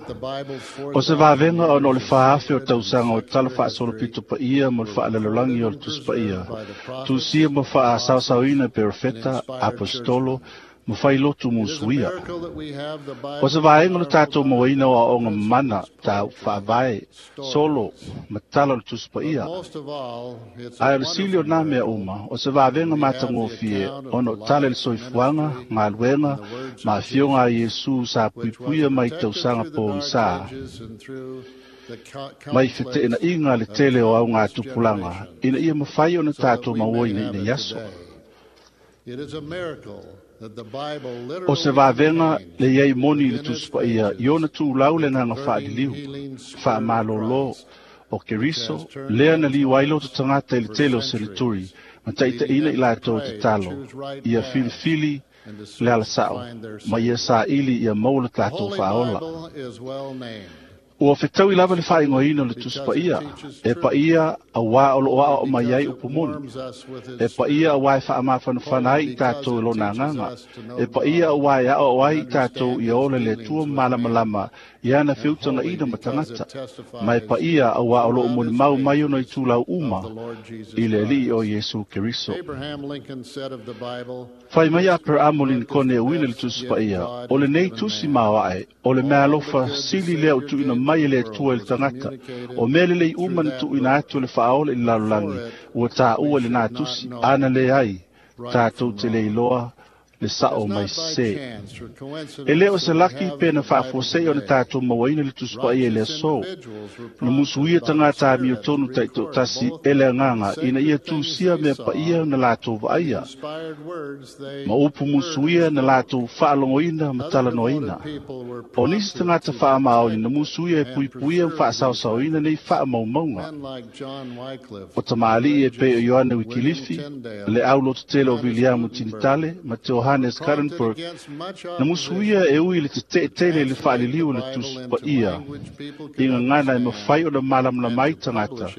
Speaker 9: O se vavega ona o le faafe o tausaga o tala faasolopito paia mo le faalalolagi o le tusi paia. Tusia ma faasaosaoina e perofeta, apostolo,
Speaker 6: Ma failotu musuia. O se vaega o le tatou mauaina o aoaoga mamana tau faavae, solo, ma tala o le Tusi Paia. Ae o le sili o nā mea uma, o se vavega matagofie ona o tala i le soifuaga, galuega, ma afioga a Iesu sa puipuia mai tausaga pogisa. Mai feteenaiga le tele o augatupulaga, ina ia mafai ona tatou mauaina i nei aso. O se vavega le iai moni i le Tusi Paia i ona tulau le agaga faaliliu, faamalōlō o Keriso, lea na liu ai loto tagata i le tele o seneturi, ma taitaiina i latou tatalo, ia filifili le alasao, ma ia saili ia maua le tatou faaola. Ua fetaui lava le faaigoaina o le Tusi Paia, e paia auā o loo aoao mai ai upu moni, e paia auā e faamafanafana ai i tatou i lona agaga, e paia auā e aoao ai i tatou ia ola le Atua malamalama i ana feutagaina ma tagata, ma e paia auā o loo molimau mai ona itulau uma i le Alii o Iesu Keriso. Fai mai Aperamo Lincoln e uina le Tusi Paia, o lenei tusi maoae, o le meaalofa sili lea o tuuina mai e le Atua i le tagata, o mea lelei uma na tuuina atu e le faaola i le lalolagi, ua taua i lenā tusi, ana leai, tatou te le iloa le sao mai sesē. E le o se laki pe na faafuasei ona tatou mauaina le Tusi Paia i le aso. Na musuia tagata amiotonu taitoatasi e le agaga ina ia tusia mea paia na latou vaaia, ma upu musuia na latou faalogoina ma talanoaina. O nisi tagata faamaoni na musuia e puipuia ma faasaosaoina nei faamaumauga. O tamalii e pei o Ioane Wikilifi, le aulototele o Viliamu Tinitale ma Johannes Gutenberg, na musuia e ui le teteetele i le faaliliu o le Tusi Paia, i gagana e mafai ona malamalama ai tagata,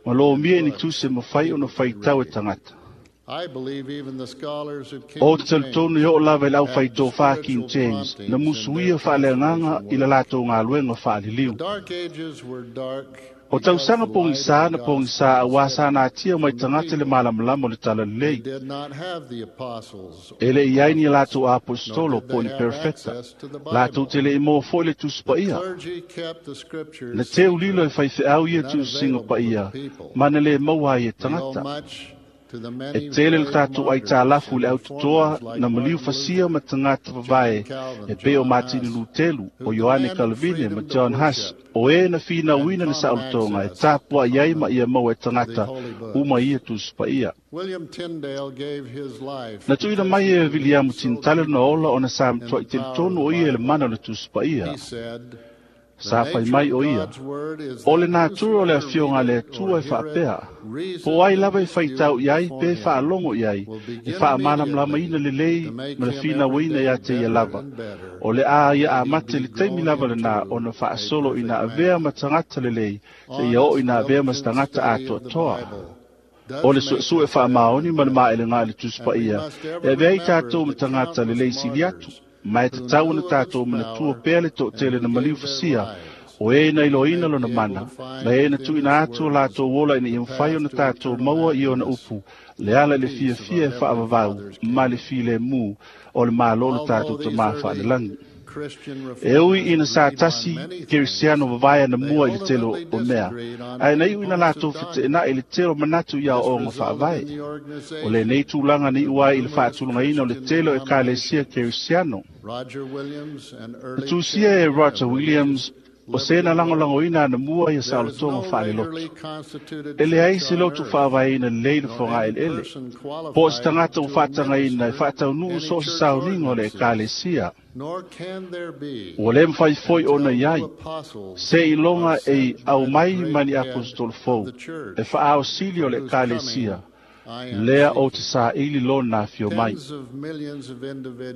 Speaker 6: ma lomia i ni tusi e mafai ona faitau e tagata. O te talitonu i oo lava i le aufaitofā King James, na musuia faaleagaga i le latou galuega faaliliu. O tausaga pogisā na pogisā auā sa natia mai tagata le malamalama o le talalelei. E le i ai ni latou apostolo po o ni perofeta, latou te le i maua foi le Tusi Paia. Na teulilo e faifeau ia tuusiga paia, ma na le maua ai e tagata. E tele le tatou aitalafu i le autotoa na maliu fasia ma tagata vavae e pei o Matini Lutelu, o Ioane Kalvine ma John Huss, o e na finauina le saolotoga e tapuai ai ma ia maua e tagata uma ia Tusi Paia. Na tuuina mai e Viliamu Tinitale lona ola ona sa matuai telitonu o ia i le mana o le Tusi Paia. Sa fai mai o ia, o le natura o le afioga a le Atua e faapea, po ai lava e faitau i ai pe faalogo i ai, e faamalamalamaina lelei ma le finauina ia te ia lava. O le a ia amata i le taimi lava lenā ona faasolo ina avea ma tagata lelei, seia oo ina avea ma se tagata atoatoa. O le suesue faamaoni ma le maelega i le Tusi Paia, e avea ai tatou ma tagata lelei sili atu, ma e tatau ona tatou manatua pea le toatele na maliu fasia, o e na iloaina lona mana, ma e na tuuina atu o latou ola ina ia mafai ona tatou maua i ona upu, le ala i le fiafia e faavavau ma le filemu o le Malo o le tatou Tamā faalelagi. E ui ina sa tasi Kerisiano vavae ana mua i le tele o mea, ae na iu ina latou feteenai i le tele o manatu i aoaoga faavae. O lenei tulaga na iu ai i le faatulagaina o le tele o Ekalesia Kerisiano. Na tusia e Roger Williams o se na lagolagoina ana mua ia saolotoga faalelotu. E leai se lotu faavaeina lelei le fogaeleele, po o se tagata ua faatagaina e faataunuu so o se sauniga o le Ekalesia. Ua le mafai foi ona i ai, se iloga e aumai ma ni apostolo fou, e faaosili o le Ekalesia, lea o te saili lona afio mai.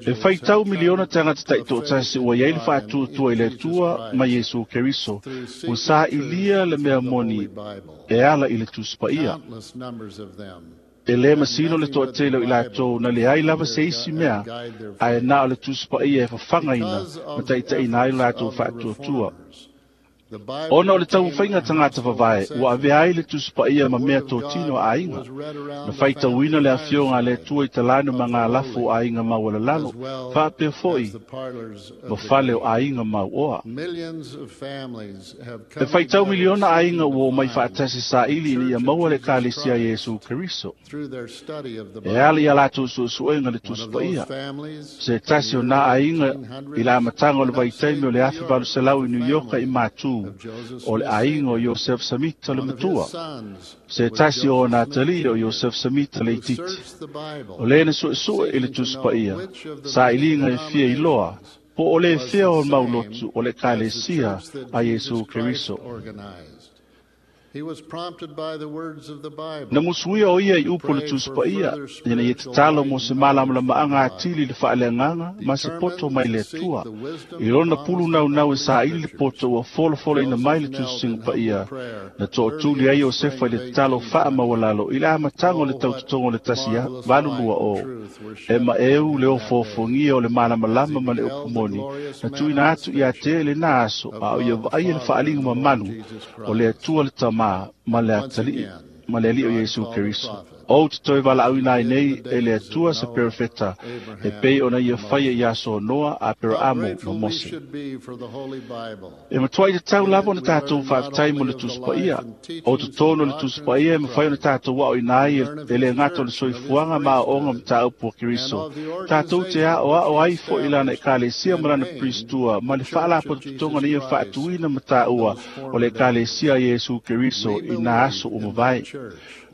Speaker 6: E faitau miliona tagata taitoatasi ua iai le faatuatua i le Atua ma Iesu Keriso, ua sailia le mea moni e ala i le Tusi Paia. E le masino le toatele o i latou na leai lava se isi mea, ae na o le Tusi Paia e fafagaina ma taitaiina ai le latou faatuatua. Ona o le taumafaiga tagata vavae, ua avea ai le Tusi Paia ma mea totino a aiga. Na faitauina le afioga a le Atua i talano ma galafo o aiga maualalalo, faapea foi ma fale o aiga mauoa. E faitau miliona aiga ua omai faatasi saili ina ia maua le Ekalesia a Iesu Keriso. E ala ia latou suesuega le Tusi Paia. Se tasi o nā aiga i le amataga o le vaitaimi o le afe valu selau i New York i Matu, o le aiga o Iosef Samita le matua. Se tasi o ona atalii o Iosef Samita le itiiti. O le na suesue i le Tusi Paia, sailiga e fia iloa, po o le fea o maulotu o le Ekalesia a Iesu Keriso. Na musuia o ia i upu le Tusi Paia, ina ia tatalo mo se malamalamaaga atili i le faaleagaga ma se poto mai le Atua. I lona pulu naunau e saili le poto ua folafolaina mai le Tusi Paia, na tootuli ai Iosefa i le tatalo faamaualalo i le amataga o le tautotoga o le tasi valu lua o. E maeu le ofoofogia o le malamalama ma le upu moni, na tuuina atu ia te lena aso, a o ia vaaia le faaliga mamalu o le Atua le Tama ma le atalii ma le alii o Iesu Keriso. O te toe valaauina ai nei e le Atua se perofeta, e pei ona ia faia i aso o Noa, Aperaamo ma Mose. E matuai tatau lava ona tatou faafetai mo le Tusi Paia. O totonu o le Tusi Paia e mafai ona tatou aoina ai e le gata o le soifuaga ma aoaoga mataupu a Keriso. Tatou te aoao ai foi i lana Ekalesia ma lana Pristua ma le faalapotopotoga na ia faatuina ma taua o le Ekalesia a Iesu Keriso i nā aso ua mavae.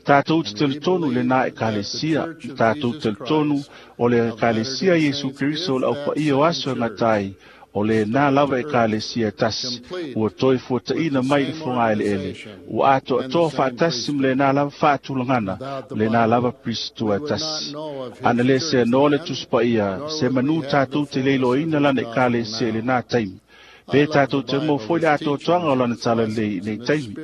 Speaker 6: Tatou te talitonu i lena Ekalesia, tatou te talitonu o le Ekalesia Iesu Keriso o le aupaia o aso e gatai, o lena lava Ekalesia e tasi, ua toe fuataina mai le fogaeleele, ua atoatoa faatasi ma lena lava faatulagana, lena lava Pristua e tasi. Ana le seanoa le Tusi Paia, se manu tatou te leiloaina lana Ekalesia i lena taimi. Pe tatou te mo foi le atoatoaga o lana talalelei i nei taimi.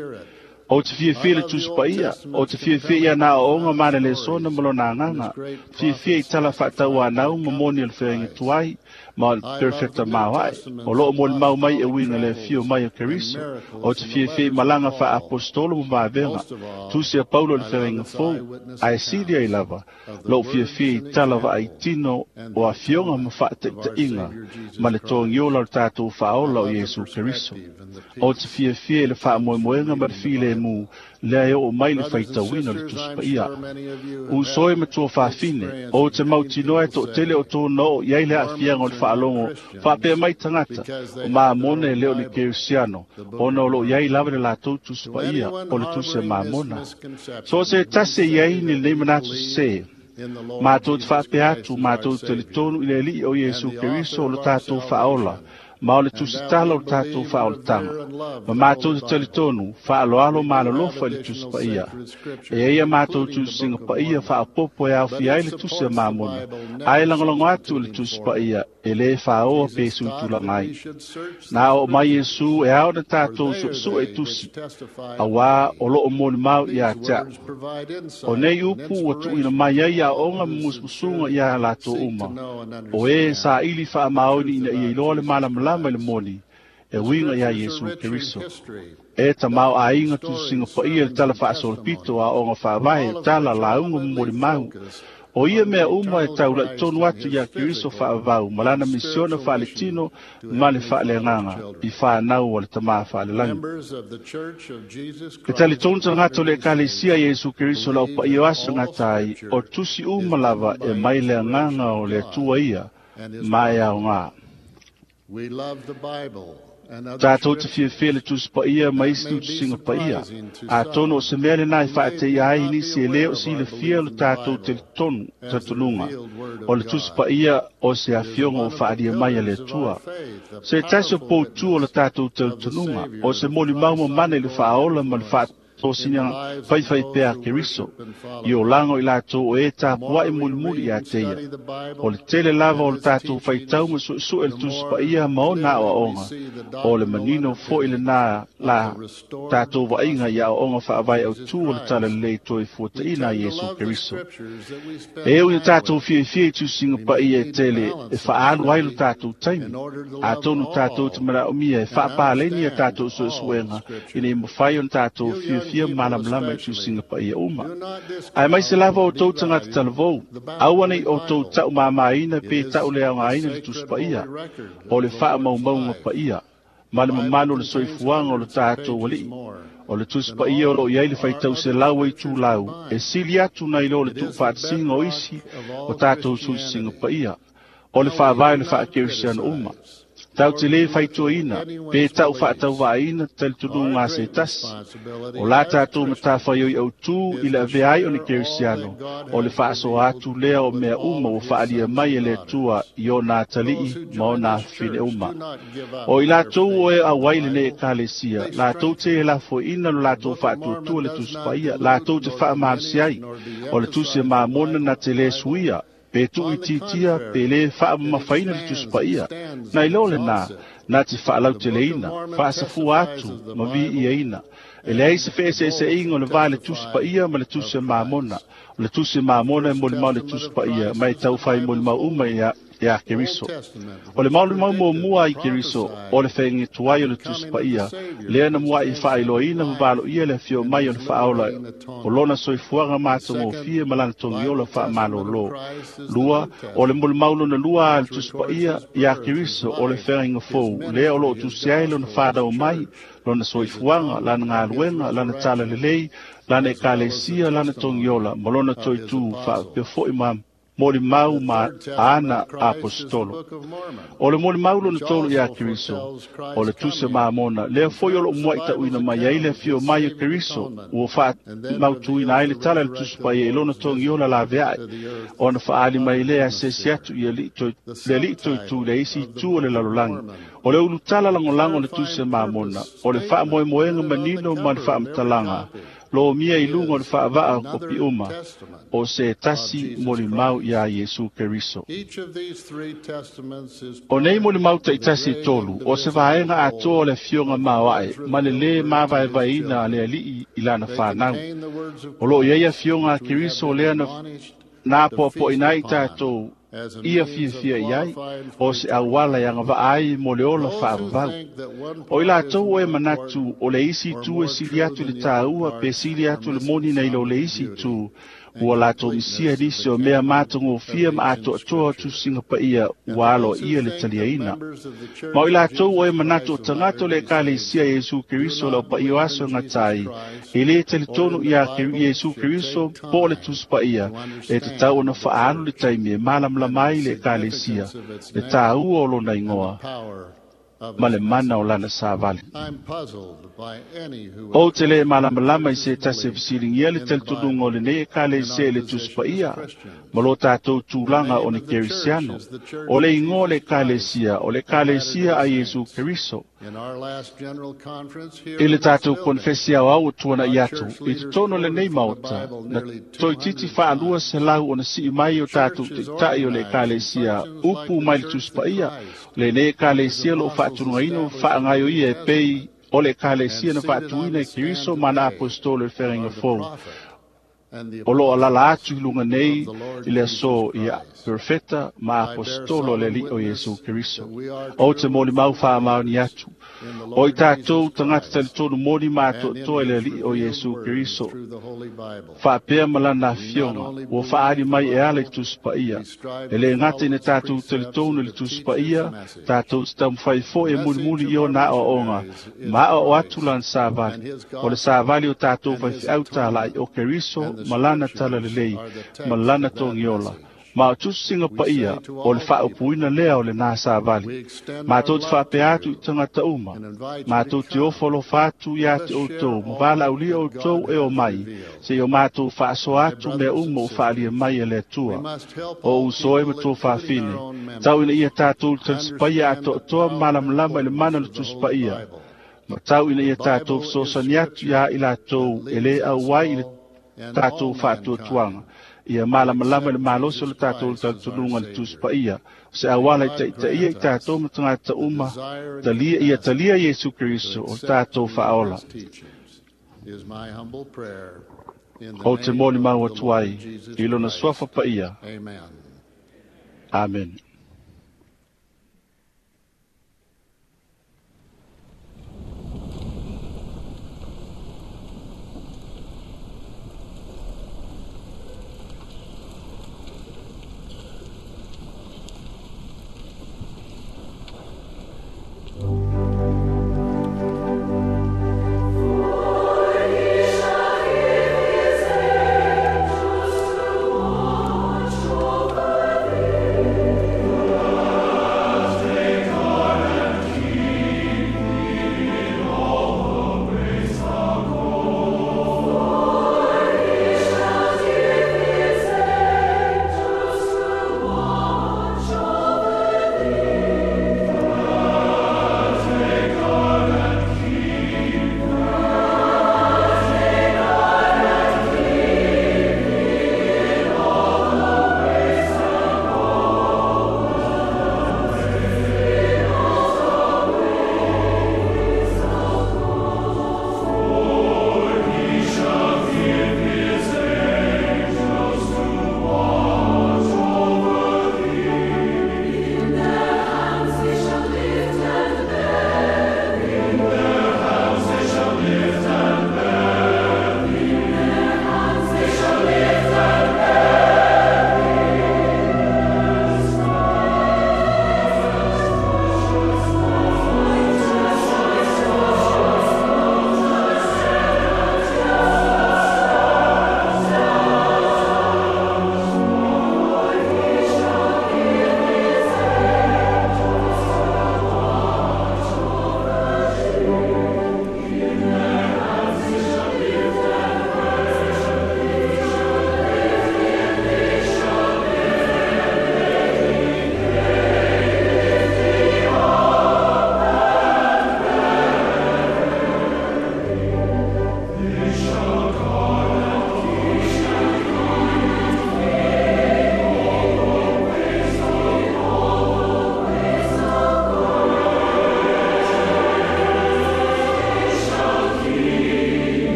Speaker 6: O te fiafia le Tusi Paia, o te fiafia ia nā aoaoga ma le lesona ma lona agaga, fiafia i tala faatauanau ma moni o le feaiga tuai, ma o le perofeta maoae, o loo molimau mai e uiga le afio mai o Keriso, o te fiafia i malaga faaapostolo ma vavega, tusi a Paulo le feaiga fou, ae sili ai lava, lou fiafia i tala vaaitino o afioga ma faataitaiga, ma le togiola o le tatou faaola o Iesu Keriso. O te fiafia i le faamoemoega ma le filemu, lea e oo mai le faitauina o le Tusi Paia. Uso e matua faafine, o te mautinoa e toatele o tōna oo i ai le aafiaga o le faalogo, faapea mai tagata, o Mamona e le o le Kerisiano, ona o loo i ai lava le latou Tusi Paia o le Tusi a Mamona. So se tasi e i ai ni lenei manatu sesē, matou te faapea atu, matou te talitonu i le alii o Iesu Keriso o le tatou faaola, ma o le tusitala o le tatou faaolataga. Ma matou te talitonu, faaloalo ma alolofa i le Tusi Paia. E ai a matou tusiga paia faaopopo e aofia ai le Tusi a Mamona, ae lagolago atu i le Tusi Paia e lē faaoa pe suitulaga ai. Na oo mai Iesu e ao na tatou suesue i tusi, auā o loo molimau ia te a'u. O nei upu ua tuuina mai ai aoaoga ma musumusuga iā latou uma, o e saili faamaoni ina ia iloa le malamalama i le moni, e uiga iā Iesu Keriso. E tamao aiga tusiga paia le tala faasolopito aoaoga faavae, tala lauga ma molimau. O ia mea uma e taula'i tonu atu iā Keriso faavavau ma lana misiona faaletino ma le faaleagaga i fanau o le Tamā faalelagi. E talitonu tagata o le Ekalesia Iesu Keriso le aupaia o aso gatai, o tusi uma lava e mai le agaga o le Atua ia, ma e aogā. Tatou te fiafia le Tusi Paia ma isi tusiga paia. Atonu o se mea lenā e faateia ai nisi e lē o silafia lo tatou talitonu talitonuga o le Tusi Paia o se afioga ua faalia mai a le Atua. Se tasi o poutū o le tatou talitonuga, o se molimau mamana i le faaola ma le tosina faifai pea Keriso i o laga o i latou o e tapuaʻi mulimuli iā te ia. O le tele lava o le tatou faitau ma suʻesuʻe le Tusi Paia ma ona aʻoaʻoga, o le manino foʻi lenā la tatou vaaiga i aʻoaʻoga faavae autū o le Talalelei toe fuataʻina a Iesu Keriso. E ui na tatou fiafia i tusiga paia e tele e faaalu ai lo tatou taimi, atonu tatou te manaʻomia e faapaleni a tatou suʻesuʻega ina ia mafai ona tatou fiafia malamalama i tusiga paia uma. Ae maise lava outou tagata talavou, aua nei outou taʻumāmāina pe taʻuleaogaina le Tusi Paia, o le faamaumauga paia ma le mamalu o le soifuaga o le tatou aliʻi. O le Tusi Paia o loo i ai le faitauselau ai tulau, e sili atu nai lo le tuufaatasiga o isi o tatou tusisiga paia, o le faavae o le faakerisiano uma. Tau te lē faitoaina pe tau faatauvaaina talitonuga a se tasi, o la tatou matafaioi autū i le avea ai o ni kerisiano, o le faasoa atu lea o mea uma ua faalia mai e le Atua i ona atalii ma ona afafine uma. O i latou o e auai lenei ekalesia, latou te e lafoiina lo latou faatuatua le Tusi Paia, latou te faamalosi ai, o le Tusi e Mamona na te lē suia, pe tuuitiitia pe lē faamamafaina le Tusi Paia. Nai lo lenā, na te faalauteleina, faasafua atu ma viiaina. E leai se feeseeseaiga o le va le Tusi Paia ma le Tusi a Mamona. O le Tusi a Mamona e molimau le Tusi Paia, ma e taufai molimau uma iā iā Keriso. O le molimau muamua ai Keriso, o le feagatuai o le Tusi Paia, lea na muaʻi faailoaina ma valoia le afio mai o le faaola o lona soifuaga matagofie ma lana togiola faamalōlō. Lua, o le molimau lona lua a le Tusi Paia iā Keriso o le feagaiga fou, lea o loo tusi ai lona fanau mai, lona soifuaga, lana galuega, lana talalelei, lana ekalesia, lana togiola, ma lona toitū faapea foʻi ma molimau ma ana apostolo. O le molimau lona tolu iā Keriso, o le Tusi Mamona, lea foi o loo muaʻi taʻuina mai ai le afio mai o Keriso, ua faamautuina ai le tala i le Tusi Paia i lona togiola laveaʻe, ona faaali mai lea asiasi atu i le alii toitū le isi itu o le lalolagi. O le ulutala lagolago o le Tusi Mamona, o le faamoemoega manino ma le faamatalaga, lo mia i luga o le faavaa o kopi uma, o se tasi molimau iā Iesu Keriso. O nei molimau taʻitasi e tolu, o se vaega atoa o le afioga maoaʻe, ma le lē mavaevaeina a le aliʻi i lana fanau. O loo i ai afioga a Keriso lea na na apoapoʻina ai tatou ia fiafia i ai, o se auala e agavaa ai mo le ola faavavau. O i latou o e manatu o le isi itu e sili atu i le tāua pe sili atu le moni nai lo le isi itu, ua latou misia nisi o mea matagofie ma atoatoa o tusiga paia ua aloaia le taliaina. Ma o i latou o e manatu o tagata o le ekalesia Iesu Keriso lau paia o aso e gata ai, e lē talitonu iā Iesu Keriso po o le Tusi Paia, e tatau ona faaalu le taimi e malamalama ai le ekalesia, le tāua o lona igoa ma le mana o lana savali. Ou te lē malamalama i se tasi e fesiligia le talitonuga o lenei ekalesia i le Tusi Paia ma lo tatou tulaga o ni kerisiano. O le igoa o le ekalesia, o le ekalesia a Iesu Keriso. I le tatou konefesi aoao ua tuanaʻi atu i totonu o lenei maota, na toeitiiti faalua selau ona sii mai o tatou taʻitaʻi o le ekalesia upu mai le Tusi Paia. Lenei ekalesia loo faatunugaina ma faagaioia e pei o le ekalesia na faatuina e Keriso ma ana apostolo i le feagaiga fou. O loo alala atu i luga nei i le aso ia perofeta ma apostolo le aliʻi o Iesu Keriso. Ou te molimau faamaoni atu, o i tatou tagata talitonu moni ma atoatoa i le aliʻi o Iesu Keriso, faapea ma lana afioga ua faaali mai e ala i Tusi Paia. E lē gata ina tatou talitonu i le Tusi Paia, tatou te taumafai foʻi e mulimuli i ona aoaoga ma aoao atu lana savali. O le savali o tatou faifeau talaʻi o Keriso ma lana talalelei ma lana togiola. Ma o tusiga paia o le faaupuina lea o lenā savali. Matou te faapea atu i tagata uma, matou te ofo alofa atu iā te outou, ma valaaulia outou e o mai, seia o matou faasoa atu mea uma ua faalia mai e le Atua. O uso e ma tou fafine, tau ina ia tatou le talisipaia atoatoa ma malamalama i le mana o le Tusi Paia, Ma tau ina ia tātou fesoasoani atu iā i latou e lē auai i le tātou faatuatuaga ia malamalama i le malosi o le tātou talitonuga i le Tusi Paia o se auala i taitaia i tātou ma tagata uma talia ia talia Iesu Keriso o le tātou faaola. Ou te molimau atu ai i lona suafa paia. Amen.
Speaker 14: Over thee.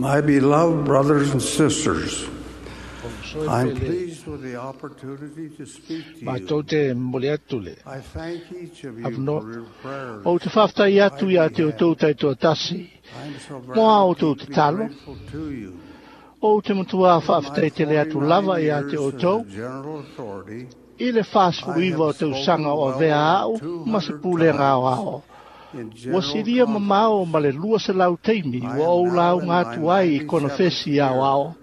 Speaker 5: My beloved brothers and sisters, I'm pleased with the opportunity to speak to
Speaker 4: you. Te momoli atu le
Speaker 5: I thank each of you
Speaker 4: avanoa.
Speaker 5: for your prayers.
Speaker 4: Ou te faafetai atu iā te outou taitoatasi
Speaker 5: I'm so
Speaker 4: mo a
Speaker 5: very
Speaker 4: outou
Speaker 5: deeply
Speaker 4: tatalo.
Speaker 5: grateful to you.
Speaker 4: Ou te matua
Speaker 5: In my
Speaker 4: faafetai tele atu
Speaker 5: forty-nine
Speaker 4: lava iā te
Speaker 5: years as a
Speaker 4: outou
Speaker 5: general authority,
Speaker 4: i le
Speaker 5: I
Speaker 4: fasefuluiva
Speaker 5: have
Speaker 4: o tausaga
Speaker 5: spoken
Speaker 4: o
Speaker 5: well
Speaker 4: avea
Speaker 5: over
Speaker 4: a'u
Speaker 5: two
Speaker 4: ma se
Speaker 5: hundred
Speaker 4: pulega
Speaker 5: times
Speaker 4: aoao.
Speaker 5: in
Speaker 4: Ua
Speaker 5: general
Speaker 4: silia mamao ma le lua selau taimi
Speaker 5: I
Speaker 4: ua
Speaker 5: am
Speaker 4: ou
Speaker 5: now in
Speaker 4: lauga
Speaker 5: my
Speaker 4: atu ai i kona
Speaker 5: ninety-seventh
Speaker 4: fesi
Speaker 5: year.
Speaker 4: aoao.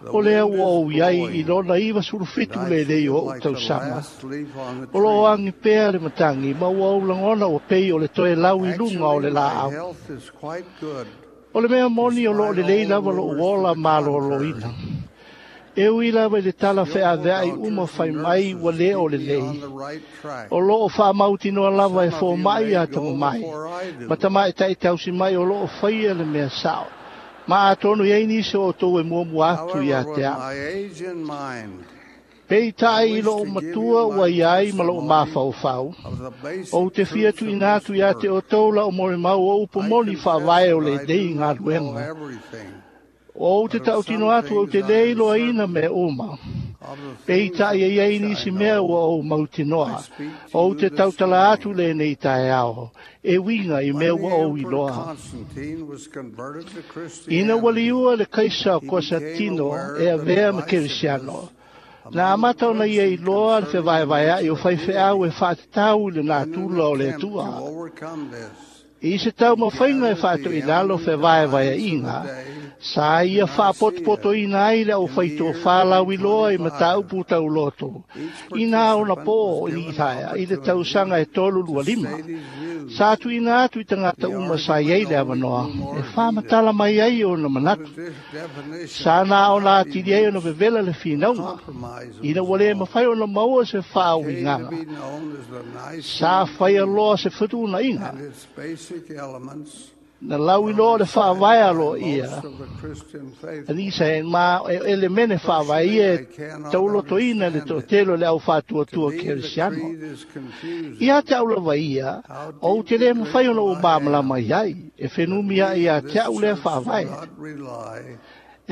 Speaker 5: The
Speaker 4: O lea
Speaker 5: wind
Speaker 4: ua
Speaker 5: is
Speaker 4: ou iai i
Speaker 5: blowing,
Speaker 4: lona iva
Speaker 5: and
Speaker 4: sulufitu
Speaker 5: I
Speaker 4: lenei
Speaker 5: feel
Speaker 4: o o'u
Speaker 5: like the
Speaker 4: tausaga.
Speaker 5: last leaf on the
Speaker 4: O loo
Speaker 5: tree.
Speaker 4: agi pea le matagi ma ua ou lagona ua pei o le toe lau i luga o
Speaker 5: Actually,
Speaker 4: le
Speaker 5: my
Speaker 4: laau.
Speaker 5: health is quite good,
Speaker 4: O le mea moni o loo
Speaker 5: despite
Speaker 4: lelei
Speaker 5: all
Speaker 4: lava lo'u
Speaker 5: rumors to
Speaker 4: ola
Speaker 5: the
Speaker 4: malōlōina.
Speaker 5: contrary.
Speaker 4: E ui lava i le tala
Speaker 5: Skillful
Speaker 4: feaveai uma
Speaker 5: doctors
Speaker 4: fai
Speaker 5: and
Speaker 4: mai ua
Speaker 5: nurses
Speaker 4: lē o
Speaker 5: keep me
Speaker 4: lelei.
Speaker 5: on the right track.
Speaker 4: O loo faamautinoa lava e
Speaker 5: Some of you
Speaker 4: fomaʻi
Speaker 5: may
Speaker 4: a
Speaker 5: go
Speaker 4: tamamai.
Speaker 5: before I
Speaker 4: Ma
Speaker 5: do.
Speaker 4: tamaʻitaʻi tausi mai o loo faia le mea sa'o. Ma atonu iai nisi o outou e muamua atu iā
Speaker 5: However,
Speaker 4: te
Speaker 5: with
Speaker 4: a'u.
Speaker 5: my age in mind,
Speaker 4: Peitai
Speaker 5: I
Speaker 4: i
Speaker 5: wish
Speaker 4: lo'u
Speaker 5: to give
Speaker 4: matua
Speaker 5: you
Speaker 4: ua
Speaker 5: my
Speaker 4: ia ai ma lo'u
Speaker 5: testimony
Speaker 4: mafaufau.
Speaker 5: of the
Speaker 4: Ou
Speaker 5: basic
Speaker 4: te fia
Speaker 5: truths of
Speaker 4: tuuina
Speaker 5: this
Speaker 4: atu iā te
Speaker 5: work.
Speaker 4: outou la'u molimau o upu
Speaker 5: I
Speaker 4: moni
Speaker 5: confess
Speaker 4: faavae o
Speaker 5: that I
Speaker 4: lenei
Speaker 5: do not know
Speaker 4: galuega.
Speaker 5: everything,
Speaker 4: O ou te
Speaker 5: but of some
Speaker 4: tautino atu ou te
Speaker 5: things I
Speaker 4: lē
Speaker 5: am
Speaker 4: iloaina
Speaker 5: certain.
Speaker 4: mea uma.
Speaker 5: Of the
Speaker 4: Peitai
Speaker 5: things
Speaker 4: e iai
Speaker 5: which I
Speaker 4: nisi mea
Speaker 5: know,
Speaker 4: ua ou
Speaker 5: I
Speaker 4: mautinoa.
Speaker 5: speak to
Speaker 4: Ou
Speaker 5: you
Speaker 4: te
Speaker 5: this
Speaker 4: tautala atu
Speaker 5: morning.
Speaker 4: lenei taeao. E uiga i
Speaker 5: When
Speaker 4: mea
Speaker 5: the
Speaker 4: ua ou
Speaker 5: Emperor
Speaker 4: iloa.
Speaker 5: Constantine was converted to
Speaker 4: Ina ua
Speaker 5: Christianity,
Speaker 4: liua le kaisa o
Speaker 5: he became
Speaker 4: Konstantino
Speaker 5: aware
Speaker 4: e
Speaker 5: of the
Speaker 4: avea ma Kerisiano.
Speaker 5: divisiveness
Speaker 4: Na
Speaker 5: among the
Speaker 4: amata ona ia
Speaker 5: clergy
Speaker 4: iloa le
Speaker 5: concerning the
Speaker 4: fevaevaeaʻi o
Speaker 5: nature of
Speaker 4: faifeau e
Speaker 5: deity.
Speaker 4: faatatau i le
Speaker 5: In an
Speaker 4: natura o le
Speaker 5: attempt to
Speaker 4: Atua.
Speaker 5: overcome this,
Speaker 4: I se tau
Speaker 5: he
Speaker 4: mafaiga e
Speaker 5: gathered the
Speaker 4: faatoilalo
Speaker 5: eminent divines of the
Speaker 4: fevaevaeaʻiga,
Speaker 5: day
Speaker 4: sa
Speaker 5: to
Speaker 4: ia
Speaker 5: Nicaea
Speaker 4: faapotopotoina ai le
Speaker 5: in the year
Speaker 4: aufaitofā iloa i
Speaker 5: three twenty-five.
Speaker 4: mataupu tauloto.
Speaker 5: Each
Speaker 4: Inā ona
Speaker 5: participant
Speaker 4: pō
Speaker 5: was
Speaker 4: o
Speaker 5: given
Speaker 4: Isaia i le
Speaker 5: opportunity
Speaker 4: tausaga e tolu
Speaker 5: to
Speaker 4: lua lima.
Speaker 5: state his
Speaker 4: Sa
Speaker 5: views.
Speaker 4: tuuina atu i tagata
Speaker 5: The
Speaker 4: uma sa iai
Speaker 5: argument
Speaker 4: le
Speaker 5: only
Speaker 4: avanoa,
Speaker 5: grew
Speaker 4: e
Speaker 5: more heated
Speaker 4: faamatala mai ai ona
Speaker 5: when
Speaker 4: manatu.
Speaker 5: the de- definition
Speaker 4: Sa
Speaker 5: could
Speaker 4: na ona
Speaker 5: not be
Speaker 4: atili ai ona
Speaker 5: reached,
Speaker 4: vevela le
Speaker 5: a
Speaker 4: finauga.
Speaker 5: compromise
Speaker 4: Ina
Speaker 5: was
Speaker 4: ua lē
Speaker 5: sought.
Speaker 4: mafai ona maua se
Speaker 5: It came to
Speaker 4: faauigaga.
Speaker 5: be known as the
Speaker 4: Sa
Speaker 5: Nicene
Speaker 4: faia
Speaker 5: Creed,
Speaker 4: loa se fetuunaiga.
Speaker 5: and its basic elements
Speaker 4: Na lau
Speaker 5: are
Speaker 4: iloa le
Speaker 5: recited
Speaker 4: faavae
Speaker 5: by
Speaker 4: alo
Speaker 5: most
Speaker 4: ia.
Speaker 5: of the Christian faithful.
Speaker 4: Alisa e ma e elemene faavae
Speaker 5: Personally,
Speaker 4: ia
Speaker 5: I
Speaker 4: e
Speaker 5: cannot
Speaker 4: taulotoina le
Speaker 5: understand it.
Speaker 4: toatele o le
Speaker 5: To
Speaker 4: aufaatuatua
Speaker 5: me, the
Speaker 4: kerisiano.
Speaker 5: creed is
Speaker 4: Ia
Speaker 5: confusing.
Speaker 4: te au lava ia,
Speaker 5: How
Speaker 4: ou te
Speaker 5: deeply
Speaker 4: lē mafai ona
Speaker 5: grateful
Speaker 4: ou
Speaker 5: I am
Speaker 4: malamalama iai, e
Speaker 5: that
Speaker 4: fenumi
Speaker 5: we
Speaker 4: aʻe iā
Speaker 5: of
Speaker 4: te
Speaker 5: this
Speaker 4: a'u lea
Speaker 5: church do
Speaker 4: faavae.
Speaker 5: not rely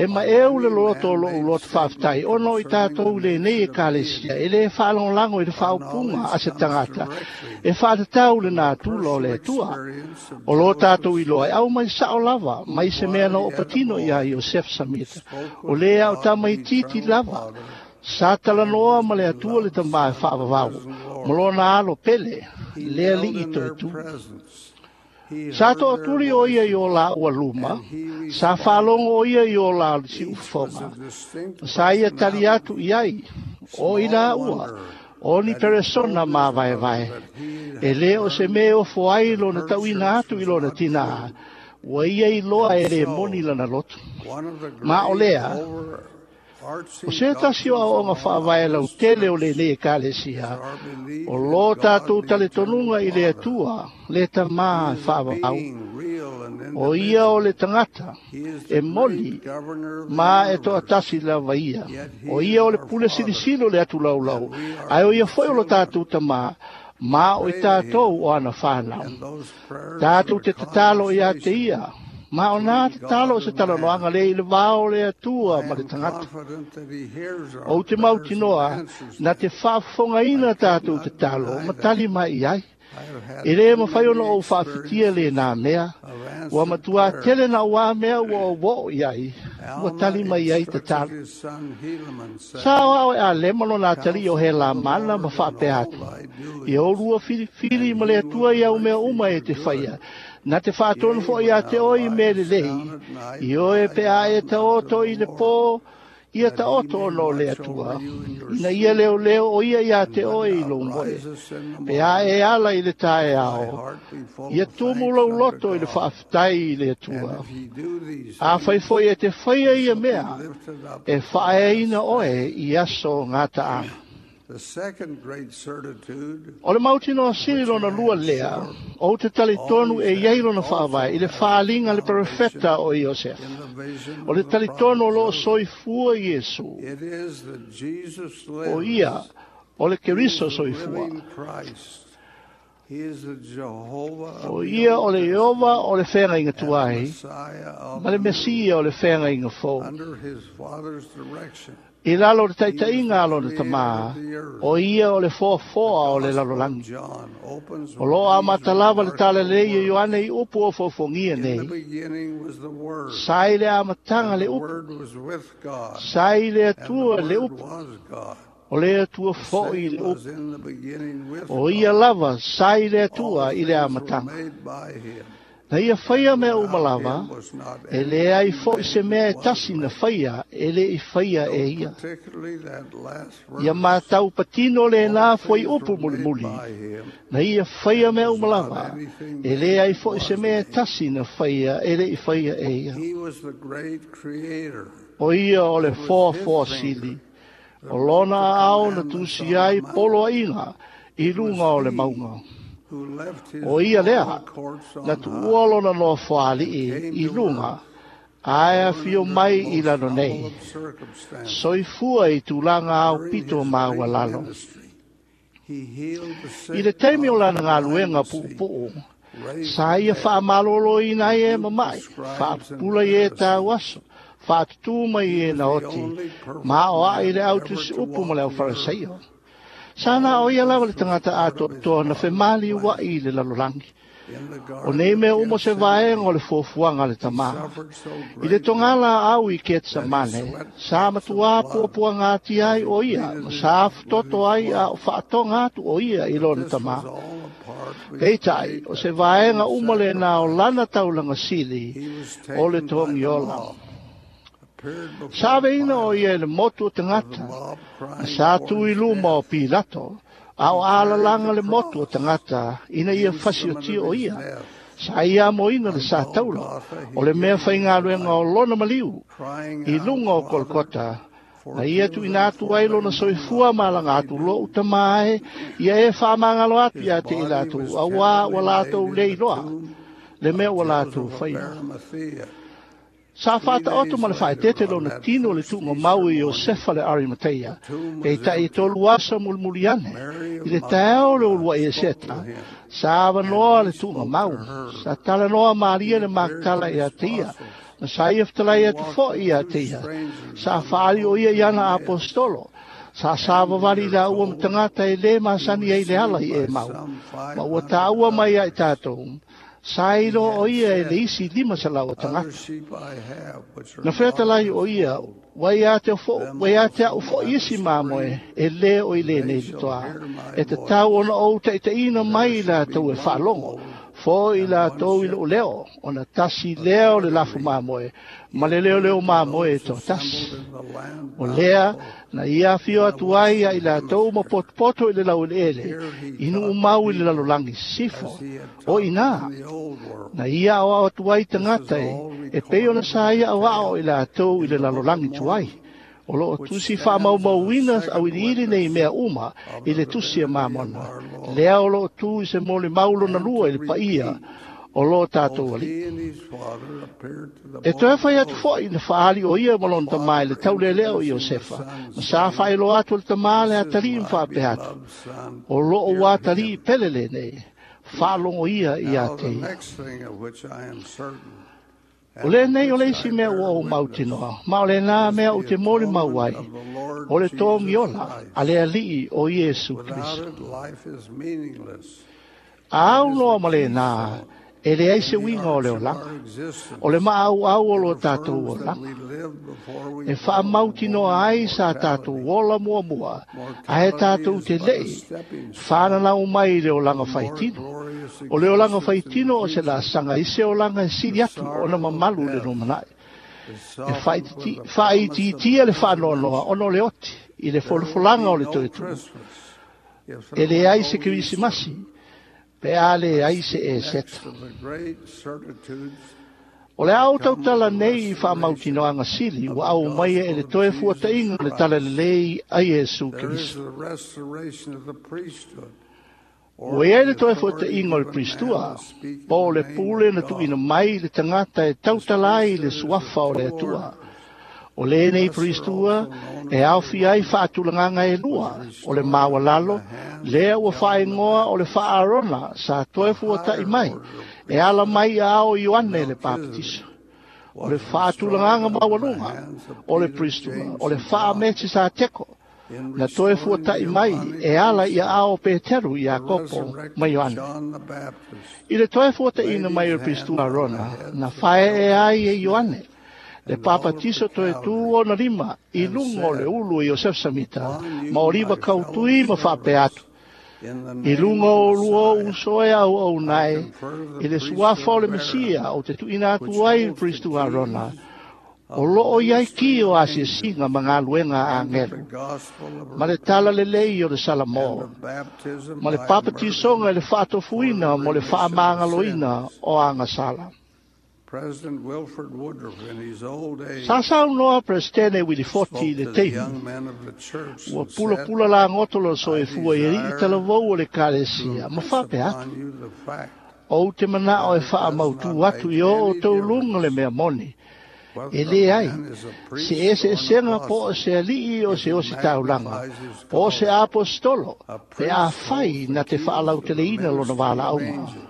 Speaker 4: E ma
Speaker 5: on
Speaker 4: eu le
Speaker 5: any
Speaker 4: loto o lo'u
Speaker 5: man-made
Speaker 4: loto
Speaker 5: statement
Speaker 4: faafetai, ona o i
Speaker 5: concerning
Speaker 4: tatou
Speaker 5: the
Speaker 4: lenei
Speaker 5: nature
Speaker 4: e
Speaker 5: of
Speaker 4: kalesia,
Speaker 5: deity.
Speaker 4: e lē faalagolago i le
Speaker 5: Our
Speaker 4: faaupuga
Speaker 5: knowledge
Speaker 4: a se
Speaker 5: comes
Speaker 4: tagata,
Speaker 5: directly
Speaker 4: e faatatau le
Speaker 5: from the
Speaker 4: natura o
Speaker 5: personal
Speaker 4: le Atua.
Speaker 5: experience of
Speaker 4: O lo
Speaker 5: Joseph
Speaker 4: tatou iloa e
Speaker 5: Smith,
Speaker 4: au mai sa'o lava,
Speaker 5: who,
Speaker 4: mai se mea na
Speaker 5: while
Speaker 4: oo
Speaker 5: yet a
Speaker 4: patino iā
Speaker 5: boy,
Speaker 4: Iosefa Samita.
Speaker 5: spoke
Speaker 4: O
Speaker 5: with
Speaker 4: lē ao
Speaker 5: God the
Speaker 4: tamaitiiti
Speaker 5: Eternal
Speaker 4: lava,
Speaker 5: Father
Speaker 4: sa
Speaker 5: and
Speaker 4: talanoa
Speaker 5: his
Speaker 4: ma le Atua le
Speaker 5: beloved
Speaker 4: tamā e
Speaker 5: Son, the
Speaker 4: faavavau,
Speaker 5: risen
Speaker 4: ma
Speaker 5: Lord.
Speaker 4: lona alo pele,
Speaker 5: He
Speaker 4: le
Speaker 5: knelt
Speaker 4: alii
Speaker 5: in
Speaker 4: toe
Speaker 5: their
Speaker 4: tu.
Speaker 5: presence. He
Speaker 4: Sa
Speaker 5: heard their
Speaker 4: toʻatuli o ia i o
Speaker 5: voices,
Speaker 4: laua luma,
Speaker 5: and he
Speaker 4: sa
Speaker 5: responded.
Speaker 4: faalogo o ia i o la
Speaker 5: Each was
Speaker 4: siufofoga.
Speaker 5: a distinct
Speaker 4: Sa ia tali atu
Speaker 5: personality.
Speaker 4: i ai, o i
Speaker 5: Small
Speaker 4: laua,
Speaker 5: wonder
Speaker 4: o ni
Speaker 5: that he
Speaker 4: peresona
Speaker 5: told his
Speaker 4: mavaevae.
Speaker 5: brother that he
Speaker 4: E
Speaker 5: had
Speaker 4: lē o se
Speaker 5: learned
Speaker 4: mea e ofo ai
Speaker 5: that
Speaker 4: lona
Speaker 5: her
Speaker 4: tauina
Speaker 5: church
Speaker 4: atu i
Speaker 5: was
Speaker 4: lona
Speaker 5: not
Speaker 4: tinā,
Speaker 5: true.
Speaker 4: ua ia iloa
Speaker 5: And
Speaker 4: e lē
Speaker 5: so,
Speaker 4: moni lana loto.
Speaker 5: one of the
Speaker 4: Ma o
Speaker 5: great
Speaker 4: lea, o
Speaker 5: overarching
Speaker 4: se tasi o
Speaker 5: doctrines
Speaker 4: aoaoga
Speaker 5: among
Speaker 4: faavae
Speaker 5: this
Speaker 4: lautele o
Speaker 5: church
Speaker 4: lenei
Speaker 5: is
Speaker 4: ekalesia,
Speaker 5: our belief
Speaker 4: o
Speaker 5: in
Speaker 4: lō
Speaker 5: God
Speaker 4: tatou
Speaker 5: the Eternal
Speaker 4: talitonuga i le
Speaker 5: Father.
Speaker 4: Atua, le tamā
Speaker 5: He
Speaker 4: e
Speaker 5: is a
Speaker 4: faavavau.
Speaker 5: being real and
Speaker 4: O ia o le
Speaker 5: indivisible.
Speaker 4: tagata,
Speaker 5: He is
Speaker 4: e
Speaker 5: the great
Speaker 4: moni,
Speaker 5: governor of the
Speaker 4: ma e
Speaker 5: universe,
Speaker 4: toatasi lava ia.
Speaker 5: yet
Speaker 4: O
Speaker 5: he
Speaker 4: ia
Speaker 5: is
Speaker 4: o le
Speaker 5: our
Speaker 4: pule
Speaker 5: Father,
Speaker 4: silisili o le atulaulau,
Speaker 5: and we are
Speaker 4: ae o ia
Speaker 5: his
Speaker 4: foi o lo
Speaker 5: children.
Speaker 4: tatou tamā, ma o i
Speaker 5: Pray to
Speaker 4: tatou
Speaker 5: him,
Speaker 4: o ana whānau.
Speaker 5: and those prayers of
Speaker 4: Tatou
Speaker 5: a
Speaker 4: te tatalo iā te
Speaker 5: conversation
Speaker 4: ia, ma o nā
Speaker 5: between
Speaker 4: tatalo
Speaker 5: God
Speaker 4: se
Speaker 5: and
Speaker 4: talanoaga
Speaker 5: man.
Speaker 4: le i le vao le Atua
Speaker 5: I
Speaker 4: ma le
Speaker 5: am
Speaker 4: tagata.
Speaker 5: confident that he hears our
Speaker 4: Ou te
Speaker 5: prayers and
Speaker 4: mautinoa,
Speaker 5: answers
Speaker 4: na
Speaker 5: them.
Speaker 4: te
Speaker 5: I
Speaker 4: faafofogaina
Speaker 5: could
Speaker 4: tatou
Speaker 5: not
Speaker 4: tatalo,
Speaker 5: deny
Speaker 4: ma
Speaker 5: that.
Speaker 4: tali mai i ai.
Speaker 5: I have had
Speaker 4: E lē
Speaker 5: too
Speaker 4: mafai
Speaker 5: many
Speaker 4: ona ou faafitia le
Speaker 5: experiences
Speaker 4: nā mea,
Speaker 5: of
Speaker 4: ua
Speaker 5: answered
Speaker 4: matuā tele
Speaker 5: prayers.
Speaker 4: na uā mea ua ou oo i ai, ua
Speaker 5: Alma
Speaker 4: tali mai ai
Speaker 5: instructed
Speaker 4: tatalo.
Speaker 5: his son Helaman,
Speaker 4: Sa
Speaker 5: saying,
Speaker 4: o ao e a lema lona atali o he
Speaker 5: Counsel
Speaker 4: la
Speaker 5: with the
Speaker 4: mana ma
Speaker 5: Lord in
Speaker 4: faapea
Speaker 5: all
Speaker 4: atu.
Speaker 5: thy
Speaker 4: Ia
Speaker 5: doings,
Speaker 4: olua filifili
Speaker 5: and
Speaker 4: ma le
Speaker 5: he will
Speaker 4: Atua i au mea
Speaker 5: direct thee
Speaker 4: uma e
Speaker 5: for
Speaker 4: te
Speaker 5: good.
Speaker 4: faia. Na te faatonu
Speaker 5: Yea,
Speaker 4: foʻi
Speaker 5: when
Speaker 4: iā te
Speaker 5: thou
Speaker 4: oe i mea
Speaker 5: liest
Speaker 4: lelei,
Speaker 5: down at night,
Speaker 4: i oe
Speaker 5: lie
Speaker 4: pe a e
Speaker 5: down unto
Speaker 4: taoto
Speaker 5: the
Speaker 4: i le
Speaker 5: Lord,
Speaker 4: pō, ia
Speaker 5: that he
Speaker 4: taoto
Speaker 5: may
Speaker 4: ona o le
Speaker 5: watch
Speaker 4: Atua.
Speaker 5: over you in your
Speaker 4: Ina ia
Speaker 5: sleep.
Speaker 4: leoleo o ia iā
Speaker 5: And
Speaker 4: te
Speaker 5: when
Speaker 4: oe i
Speaker 5: thou
Speaker 4: lou moe.
Speaker 5: risest in the
Speaker 4: Pe a
Speaker 5: morning,
Speaker 4: e ala i le
Speaker 5: thy
Speaker 4: taeao,
Speaker 5: heart be full
Speaker 4: ia
Speaker 5: of
Speaker 4: tumu
Speaker 5: thanks
Speaker 4: lou
Speaker 5: unto
Speaker 4: loto i le
Speaker 5: God.
Speaker 4: faafetai i le
Speaker 5: And
Speaker 4: Atua.
Speaker 5: if ye do these
Speaker 4: A fai
Speaker 5: things,
Speaker 4: foʻi e te faia
Speaker 5: ye
Speaker 4: ia
Speaker 5: shall be
Speaker 4: mea,
Speaker 5: lifted up
Speaker 4: e
Speaker 5: at the
Speaker 4: faaeaina
Speaker 5: last
Speaker 4: oe
Speaker 5: day.
Speaker 4: i aso gataaga.
Speaker 5: The second great certitude,
Speaker 4: O le mautinoa sili
Speaker 5: which
Speaker 4: lona
Speaker 5: I
Speaker 4: lua
Speaker 5: am
Speaker 4: lea,
Speaker 5: sure
Speaker 4: ou te talitonu e
Speaker 5: always
Speaker 4: iai
Speaker 5: had
Speaker 4: lona faavae
Speaker 5: also
Speaker 4: i le
Speaker 5: has its
Speaker 4: faaliga le
Speaker 5: foundation
Speaker 4: perofeta o Iosefa.
Speaker 5: in the vision
Speaker 4: O le
Speaker 5: of the
Speaker 4: talitonu
Speaker 5: prophet
Speaker 4: o loo
Speaker 5: Joseph.
Speaker 4: soifua Iesu.
Speaker 5: It is that Jesus
Speaker 4: O ia,
Speaker 5: lives.
Speaker 4: o le
Speaker 5: He is
Speaker 4: Keriso
Speaker 5: the
Speaker 4: soifua.
Speaker 5: living Christ.
Speaker 4: O ia o le Ieova o le feagaiga tuai, ma le Mesia o le feagaiga fou. I lalo o le taitaiga a lona tamā, o ia o le foafoa o le lalolagi. O loo amata lava le talalelei o Ioane i upu o foofogia nei. Sa i le amataga le upu, sa i le Atua le upu, o le Atua fo'i le upu. O ia lava sa i le Atua i le amataga. Na ia faia mea uma lava, e leai fo'i se mea e tasi na faia e le i faia e ia. Ia matau patino lena foi upu mulimuli. Na ia faia mea uma lava, e leai fo'i se mea e tasi na faia e le i faia e ia. O ia o le foafoa sili, o lona aao na tusi ai poloaiga i luga o le mauga. O ia lea, na tuua lona nofoalii i luga, ae afio mai i lalo nei. Soifua i tulaga ao pito maualalo. I le taimi o lana galuega puupuu, sa ia faamaloloina ai e mama'i, faapupula i e tauaso, faatutū mai e na oti, ma o a'i le autusi upu ma le aufarasaio. Sa na o ia lava le tagata atoatoa na femali ua'i i le lalolagi. O nei mea uma se vaega o le fuafuaga a le tamā. I le togala au i Ketsemane, sa matuā puapuaga ati ai o ia, ma sa afutoto ai a o faatoga atu o ia i lona tamā. Peitai, o se vaega uma lena o lana taulaga sili o le togiola. Sa aveina o ia i le motu o tagata, na sa tu i luma o Pilato, a o alalaga le motu o tagata ina ia fasiotia o ia. Sa ia amoina le sa taula, o le mea faigaluega o lona maliu, i luga o Kolokota, na ia tuuina atu ai lona soifua malaga atu lou tamā e, ia e faamagalo atu ia te i latou, auā ua latou le iloa, le mea ua latou faia. Sa faataoto ma le faaeteete lona tino le tuuga mau i Iosefa le Arimateia, peitai e tolu aso mulimuli ane, i le taeao o le uluai eseta, sa avanoa le tuuga mau, sa talanoa malie le Makatala ia te ia, na sa ia fetalai atu fo'i ia te ia, sa faali o ia i ana aposetolo, sa savavali laua ma tagata e lē masani ai le ala i Emau, ma ua taua mai ai tatou, sa iloa o ia e le isi lima salau o tagata. Na fetalai o ia, ua ia te ua ia te au fo'i isi mamoe e lē o i lenei toā. E tatau ona ou taitaiina mai i latou e faalogo, fo'i latou i lou leo, ona tasi lea o le lafu mamoe, ma le leoleo mamoe e toatasi. O lea, na ia afio atu ai ia i latou ma potopoto i le laueleele, i nuu mau i le lalolagi sisifo. O inā, na ia aoao atu ai tagata e, e pei ona sa ia aoao i latou i le lalolagi tuai. O loo tusi faamaumauina auiliili nei mea uma i le tusi a Mamona. Lea o loo tu i se molimau lona lua i le paia o loo tatou alii. E toe fai atu fo'i na faali o ia ma lona tamā i le taulelea o Iosefa, ma sa faailoa atu e le tamā le atalii ma faapea atu. O loo ua atalii pele lenei, faalogo ia ia te ia. O lenei o le isi mea ua ou mautinoa, ma o lenā mea ou te molimau ai, o le togiola a le Alii o Iesu Keriso. A aunoa ma lenā, e leai se uiga o le olaga, o le maauau o lo tatou olaga. E faamautinoa ai sa tatou ola muamua, ae tatou te le'i fananau mai i le olaga faitino. O le olaga faitino o se laasaga i se olaga e sili atu ona mamalu i le lumanai. E faaitiitia le faanoanoa ona o le oti i le folafolaga o le toe tu'u. E leai se Kerisimasi, pe a leai se eseta. O le a ou tautala nei i faamautinoaga sili ua aumaia e le toe fuataiga o le talalelei a Iesu Keriso. Ua iai le toe fuataiga o le Piristua, po o le pule na tuuina mai i le tagata e tautala ai i le suafa o le Atua. O lenei Pristua e aofia ai faatulagaga e lua o le maualalo lea ua faaigoa o le faa-Arona sa toe fuata'i mai e ala mai ia ao Ioane le Papatiso. O le faatulagaga maualuga o le Pristua o le faa-Metisateko na toe fuata'i mai e ala ia ao Peteru Iakopo ma Ioane. I le toe fuataʻina mai o le Pristua Arona na faeʻe ai e Ioane le papatiso toe tū ona lima i luga o le ulu o Iosefa Samita ma o liva kautui ma faapea atu. I luga o lua uso e au au nae i le suafa o le Mesia o te tuʻina atu ai le Pristua Arona o loo iai ki o asiasiga ma galuega a agelu ma le tala lelei o le Salamo ma le papatisoga i le faatofuina mo le faamagaloina o agasala.
Speaker 5: President Wilford Woodruff in his old age
Speaker 4: Sa saunoa Presidente Willie Foti i le
Speaker 5: spoke to the
Speaker 4: taimi
Speaker 5: young men of the church
Speaker 4: ua
Speaker 5: and said,
Speaker 4: pulapula lagoto lona soifua i aliʻi
Speaker 5: desire
Speaker 4: talavou o le Ekalesia ma
Speaker 5: to
Speaker 4: faapea atu
Speaker 5: upon you the fact
Speaker 4: ou te manao e
Speaker 5: that it does
Speaker 4: faamautū
Speaker 5: not
Speaker 4: atu
Speaker 5: make
Speaker 4: i o
Speaker 5: any
Speaker 4: outou luga le
Speaker 5: difference
Speaker 4: mea moni
Speaker 5: whether
Speaker 4: e
Speaker 5: a
Speaker 4: lē ai
Speaker 5: man is a
Speaker 4: se
Speaker 5: priest or an
Speaker 4: eseesega po o
Speaker 5: apostle
Speaker 4: se aliʻi o
Speaker 5: if
Speaker 4: se
Speaker 5: he
Speaker 4: osi taulaga
Speaker 5: magnifies his
Speaker 4: po o se
Speaker 5: calling.
Speaker 4: apostolo
Speaker 5: A
Speaker 4: pe
Speaker 5: priest
Speaker 4: afai
Speaker 5: holds
Speaker 4: na
Speaker 5: the
Speaker 4: te
Speaker 5: keys to the
Speaker 4: faalauteleina lona
Speaker 5: ministry of
Speaker 4: valaauga.
Speaker 5: angels.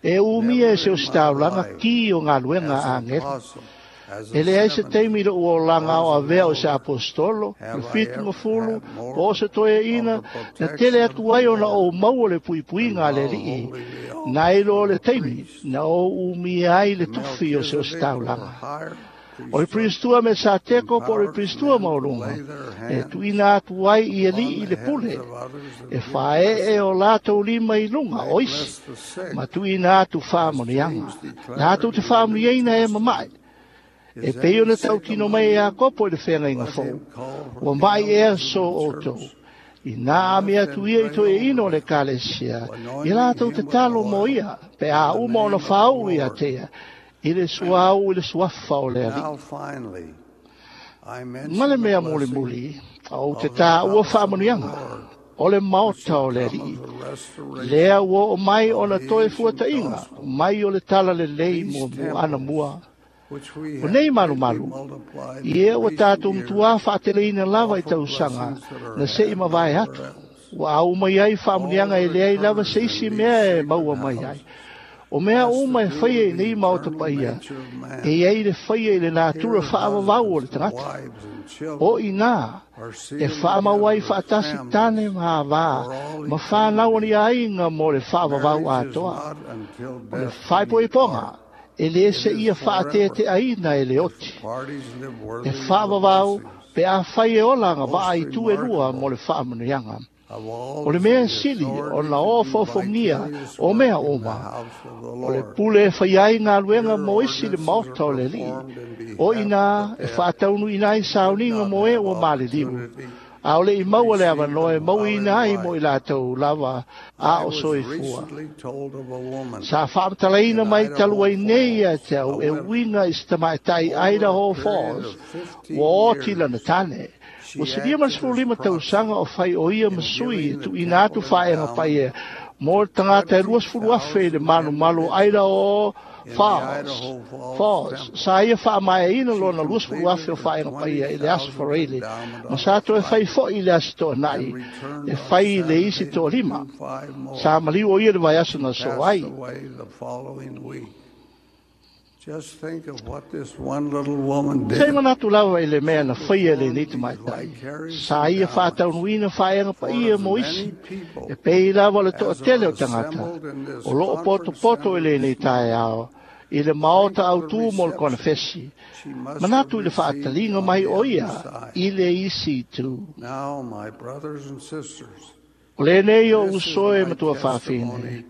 Speaker 4: E umia e
Speaker 5: Never
Speaker 4: se
Speaker 5: in
Speaker 4: osi
Speaker 5: my
Speaker 4: taulaga
Speaker 5: life
Speaker 4: ki o galuega
Speaker 5: as
Speaker 4: a
Speaker 5: an
Speaker 4: agelu.
Speaker 5: apostle, as a
Speaker 4: E leai se
Speaker 5: seventy,
Speaker 4: taimi i loʻu olaga
Speaker 5: or
Speaker 4: o
Speaker 5: as an
Speaker 4: avea o se
Speaker 5: elder
Speaker 4: apostolo, le
Speaker 5: have I
Speaker 4: fitu
Speaker 5: ever
Speaker 4: mafulu,
Speaker 5: had
Speaker 4: po
Speaker 5: more
Speaker 4: o se toeaina,
Speaker 5: of the
Speaker 4: na tele
Speaker 5: protection of
Speaker 4: atu
Speaker 5: the
Speaker 4: ai ona
Speaker 5: Lord
Speaker 4: ou maua le
Speaker 5: than
Speaker 4: puipuiga a le
Speaker 5: while
Speaker 4: aliʻi,
Speaker 5: holding the
Speaker 4: na
Speaker 5: office
Speaker 4: i loa
Speaker 5: of
Speaker 4: le
Speaker 5: a
Speaker 4: taimi,
Speaker 5: priest.
Speaker 4: na ou umia ai le tufi o se osi
Speaker 5: Melchizedek or
Speaker 4: taulaga.
Speaker 5: higher
Speaker 4: O le
Speaker 5: priesthood
Speaker 4: Pristua me sa teko po o le
Speaker 5: empowered
Speaker 4: Pristua
Speaker 5: men to
Speaker 4: maualuga,
Speaker 5: lay their
Speaker 4: e
Speaker 5: hands
Speaker 4: tuʻina atu ai i
Speaker 5: upon
Speaker 4: aliʻi
Speaker 5: the
Speaker 4: le
Speaker 5: heads
Speaker 4: pule,
Speaker 5: of others
Speaker 4: e
Speaker 5: and give
Speaker 4: faeʻe o
Speaker 5: blessings.
Speaker 4: latou lima i luga
Speaker 5: They
Speaker 4: o isi,
Speaker 5: bless the sick,
Speaker 4: ma tuʻina atu
Speaker 5: as
Speaker 4: faamanuiaga.
Speaker 5: James declared
Speaker 4: Latou te
Speaker 5: in the New
Speaker 4: faamanuiaina e mamaʻe,
Speaker 5: Testament.
Speaker 4: e
Speaker 5: Is
Speaker 4: pei
Speaker 5: any
Speaker 4: ona
Speaker 5: sick
Speaker 4: tautino
Speaker 5: among
Speaker 4: mai e
Speaker 5: you?
Speaker 4: Iakopo i le feagaiga
Speaker 5: Let
Speaker 4: fou.
Speaker 5: him call for
Speaker 4: Ua
Speaker 5: the
Speaker 4: maʻi ea
Speaker 5: elders of
Speaker 4: so
Speaker 5: the
Speaker 4: outou.
Speaker 5: church,
Speaker 4: I
Speaker 5: and
Speaker 4: nā
Speaker 5: let
Speaker 4: ame
Speaker 5: them
Speaker 4: atu ia i
Speaker 5: pray
Speaker 4: toeaina o
Speaker 5: over
Speaker 4: le
Speaker 5: them,
Speaker 4: Ekalesia, i
Speaker 5: anointing
Speaker 4: latou te
Speaker 5: him with
Speaker 4: talo mo
Speaker 5: oil
Speaker 4: ia, pe
Speaker 5: in
Speaker 4: a
Speaker 5: the
Speaker 4: uma ona
Speaker 5: name of the
Speaker 4: faauu ia
Speaker 5: Lord.
Speaker 4: te ia, i le suauu i le suafa o le aliʻi.
Speaker 5: Now finally, I
Speaker 4: Ma
Speaker 5: mention
Speaker 4: le
Speaker 5: the
Speaker 4: mea
Speaker 5: blessing
Speaker 4: mulimuli, ou te
Speaker 5: of the
Speaker 4: tāua
Speaker 5: house of the
Speaker 4: faamanuiaga,
Speaker 5: Lord,
Speaker 4: o le
Speaker 5: which
Speaker 4: maota
Speaker 5: shall
Speaker 4: o le
Speaker 5: come
Speaker 4: aliʻi.
Speaker 5: of the restoration
Speaker 4: Lea ua oo mai
Speaker 5: of
Speaker 4: ona
Speaker 5: the
Speaker 4: toe
Speaker 5: ancient
Speaker 4: fuataʻiga,
Speaker 5: gospel.
Speaker 4: mai o le tala lelei
Speaker 5: These
Speaker 4: muamua ana
Speaker 5: temples,
Speaker 4: mua.
Speaker 5: which we
Speaker 4: O
Speaker 5: have
Speaker 4: nei
Speaker 5: greatly
Speaker 4: malumalu,
Speaker 5: multiplied
Speaker 4: i
Speaker 5: in
Speaker 4: ea ua
Speaker 5: recent
Speaker 4: tatou
Speaker 5: years,
Speaker 4: matuā faateleina lava i
Speaker 5: offer
Speaker 4: tausaga,
Speaker 5: blessings that are
Speaker 4: na seʻi
Speaker 5: had
Speaker 4: mavae
Speaker 5: nowhere
Speaker 4: atu.
Speaker 5: else.
Speaker 4: Ua aumai ai
Speaker 5: All
Speaker 4: faamanuiaga e
Speaker 5: that
Speaker 4: leai lava
Speaker 5: occurs
Speaker 4: se
Speaker 5: in
Speaker 4: isi
Speaker 5: these
Speaker 4: mea e
Speaker 5: sacred
Speaker 4: maua mai ai.
Speaker 5: houses
Speaker 4: O mea
Speaker 5: has to
Speaker 4: uma e
Speaker 5: do
Speaker 4: faia
Speaker 5: with
Speaker 4: i
Speaker 5: the
Speaker 4: nei maota
Speaker 5: eternal
Speaker 4: paia,
Speaker 5: nature of
Speaker 4: e
Speaker 5: man.
Speaker 4: iai le faia i le natura
Speaker 5: Here,
Speaker 4: faavavau o le
Speaker 5: husbands and
Speaker 4: tagata.
Speaker 5: wives and
Speaker 4: O
Speaker 5: children
Speaker 4: inā,
Speaker 5: are
Speaker 4: e
Speaker 5: sealed
Speaker 4: faamau ai
Speaker 5: together as
Speaker 4: faatasi
Speaker 5: families
Speaker 4: tane ma avā,
Speaker 5: for all
Speaker 4: ma fanau
Speaker 5: eternity.
Speaker 4: ani aiga mo le faavavau
Speaker 5: Marriage is
Speaker 4: atoa.
Speaker 5: not until
Speaker 4: O le
Speaker 5: death do you
Speaker 4: faaipoipoga,
Speaker 5: part.
Speaker 4: e lē
Speaker 5: It
Speaker 4: se
Speaker 5: is
Speaker 4: ia
Speaker 5: forever
Speaker 4: faateteʻaina e le
Speaker 5: if
Speaker 4: oti.
Speaker 5: the parties live
Speaker 4: E
Speaker 5: worthy of the
Speaker 4: faavavau
Speaker 5: blessings.
Speaker 4: pe afai e ola
Speaker 5: Most
Speaker 4: agavaa i tu e lua mo
Speaker 5: remarkable
Speaker 4: le faamanuiaga.
Speaker 5: of all
Speaker 4: O le
Speaker 5: is
Speaker 4: mea
Speaker 5: the
Speaker 4: sili
Speaker 5: authority
Speaker 4: ona
Speaker 5: to
Speaker 4: o
Speaker 5: do
Speaker 4: fofogia
Speaker 5: vicarious
Speaker 4: o mea
Speaker 5: work in the
Speaker 4: uma.
Speaker 5: house of the
Speaker 4: O le
Speaker 5: Lord.
Speaker 4: pule e fai ai galuega
Speaker 5: Here
Speaker 4: mo isi le
Speaker 5: ordinances are
Speaker 4: maota o le aliʻi.
Speaker 5: performed in
Speaker 4: O
Speaker 5: behalf of
Speaker 4: inā
Speaker 5: the
Speaker 4: e
Speaker 5: dead
Speaker 4: faataunuʻina ai
Speaker 5: who did
Speaker 4: sauniga
Speaker 5: not
Speaker 4: mo e
Speaker 5: have
Speaker 4: ua maliliu.
Speaker 5: opportunity
Speaker 4: A o leʻi
Speaker 5: to
Speaker 4: maua le
Speaker 5: receive
Speaker 4: avanoa e
Speaker 5: them while
Speaker 4: mauiina
Speaker 5: in
Speaker 4: ai mo i
Speaker 5: life.
Speaker 4: latou lava a
Speaker 5: I
Speaker 4: o
Speaker 5: was
Speaker 4: soifua.
Speaker 5: recently told of a woman
Speaker 4: Sa faamatalaina
Speaker 5: in
Speaker 4: mai talu
Speaker 5: Idaho
Speaker 4: ai nei ia
Speaker 5: Falls,
Speaker 4: te
Speaker 5: a
Speaker 4: au e
Speaker 5: widow,
Speaker 4: uiga i se tamaʻitai
Speaker 5: over
Speaker 4: Idaho
Speaker 5: a period
Speaker 4: Falls,
Speaker 5: of fifteen
Speaker 4: ua oti lana
Speaker 5: years,
Speaker 4: tane.
Speaker 5: she
Speaker 4: Ua silia ma le
Speaker 5: acted as
Speaker 4: sefululima tausaga
Speaker 5: proxy
Speaker 4: o fai o ia
Speaker 5: in
Speaker 4: ma sui e
Speaker 5: giving the
Speaker 4: tuʻuina atu
Speaker 5: temple
Speaker 4: faeaga
Speaker 5: endowment
Speaker 4: paia mo le
Speaker 5: to
Speaker 4: tagata e
Speaker 5: twenty
Speaker 4: luasefulu afe i le
Speaker 5: thousand
Speaker 4: malumalu Idaho
Speaker 5: individuals in the
Speaker 4: Falls.
Speaker 5: Idaho Falls
Speaker 4: Falls.
Speaker 5: Temple.
Speaker 4: Sa ia faamaeaina
Speaker 5: She
Speaker 4: lona luasefulu afe
Speaker 5: completed
Speaker 4: o
Speaker 5: the
Speaker 4: faeaga paia i le aso
Speaker 5: twenty thousandth
Speaker 4: Faraile,
Speaker 5: endowment
Speaker 4: ma
Speaker 5: on
Speaker 4: sa
Speaker 5: her
Speaker 4: toe fai
Speaker 5: Friday
Speaker 4: foʻi i le aso toanaʻi,
Speaker 5: and returned
Speaker 4: e
Speaker 5: on
Speaker 4: fai i le isi
Speaker 5: Saturday to
Speaker 4: toalima.
Speaker 5: do five
Speaker 4: Sa
Speaker 5: more.
Speaker 4: maliu o ia le vaiaso
Speaker 5: She
Speaker 4: na so
Speaker 5: passed
Speaker 4: ai.
Speaker 5: away the following week. Just think of what this one little woman
Speaker 4: Sei
Speaker 5: did.
Speaker 4: manatu lava i le mea
Speaker 5: She
Speaker 4: na faia lenei
Speaker 5: performed these
Speaker 4: tamaitai.
Speaker 5: vicarious
Speaker 4: Sa ia
Speaker 5: endowments
Speaker 4: faataunuina faeaga
Speaker 5: for
Speaker 4: paia
Speaker 5: as
Speaker 4: mo isi.
Speaker 5: many people
Speaker 4: E pei lava le
Speaker 5: as
Speaker 4: toʻatele
Speaker 5: are
Speaker 4: o tagata.
Speaker 5: assembled in this
Speaker 4: O loo
Speaker 5: conference
Speaker 4: potopoto i
Speaker 5: center
Speaker 4: lenei
Speaker 5: this morning.
Speaker 4: taeao. I le maota
Speaker 5: Think of the
Speaker 4: autū mo le
Speaker 5: reception
Speaker 4: konefesi.
Speaker 5: she must have
Speaker 4: Manatu i le
Speaker 5: received
Speaker 4: faataliga
Speaker 5: on
Speaker 4: mai
Speaker 5: the
Speaker 4: o
Speaker 5: other
Speaker 4: ia
Speaker 5: side.
Speaker 4: i le isi itu.
Speaker 5: Now, my brothers and sisters,
Speaker 4: O lenei o
Speaker 5: this is
Speaker 4: uso e
Speaker 5: my
Speaker 4: matua faafine.
Speaker 5: testimony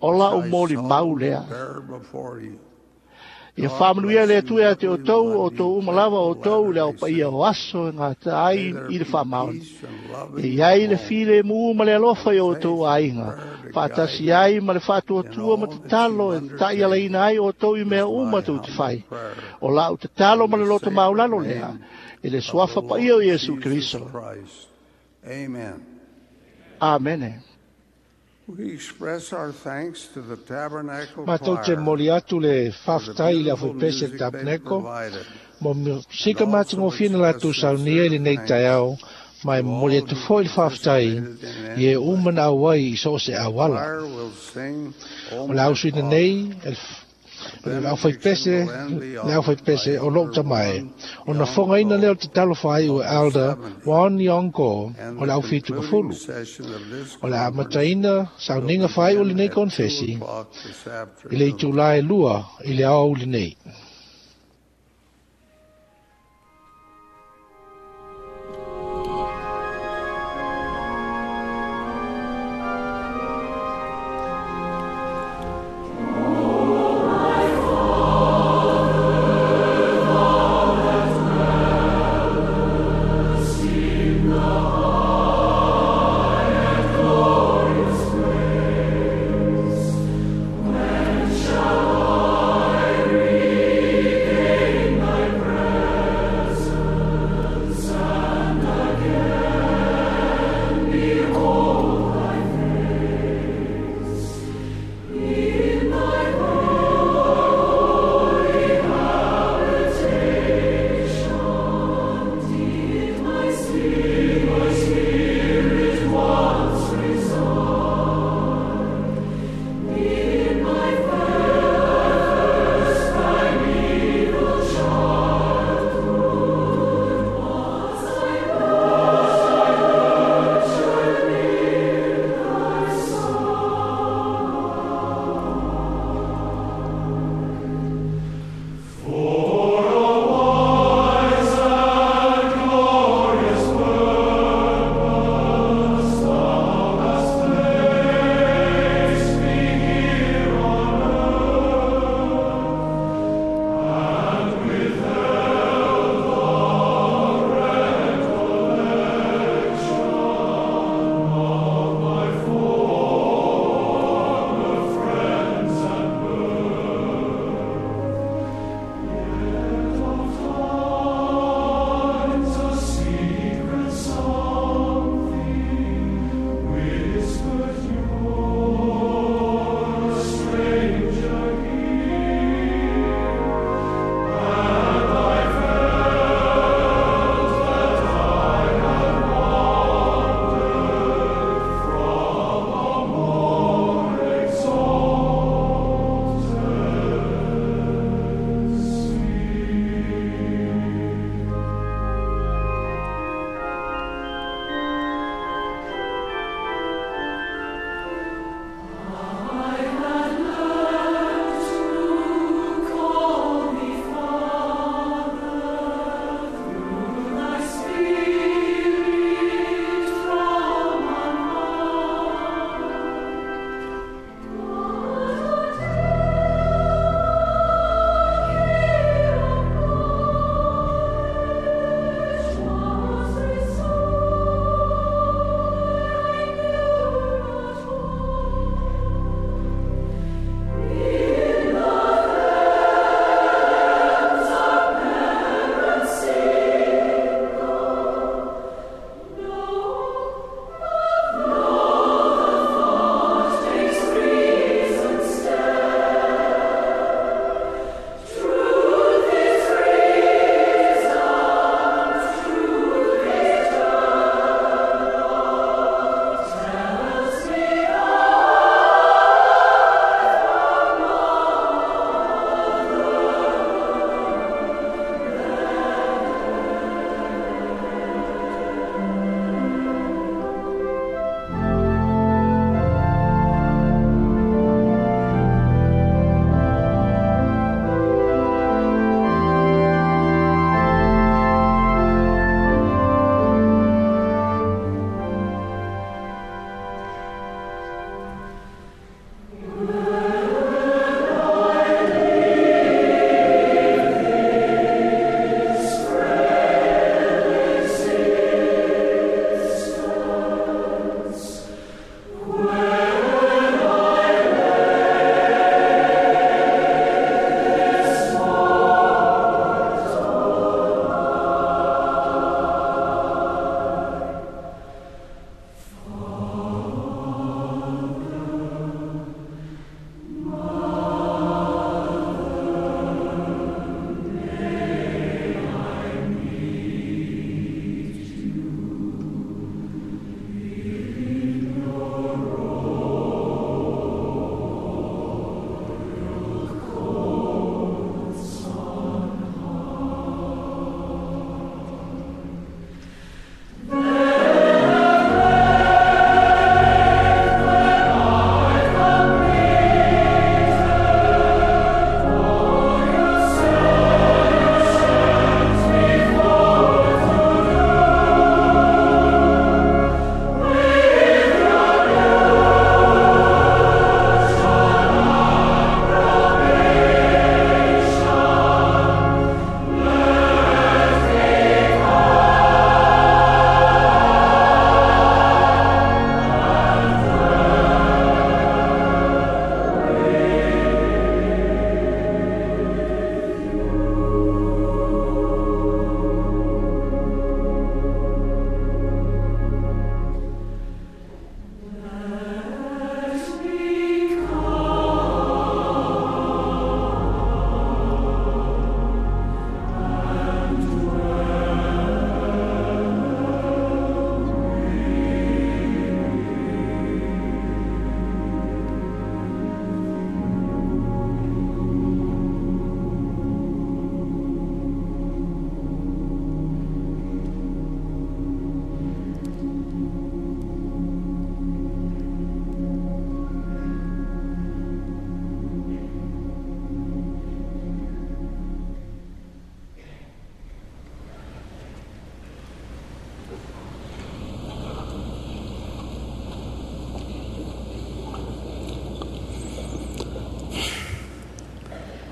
Speaker 4: O
Speaker 5: which
Speaker 4: la
Speaker 5: I
Speaker 4: umoli mau
Speaker 5: solemnly
Speaker 4: lea.
Speaker 5: bear before you.
Speaker 4: Ia
Speaker 5: God
Speaker 4: faamanuia le
Speaker 5: blessing
Speaker 4: Atua ia te
Speaker 5: every
Speaker 4: outou,
Speaker 5: one
Speaker 4: o
Speaker 5: you
Speaker 4: tou uma
Speaker 5: take
Speaker 4: lava
Speaker 5: the
Speaker 4: o outou le
Speaker 5: Latter-day
Speaker 4: aupaia
Speaker 5: Saints.
Speaker 4: o aso e gata ai
Speaker 5: May there
Speaker 4: i le
Speaker 5: be
Speaker 4: faamaoni.
Speaker 5: peace and love
Speaker 4: E
Speaker 5: in
Speaker 4: i
Speaker 5: your
Speaker 4: ai le
Speaker 5: homes,
Speaker 4: file mu ma le alofa i o outou
Speaker 5: faith and
Speaker 4: aiga.
Speaker 5: prayer to guide
Speaker 4: Faatasi
Speaker 5: you
Speaker 4: ai ma le
Speaker 5: in
Speaker 4: faatuatua ma
Speaker 5: all that you
Speaker 4: tatalo e taʻialaina
Speaker 5: undertake
Speaker 4: ai outou i mea
Speaker 5: is
Speaker 4: uma
Speaker 5: my
Speaker 4: tou te
Speaker 5: humble
Speaker 4: fai.
Speaker 5: prayer
Speaker 4: O lau tatalo
Speaker 5: in
Speaker 4: ma le
Speaker 5: the
Speaker 4: loto
Speaker 5: sacred
Speaker 4: maulalo lea,
Speaker 5: name
Speaker 4: i le
Speaker 5: of the
Speaker 4: suafa paia o
Speaker 5: Lord
Speaker 4: Iesu
Speaker 5: Jesus
Speaker 4: Keriso.
Speaker 5: Christ. Amen.
Speaker 4: Amene.
Speaker 5: We express our thanks to the Tabernacle
Speaker 14: Matou te
Speaker 5: Choir
Speaker 14: moli atu le
Speaker 5: for the
Speaker 14: faafetai i le
Speaker 5: beautiful
Speaker 14: afuaipese
Speaker 5: music they
Speaker 14: tapeneko
Speaker 5: provided.
Speaker 4: Mo sika matagofie na latou saunia i lenei taeao, ma e momoli atu fo'i le faafetai i e uma na auai i so o se auala. O le ausuina nei e le aufaipese le aufaipese o lou tamae, ona fogaina lea o tatalo faaiu e Elder Juan Yonko o le aufitukafulu. O le amataina sauniga faaiu lenei konfesi i le itulā e lua i le aoauli nei.
Speaker 14: When shall I reach?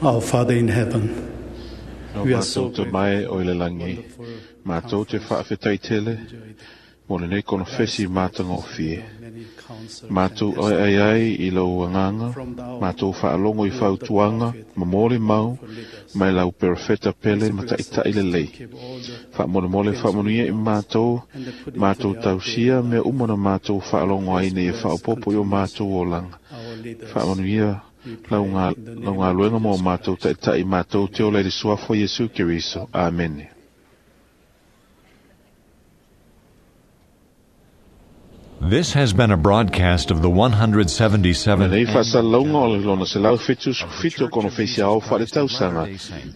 Speaker 14: Our Father in heaven,
Speaker 2: we are so grateful. Mai o ile langi, mātou te whaafetai tele, mo lenei konofesi mātagofie. Mātou ai ai ai i lau anganga, mātou whaalongo i whautuanga, ma mole mau, mai lau perofeta pele ma ta'itai lelei. Whaamolemole whaamonuia i mātou, mātou tausia mea uma na mātou whaalongo ai nei e whaopopo i o mātou olanga. Whaamonuia lau ngā, lau ngā luenga mo mātou ta'itai mātou te ola i le suafa o Iesu Keriso. Amene.
Speaker 1: This has been a broadcast of the one hundred seventy-seventh
Speaker 2: Nei whaasalauga o le lona selau fitu sefulufitu o konofesi aoao faaletausaga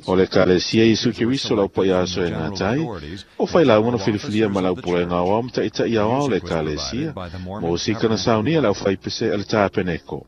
Speaker 2: o le Ekalesia Iesu Keriso lau paia aso e gatai, o failauga na filifilia ma lau pulega aoao ma taʻitaʻi aoao o le Ekalesia, mo sika na saunia le aufaipese a le tapeneko.